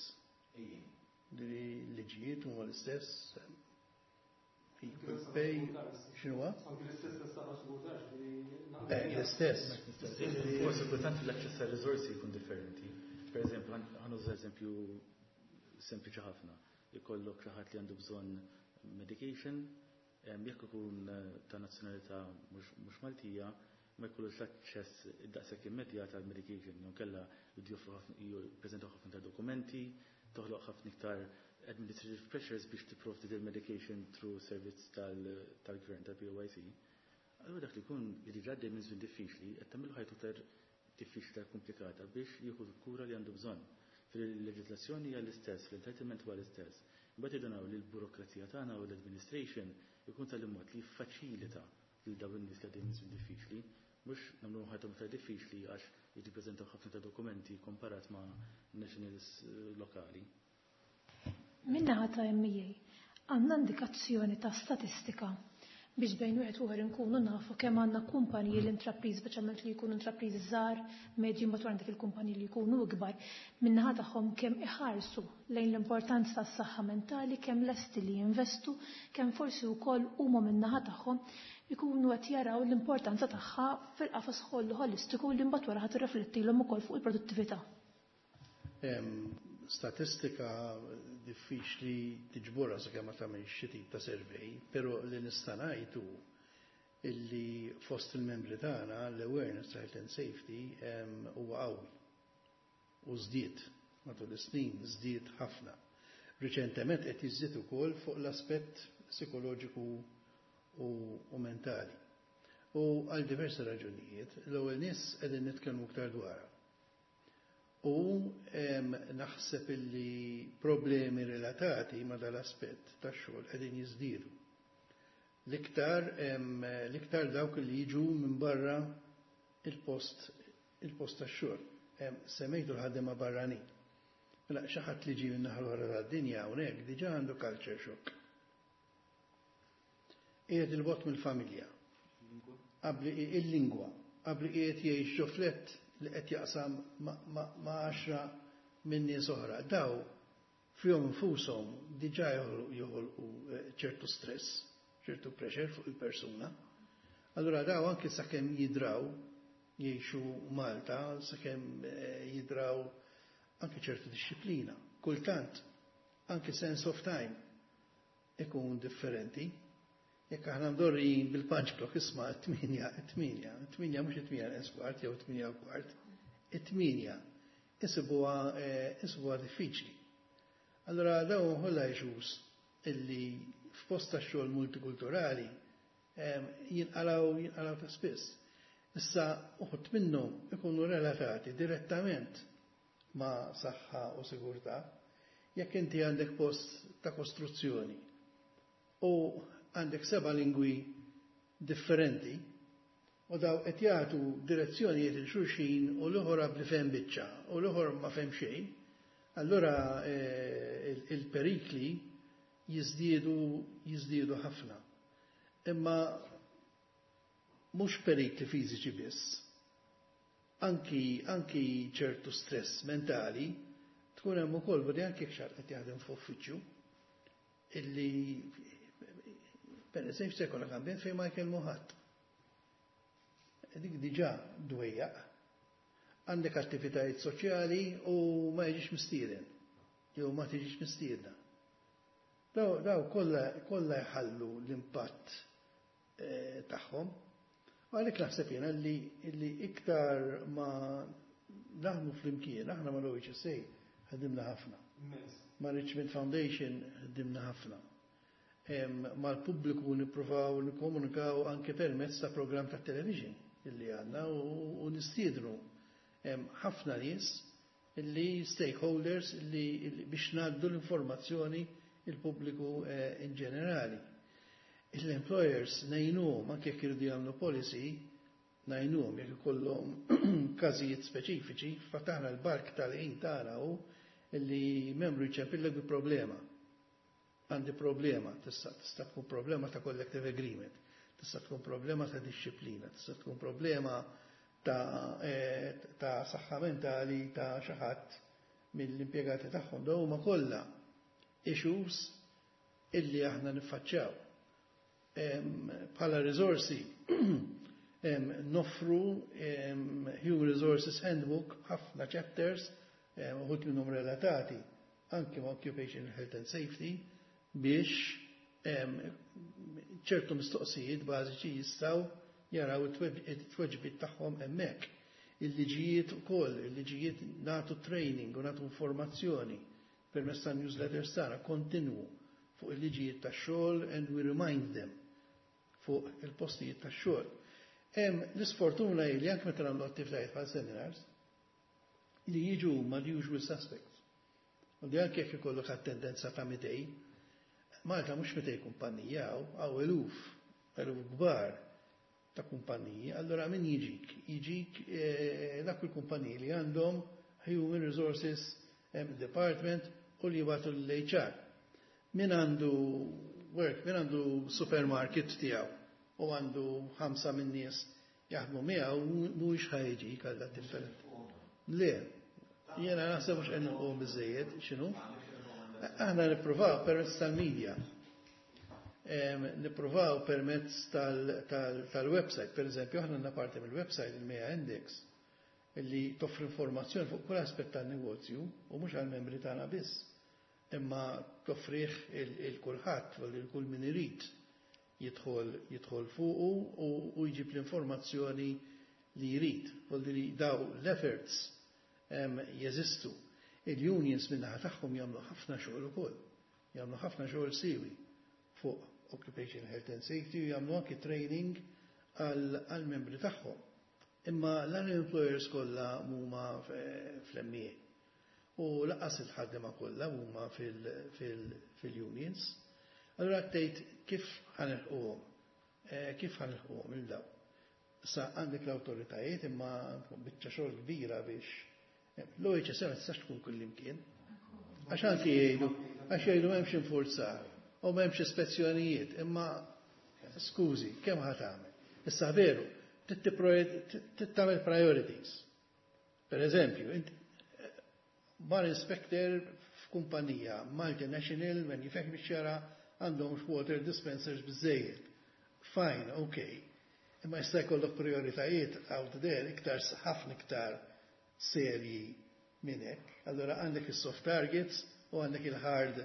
Liġijiet huma l-istess. Equal pay, x'inhuwa? L-istess. Forsi kultant l-aċċess għal riżorsi jkun differenti. Per eżempju, ħa nuża eżempju sempliċi ħafna. Ikollok xi ħadd li għandu bżonn medication, jekk ikun ta' nazzjonalità mhux Maltija, ma jkollux l-aċċess daqshekk immedjat għal medication, jew kella jippreżentaw ħafna ta' dokumenti, toħloq ħafna iktar administrative pressures biex tipprovdi il-medication through servizz tal-gvern, tal-POYC. Allura dak li jkun li diġà għaddej minn żmien diffiċli, qed tagħmlu ħajtu iktar diffiċli, iktar komplikata biex jieħu l-kura li għandu bżonn. Fil-leġislazzjoni hija l-istess, fil-entitlement huwa l-istess. Imbagħad irridu li l-burokrazija tagħna u l-administration ikun tal-mod li jiffaċilita lil dawn in-nies li għaddejjin minn żmien diffiċli, mhux nagħmlu ħajthom iktar diffiċli għax jippreżentaw ħafna ta' dokumenti komparat ma' nationals lokali. Min-naħa ta' MEA, għandna indikazzjoni ta' statistika biex bejn wieħed u nkunu nafu kemm għandna kumpaniji, l-intrapriż, speċjalment li jkunu intrapriżi żgħar, medji, mbagħad għandek il-kumpaniji li jkunu ikbar, min-naħa tagħhom kemm iħarsu lejn l-importanza tas-saħħa mentali, kemm lesti li jinvestu, kemm forsi wkoll huma min-naħa tagħhom ikunu qed jaraw l-importanza tagħha fil-qafas kollu holistiku li mbagħad wara ħadd irriflettilhom ukoll fuq il-produttività? Statistika diffiċli tiġborha sakemm ma tagħmel xi tip ta' survey, però li nista' ngħid hu illi fost il-membri tagħna l-awareness ta' health and safety huwa qawwi. U żdied matul is-snin, żdied ħafna. Riċentement qed jiżdied ukoll fuq l-aspett psikoloġiku u mentali. U għal diversi raġunijiet, l-ewwel nies qegħdin nitkellmu iktar dwarha. U naħseb illi problemi relatati ma dal-aspett tax-xogħol qegħdin jiżdiedu. L-iktar dawk li jiġu minn barra il-post tax-xogħol. Semmejtu l-ħaddiema barranin. Mela xi ħadd li ġie minn naħa l-oħra tad-dinja hawnhekk diġà għandu culture shock. Qiegħed il-bogħod mill-familja. Qabli il-lingwa, qabli qiegħed jgħix ġo flat li qed jaqsam ma' 10 minn nies oħra. Daw fihom infushom diġà joħolqu ċertu stress, ċertu pressure fuq il-persuna. Allura daw anke sakemm jidraw jgħixu Malta, sakemm jidraw anke ċertu disċiplina. Kultant anke sense of time ikun differenti. Jekk aħna mdorrijin bil-punch clock, isma', 8, 8, 8, mhux 7:45 jew 8:15, 8. Insibuha diffiċli. Allora dawn kollha issues illi f'post ta' xogħol multikulturali jinqalgħu ta' spiss. Issa uħud minnhom ikunu relatati direttament ma' saħħa u sigurtà. Jekk inti għandek post ta' kostruzzjoni u għandek 7 lingwi differenti u daw qed jagħtu direzzjonijiet il xulxin u l-oħor li fehem biċċa u l-oħor ma fehem xejn, allura il-perikli jiżdiedu ħafna. Imma mhux perikli fiżiċi biss, anki ċertu stress mentali tkun hemm ukoll, bodi anki jekk xi ħadd qed jaħdem f'uffiċċju illi per eżempju se jkollok ambjent fejn ma jkellmu ħadd. Dik diġà dwejjaq. Għandek attivitajiet soċjali u ma jiġix mistieden jew ma tiġix mistiedna. Daw kollha jħallu l-impatt tagħhom. U għalhekk naħseb jiena li iktar ma naħdmu flimkien, aħna ma l-OHSA ħadimna ħafna. Ma Richmond Foundation ħadimna ħafna. Mal-pubbliku nippruvaw nikkomunikaw anke permezz ta' programm ta' television illi għandna u nistiednu ħafna nies illi stakeholders illi biex ngħaddu l-informazzjoni il-pubbliku in ġenerali. L-employers ngħinuhom anke jekk iridu jagħmlu policy, ngħinuhom jekk ikollhom każijiet speċifiċi, fataħna l-bark tal-ħin tagħna hu illi membru jċempillek bi problema. Għandi problema, tista' tkun problema ta' collective agreement, tista' tkun problema ta' disċiplina, tista' tkun problema ta' saħħa mentali ta' xi ħadd mill-impjegati tagħhom. Dawn huma kollha issues illi aħna niffaċċjaw. Bħala risorsi noffru Human Resources Handbook b'ħafna chapters, uħud minnhom relatati anke ma' Occupational Health and Safety biex ċertu mistoqsijiet bażiċi jistgħu jaraw it-tweġbiet tagħhom hemmhekk. Il-liġijiet ukoll, il-liġijiet nagħtu training u nagħtu informazzjoni permezz ta' newsletters tagħna kontinwu fuq il-liġijiet tax-xogħol and we remind them fuq il-postijiet tax-xogħol. Hemm l-isfortuna hi li anke meta nagħmlu attivitajiet bħal seminars li jiġu ma' the usual suspects. U li anke jekk ikollok attendenza ta' 200, Malta mhux 200 kumpanija hawn eluf, eluf kbar ta' kumpaniji, allora min jiġik? Jiġik dak il-kumpaniji li għandhom Human Resources Department u li jibgħatu l-HR. Min għandu work, min għandu supermarket tiegħu u għandu 5 minn nies jaħdmu miegħu mhuwiex ħa jiġik għal dak. Le, jiena naħseb mhux qed nilqgħu biżejjed, x'inhu? Aħna nippruvaw permezz tal-media. Nippruvaw permezz tal-website. Per eżempju, aħna għandna parti mill-website il-MEA Index illi toffri informazzjoni fuq kull aspett tan-negozju u mhux għall-membri tagħna biss, imma toffrih il kulħadd u lil kull min irid jidħol fuqu u jġib l-informazzjoni li jrid. Vuol dire daw l-efforts jeżistu. Il-unions min-naħa tagħhom jagħmlu ħafna xogħol ukoll, jagħmlu ħafna xogħol siwi fuq Occupational Health and Safety u jagħmlu anki training għall-membri tagħhom. Imma l-employers kollha huma fl-MEA u lanqas il-ħaddiema kollha huma fil-unions. Allura tgħid kif ħa nilħquhom? Kif ħa nilħquhom il daw? Issa għandek l-awtoritajiet imma biċċa xogħol kbira biex l-OHSA ma tistax tkun kullimkien. Għax anki jgħidu, għax jgħidu m'hemmx infurzar u m'hemmx ispezzjonijiet, imma skużi, kemm ħa tagħmel? Issa veru, tagħmel priorities. Per eżempju, bar inspector f'kumpanija multinational manufacturing biex jara għandhom water dispensers biżejjed. Fine, okay. Imma jista' jkollok prioritajiet out there iktar ħafna iktar serji minn hekk. Allora għandek is-soft targets u għandek il-hard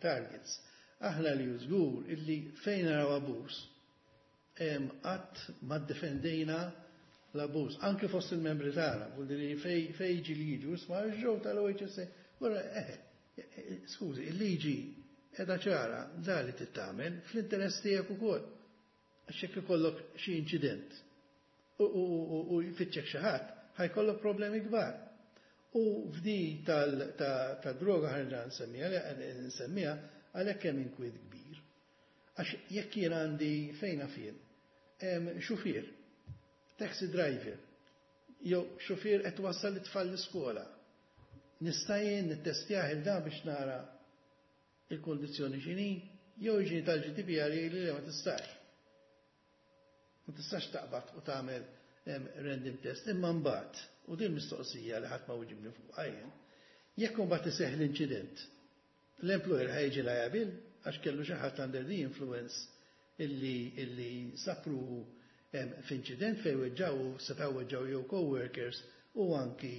targets. Aħna li żgur illi fejn naraw abuż qatt ma ddefendejna l-abbuż, anke fost il-membri tagħna, vuol dire fej jiġi li jiġu, isma' ġew tal-OHSA, wara skużi, il-liġi qiegħda ċara da li tittamel fl-interess tiegħek ukoll. Għax jekk ikollok xi inċident u jfittxek xi ħadd, ħa jkollok problemi kbar. U f'di tad-droga ħa nerġa' nsemmiha għalhekk hemm inkwiet kbir. Għax jekk jien għandi fejn fien, xufier, taxi driver, jew xufier qed wassal it-tfal l-iskola. Nista' jien nittestjah il dan biex nara il-kondizzjoni x'inhi, jew jiġi tal-GDPR li ma tistax. Ma tistax taqbad u tagħmel random test, imma mbagħad, u din mistoqsija li ħadd ma wiġibni fuq jien, jekk imbagħad iseħħ l-inċident, l-employer ħa jiġi liable għax kellu xi ħadd under the influence illi sapru f'inċident fejn weġġaw setgħu weġġaw jew co-workers u anki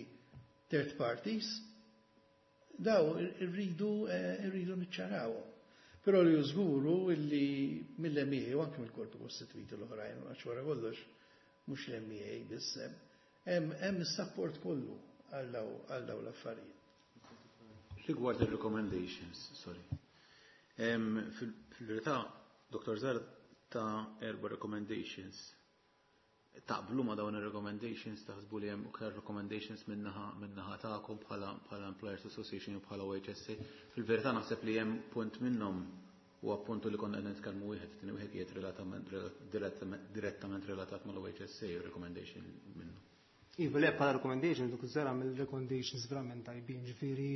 third parties, daw irridu niċċarawhom. Però li żguru illi mill-MEA u anke mill-korpi kostituiti l-oħrajn, għax wara kollox mhux l-MEA biss hemm is-support kollu għal daw l-affarijiet. Rigward il-recommendations, sorry. Fil-verità, Dr. Zar ta erba recommendations. Taqblu ma dawn il-recommendations, taħsbu li hemm iktar recommendations minnaħa tagħkom bħala Employers Association u bħala OHSA. Fil-verità naħseb li hemm punt minnhom u appuntu li konna qed nitkellmu wieħed, tieni wieħed qiegħed direttament relatat mal-OHSA u recommendation minnu. Iva, le bħala recommendation, duk zara mill-recommendations verament tajbin, ġifieri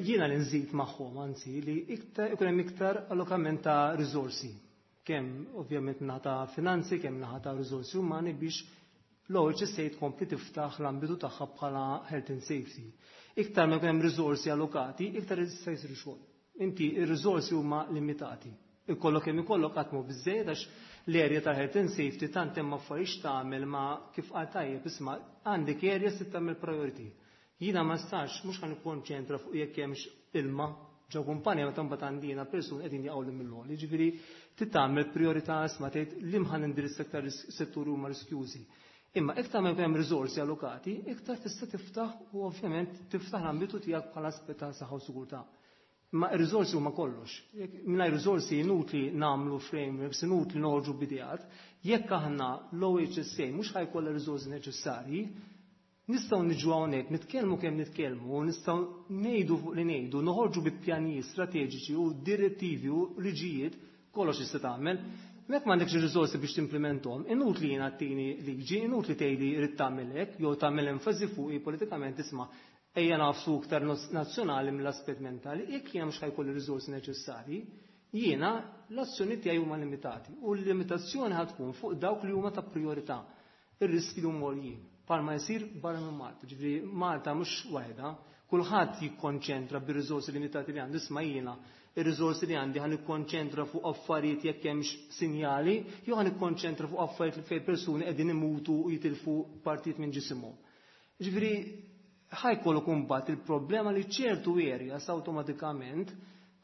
jiena li nżid magħhom, anzi, li iktar ikun hemm iktar allokament ta' riżorsi. Kemm ovvjament naħa ta' finanzi, kemm naħa ta' riżorsi umani biex l-OHSA tkompli tiftaħ l-ambitu tagħha bħala health and safety. Iktar ma jkun hemm riżorsi allokati, iktar jista' jsir xogħol. Inti ir-riżorsi huma limitati. Ikollok kemm ikollok qatt mhu biżejjed għax l-area ta' health and safety tant hemm affarijiet tagħmel ma kif qal tajjeb isma' għandek area se tagħmel priority. Jiena ma nistax mhux ħa nikkonċentra fuq jekk hemmx ilma ġo kumpanja meta mbagħad għandina persuni qegħdin jaqgħu mill-għoli. Jiġifieri titgħamel priorità isma' tgħid li mħan indirizz aktar setturi huma riskjużi. Imma iktar ma jkun hemm riżorsi allokati, iktar tista' tiftaħ u ovvjament tiftaħ l-ambitu tiegħek bħala aspett ta' saħħa u sigurtà. Ma ir-riżorsi huma kollox. Mingħajr riżorsi inutli nagħmlu frameworks, inutli noħorġu b'ideat, jekk aħna l-OHSA mhux ħa jkollha riżorsi neċessarji, nistgħu niġu hawnhekk nitkellmu kemm nitkellmu, nistgħu ngħidu fuq li ngħidu, noħorġu bi pjanijiet strateġiċi u direttivi u liġijiet, kollox jista' tagħmel. Jekk m'għandekx ir-riżorsi biex timplementhom, inutli jiena ttini liġi, inutli tgħidli rrid tagħmel hekk, jew tagħmel enfasi fuqi politikament isma' ejja nafsu iktar nazzjonali mill-aspett mentali, jekk jiena mhux ħa jkolli riżorsi neċessarji, jiena l-azzjoni tiegħi huma limitati u l-limitazzjoni ħa tkun fuq dawk li huma ta' priorità, ir-riski li huma għoljin. Palma jsir barra minn Malta, ġifieri Malta mhux waħedha, kulħadd jikkonċentra bir-riżorsi limitati li għandu, isma' jiena ir-riżorsi li għandi ħa nikkonċentra fuq affarijiet jekk hemmx sinjali, jew ħa nikkonċentra fuq affarijiet li fejn persuni qegħdin imutu u jitilfu partijiet minn ġisimhom. Ġifieri ħa jkollok imbagħad il-problema li ċertu areas awtomatikament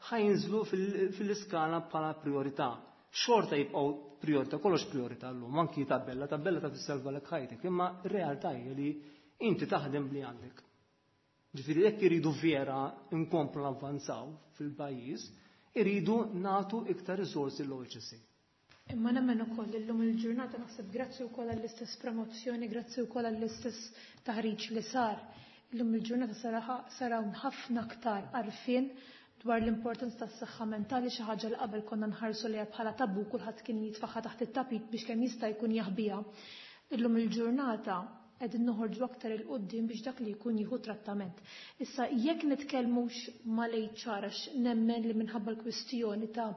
ħa jinżlu fil-iskala bħala priorità. Xorta jibqgħu priorità, kollox priorità llum, anki tabella, tabella ta' tissalva lek ħajtek, imma r-realtà hija li inti taħdem bli għandek. Ġifieri jekk iridu vera nkomplu navvanzaw fil-pajjiż, iridu nagħtu iktar riżorsi l-OHSA. Imma nemmen ukoll illum il-ġurnata naħseb grazzi wkoll għall-istess promozzjoni, grazzi wkoll għall-istess taħriġ li sar. Illum il-ġurnata saraw ħafna aktar għarfien dwar l-importanza tas-saħħa mentali, xi ħaġa li qabel konna nħarsu liha bħala tabu, kulħadd kien jitfaħħa taħt it-tapit biex kemm jista' jkun jaħbiha. Illum il-ġurnata qegħdin noħorġu aktar 'il quddiem biex dak li jkun jieħu trattament. Issa jekk nitkellmux mal-HR, għax nemmen li minħabba l-kwistjoni ta'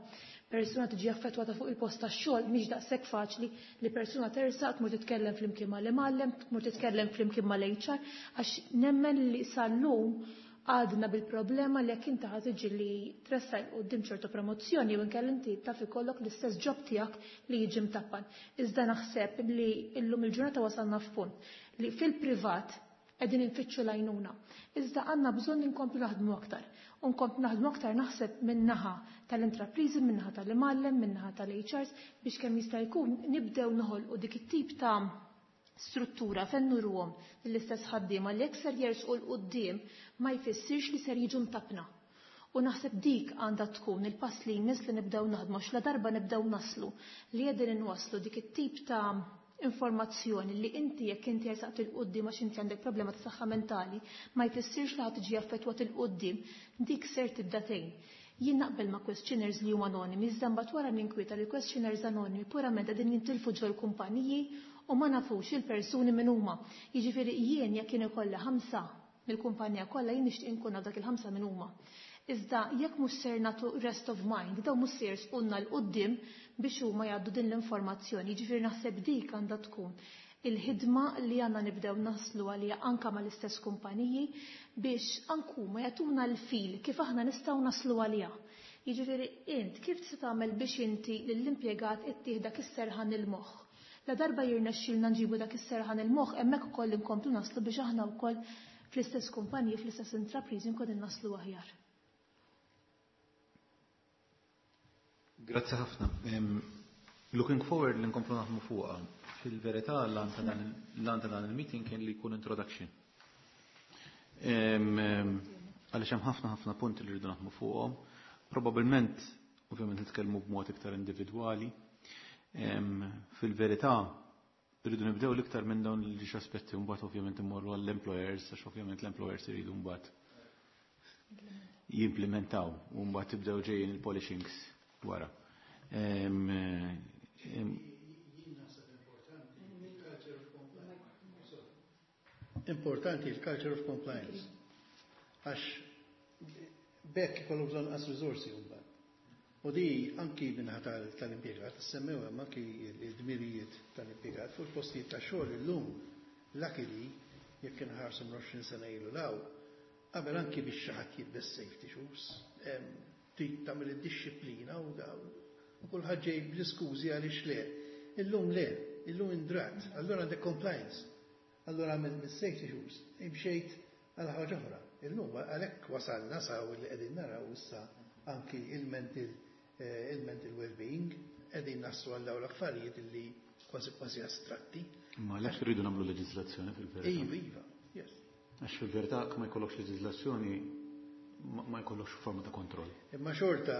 persuna tiġi affettwata fuq il-post tax-xogħol mhix daqshekk faċli li persuna tersaq tmur titkellem flimkien mal-imgħallem, tmur titkellem flimkien mal-HR, għax nemmen li sal-lum għadna bil-problema li jekk inti ħa tiġi li tressaq quddiem ċertu promozzjoni u inkella inti taf ikollok l-istess job tiegħek li jiġi mtappan. Iżda naħseb li llum il-ġurnata wasalna f'punt li fil-privat qegħdin infittxu l-għajnuna. Iżda għandna bżonn inkomplu naħdmu aktar. U nkomplu naħdmu aktar naħseb min-naħa tal-intrapriżi, min-naħa tal-imgħallem, min-naħa tal-HRs biex kemm jista' jkun nibdew noħolqu dik it-tip ta' Struttura fejn nuruhom lill-istess ħaddiema li jekk ser jersqu 'l quddiem ma jfissirx li ser jiġu mtappna. U naħseb dik għandha tkun il-pass li jmiss li nibdew naħdmu għax ladarba nibdew naslu li qegħdin inwasslu dik it-tip ta' informazzjoni li inti jekk inti jersaqt 'il quddiem għax inti għandek problema ta' saħħa mentali ma jfissirx li ħa tiġi affettwat 'il quddiem, dik ser tibda tgħin. Jien naqbel ma' questionnaires li huma anonimi, iżda mbagħad wara ninkwieta li questionnaires anonimi purament qegħdin jintilfu ġol-kumpaniji u ma nafux il-persuni min huma. Jiġifieri jien jekk jien ikolli 5 mill-kumpanija kollha jien nixtieq inkun naf dak il-5 min huma. Iżda jekk mhux ser nagħtu rest of mind, dawn mhux se jersqulna 'l quddiem biex huma jgħaddu din l-informazzjoni. Jiġifieri naħseb dik għandha tkun il-ħidma li għandna nibdew naslu għaliha anke mal-istess kumpaniji biex anke huma jagħtuna l-fil kif aħna nistgħu naslu għaliha. Jiġifieri int kif tista' tagħmel biex inti lill-impjegat ittih dak is-serħan il-moħħ. La darba jirnexxielna nġibu dak is-serħan il-moħħ, hemmhekk ukoll inkomplu naslu biex aħna wkoll fl-istess kumpaniji, fl-istess intrapriżi nkunu naslu aħjar. Grazzi ħafna. Looking forward li nkomplu naħdmu fuqha. Fil-verità l-għan ta' dan il-meeting kien li jkun introduction. Għaliex hemm ħafna ħafna punti li rridu naħdmu fuqhom. Probabilment, ovvjament nitkellmu b'mod iktar individwali. Fil-verità rridu nibdew l-iktar minn dawn l aspetti u mbagħad ovvjament immorru għall-employers, għax ovvjament l-employers iridu mbagħad jimplementaw u mbagħad tibdew ġejjin il-polishings wara. Importanti il-culture of compliance. Għax bekk ikollu bżonn qas riżorsi mbagħad. U di anki minħa tal-impjegat, semmew hemm anki l-dmirijiet tal-impjegat fuq il-postijiet ta' xogħol illum luckily jekk inħarsu 20 sena ilu law, qabel anki biex xi ħadd jilbes safety shoes, trid tagħmel id-dixxiplina u daw. U kulħadd ġej bl-iskużi għaliex le. Illum le, illum indrat, allura għandek compliance. Allura għamil mis-safety shoes, imxejt għal ħaġa oħra. Illum għalhekk wasalna saw li qegħdin naraw issa anki il-mental well-being, qegħdin naslu għal dawn l-affarijiet illi kważi kważi astratti. Ma għalhekk irridu nagħmlu leġiżlazzjoni fil-verità. Iva, iva, yes. Għax fil-verità ma jkollokx leġiżlazzjoni ma jkollokx forma ta' kontroll. Imma xorta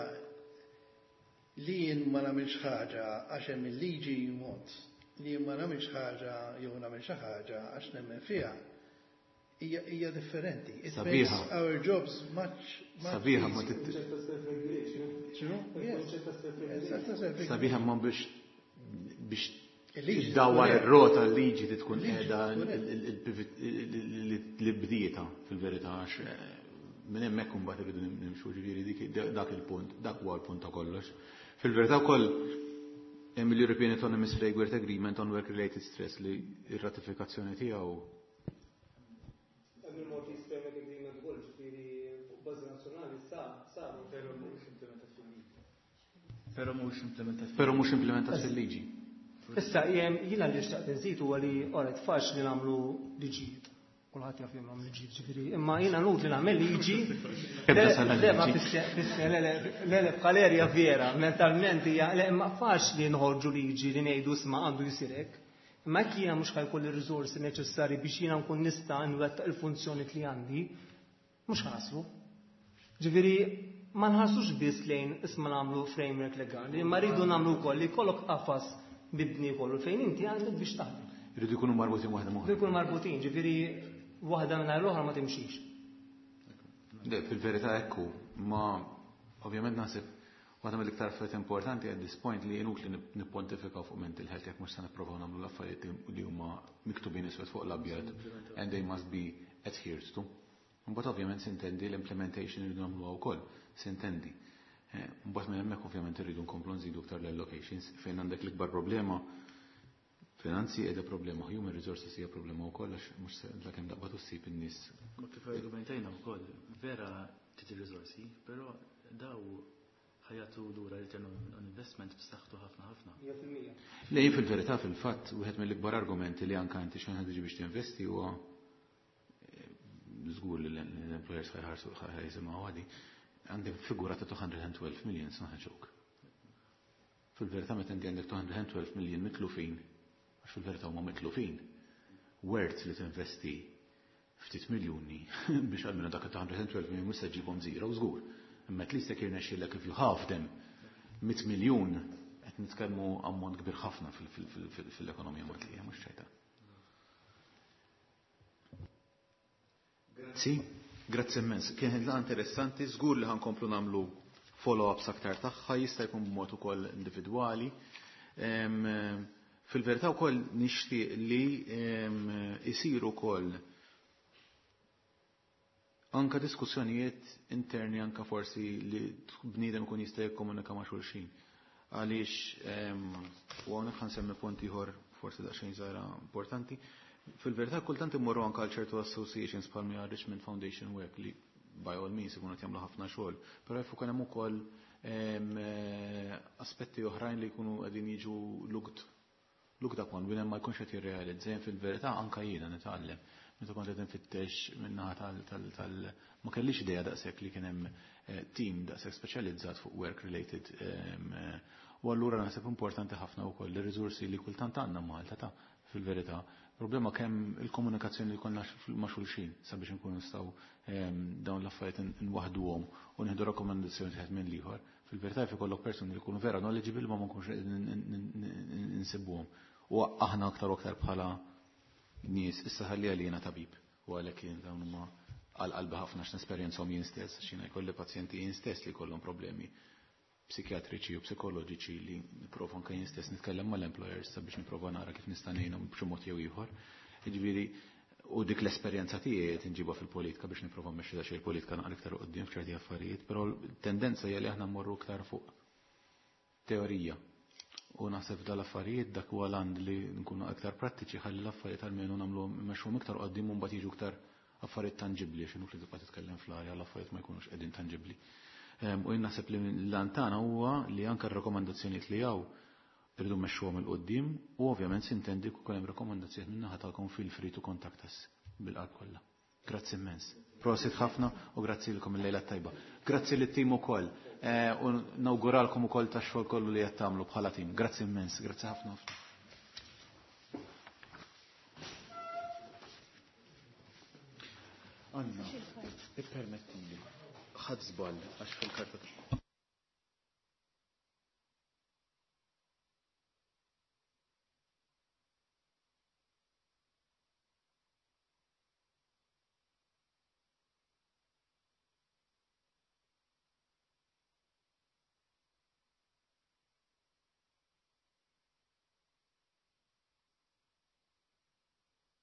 li jien ma nagħmilx ħaġa għax hemm il-liġi mod, li jien ma nagħmilx ħaġa jew nagħmel xi ħaġa għax nemmen fiha, hija differenti. It Sabiħa. makes our jobs much, much Sabiħa ma easier. tit- X'inhu? Yes. Yes. Sabiħa ma biex Il-liġi id-dawar tkun hemm. ir-rota l-liġi li tkun Il-liġi qiegħda tkun hemm. li bdieta fil-verità għax minn hemmhekk imbagħad irridu nimxu, ġifieri dik dak il-punt, dak huwa l-punt ta' kollox. Fil-verità wkoll hemm l-European Autonomous Framework Agreement on Work Related Stress li r-ratifikazzjoni tiegħu Hemm il-Maltese Framework Agreement ukoll, ġifieri fuq bażi nazzjonali saru. Però mhux implementat fil-liġi. Però mhux implementat Però mhux implementat fil-liġi. Issa jiena li xtaqt inżid huwa li oret faċli nagħmlu liġijiet. Kulħadd jaf jagħmlu liġijiet, ġifieri, imma jiena nut li nagħmel liġi. Ebda Le, sal le, ma liġi. fisse, le, le, le, le, bħalerja vera, mentalment hija, le, imma faċli nħorġu liġi li ngħidu isma' għandu jsir hekk. Imma jekk jiena mhux ħajkolli r-riżorsi neċessarji biex jiena nkun nista' nwettaq il-funzjoni li għandi, mhux ħaslu. Ġifieri, ma nħarsux biss lejn isma' nagħmlu framework legali, imma rridu nagħmlu wkoll li jkollok qafas mibni kollu fejn inti għandek biex taħdem. Irridu jkunu marbutin waħda m'oħra. Irridu jkunu marbutin, ġifieri waħda mingħajr l-oħra ma timxix. Le, fil-verità ekku, ma ovvjament naħseb waħda mill-iktar affarijiet importanti at this point li inutli nippontifikaw fuq mental health jekk mhux se nipprovaw nagħmlu l-affarijiet li huma miktubin iswed fuq l-abjad and they must be adhered to. Mbagħad ovvjament sintendi l-implementation irridu nagħmluha wkoll, sintendi. Mbagħad minn hemmhekk ovvjament irridu nkomplu nżidu iktar l-allocations fejn għandek l-ikbar problema finanzi qiegħda problema, human resources hija problema wkoll għax mhux se lakemm daqba ssib in-nies. Ma kif argumentajna wkoll, vera trid ir-riżorsi, però daw ħajatu lura return on investment b'saħħtu ħafna ħafna. Mija fil-mija. Le, jien fil-verità fil-fatt wieħed mill-ikbar argumenti li anke inti xejn tiġi biex tinvesti huwa żgur li l-employers ħajħarsu ħajsimgħu għadi, għandek figura ta' 212 million, it's not a joke. Fil-verità meta inti għandek 212 million mitlufin, għax fil-verità huma mitlufin. Worth li tinvesti ftit miljuni biex għalmenu dak ta' 112 miljun mhux se ġġibhom zero żgur. Imma at least jekk jirnexxielek if you halve them 100 miljun qed nitkellmu ammont kbir ħafna fil-ekonomija Maltija, mhux ċajta. Grazzi, grazzi immens. Kienet laqgħa interessanti, żgur li ħankomplu nagħmlu follow-ups aktar tagħha, jista' jkun b'mod ukoll individwali. Fil-verità wkoll nixtieq li isiru wkoll anka diskussjonijiet interni, anka forsi li bniedem ikun jista' jikkomunika ma' xulxin. Għaliex u hawnhekk ħansemmi punt ieħor forsi daqsxejn żgħira importanti. Fil-verità kultant immorru anka għal ċertu associations bħal mi Richmond Foundation Work li by all means ikunu qed jagħmlu ħafna xogħol, però jaf ukoll hemm ukoll aspetti oħrajn li jkunu qegħdin jiġu looked upon biex ma jkunx qed jirrealizza. Fil-verità anka jiena nitgħallem. Meta kont qed nfittex min-naħa tal ma kellix idea daqshekk li kien hemm team daqshekk speċjalizzat fuq work related, u allura naħseb importanti ħafna wkoll ir-riżorsi li kultant għandna Malta ta' fil-verità. Problema kemm il-komunikazzjoni li konna ma' xulxin sabiex nkunu nistgħu dawn l-affarijiet nwaħduhom u nieħdu rakkomandazzjoni wieħed minn l-ieħor. Fil-verità jaf ikollok persuni li jkunu vera knowledgeable ma nkunx insibuhom. U aħna aktar u aktar bħala nies issa ħalli għalina tabib u għalhekk jien dawn huma għal qalbi ħafna x'nesperjenzhom jien stess, għax jiena jkolli pazjenti jien stess li jkollhom problemi psikjatriċi u psikoloġiċi li nipprova anke jien stess nitkellem mal-employers sabiex nipprova nara kif nista' ngħinhom b'xi mod jew ieħor. Jiġifieri u dik l-esperjenza tiegħi qed inġibha fil-politika biex nipprova mmexxi daqsxejn il-politika naqra iktar quddiem f'ċerti affarijiet, però t-tendenza hija li aħna mmorru iktar fuq teorija. U naħseb dal-affarijiet dak huwa land li nkunu aktar prattiċi ħalli l-affarijiet almenu nagħmluhom immexxuhom iktar quddiem u mbagħad jiġu iktar affarijiet tanġibbli, x'inhu li tibqa' titkellem fl-arja l-affarijiet ma jkunux qegħdin tanġibbli. U jien naħseb li l-għan tagħna huwa li anke r-rakkomandazzjonijiet li hawn irridu mmexxuhom 'il quddiem u ovvjament sintendi kien hemm rakkomandazzjonijiet min-naħa tagħkom, feel free to contact us bil-qalb kollha. Grazzi immens. Prosit ħafna u grazzi lilkom, il-lejla tajba. Grazzi lit-tim ukoll u nawguralkom ukoll tax-xogħol kollu li qed tagħmlu bħala tim. Grazzi immens, grazzi ħafna ħafna. Anna, ippermettili, ħadt żball għax fil-karta.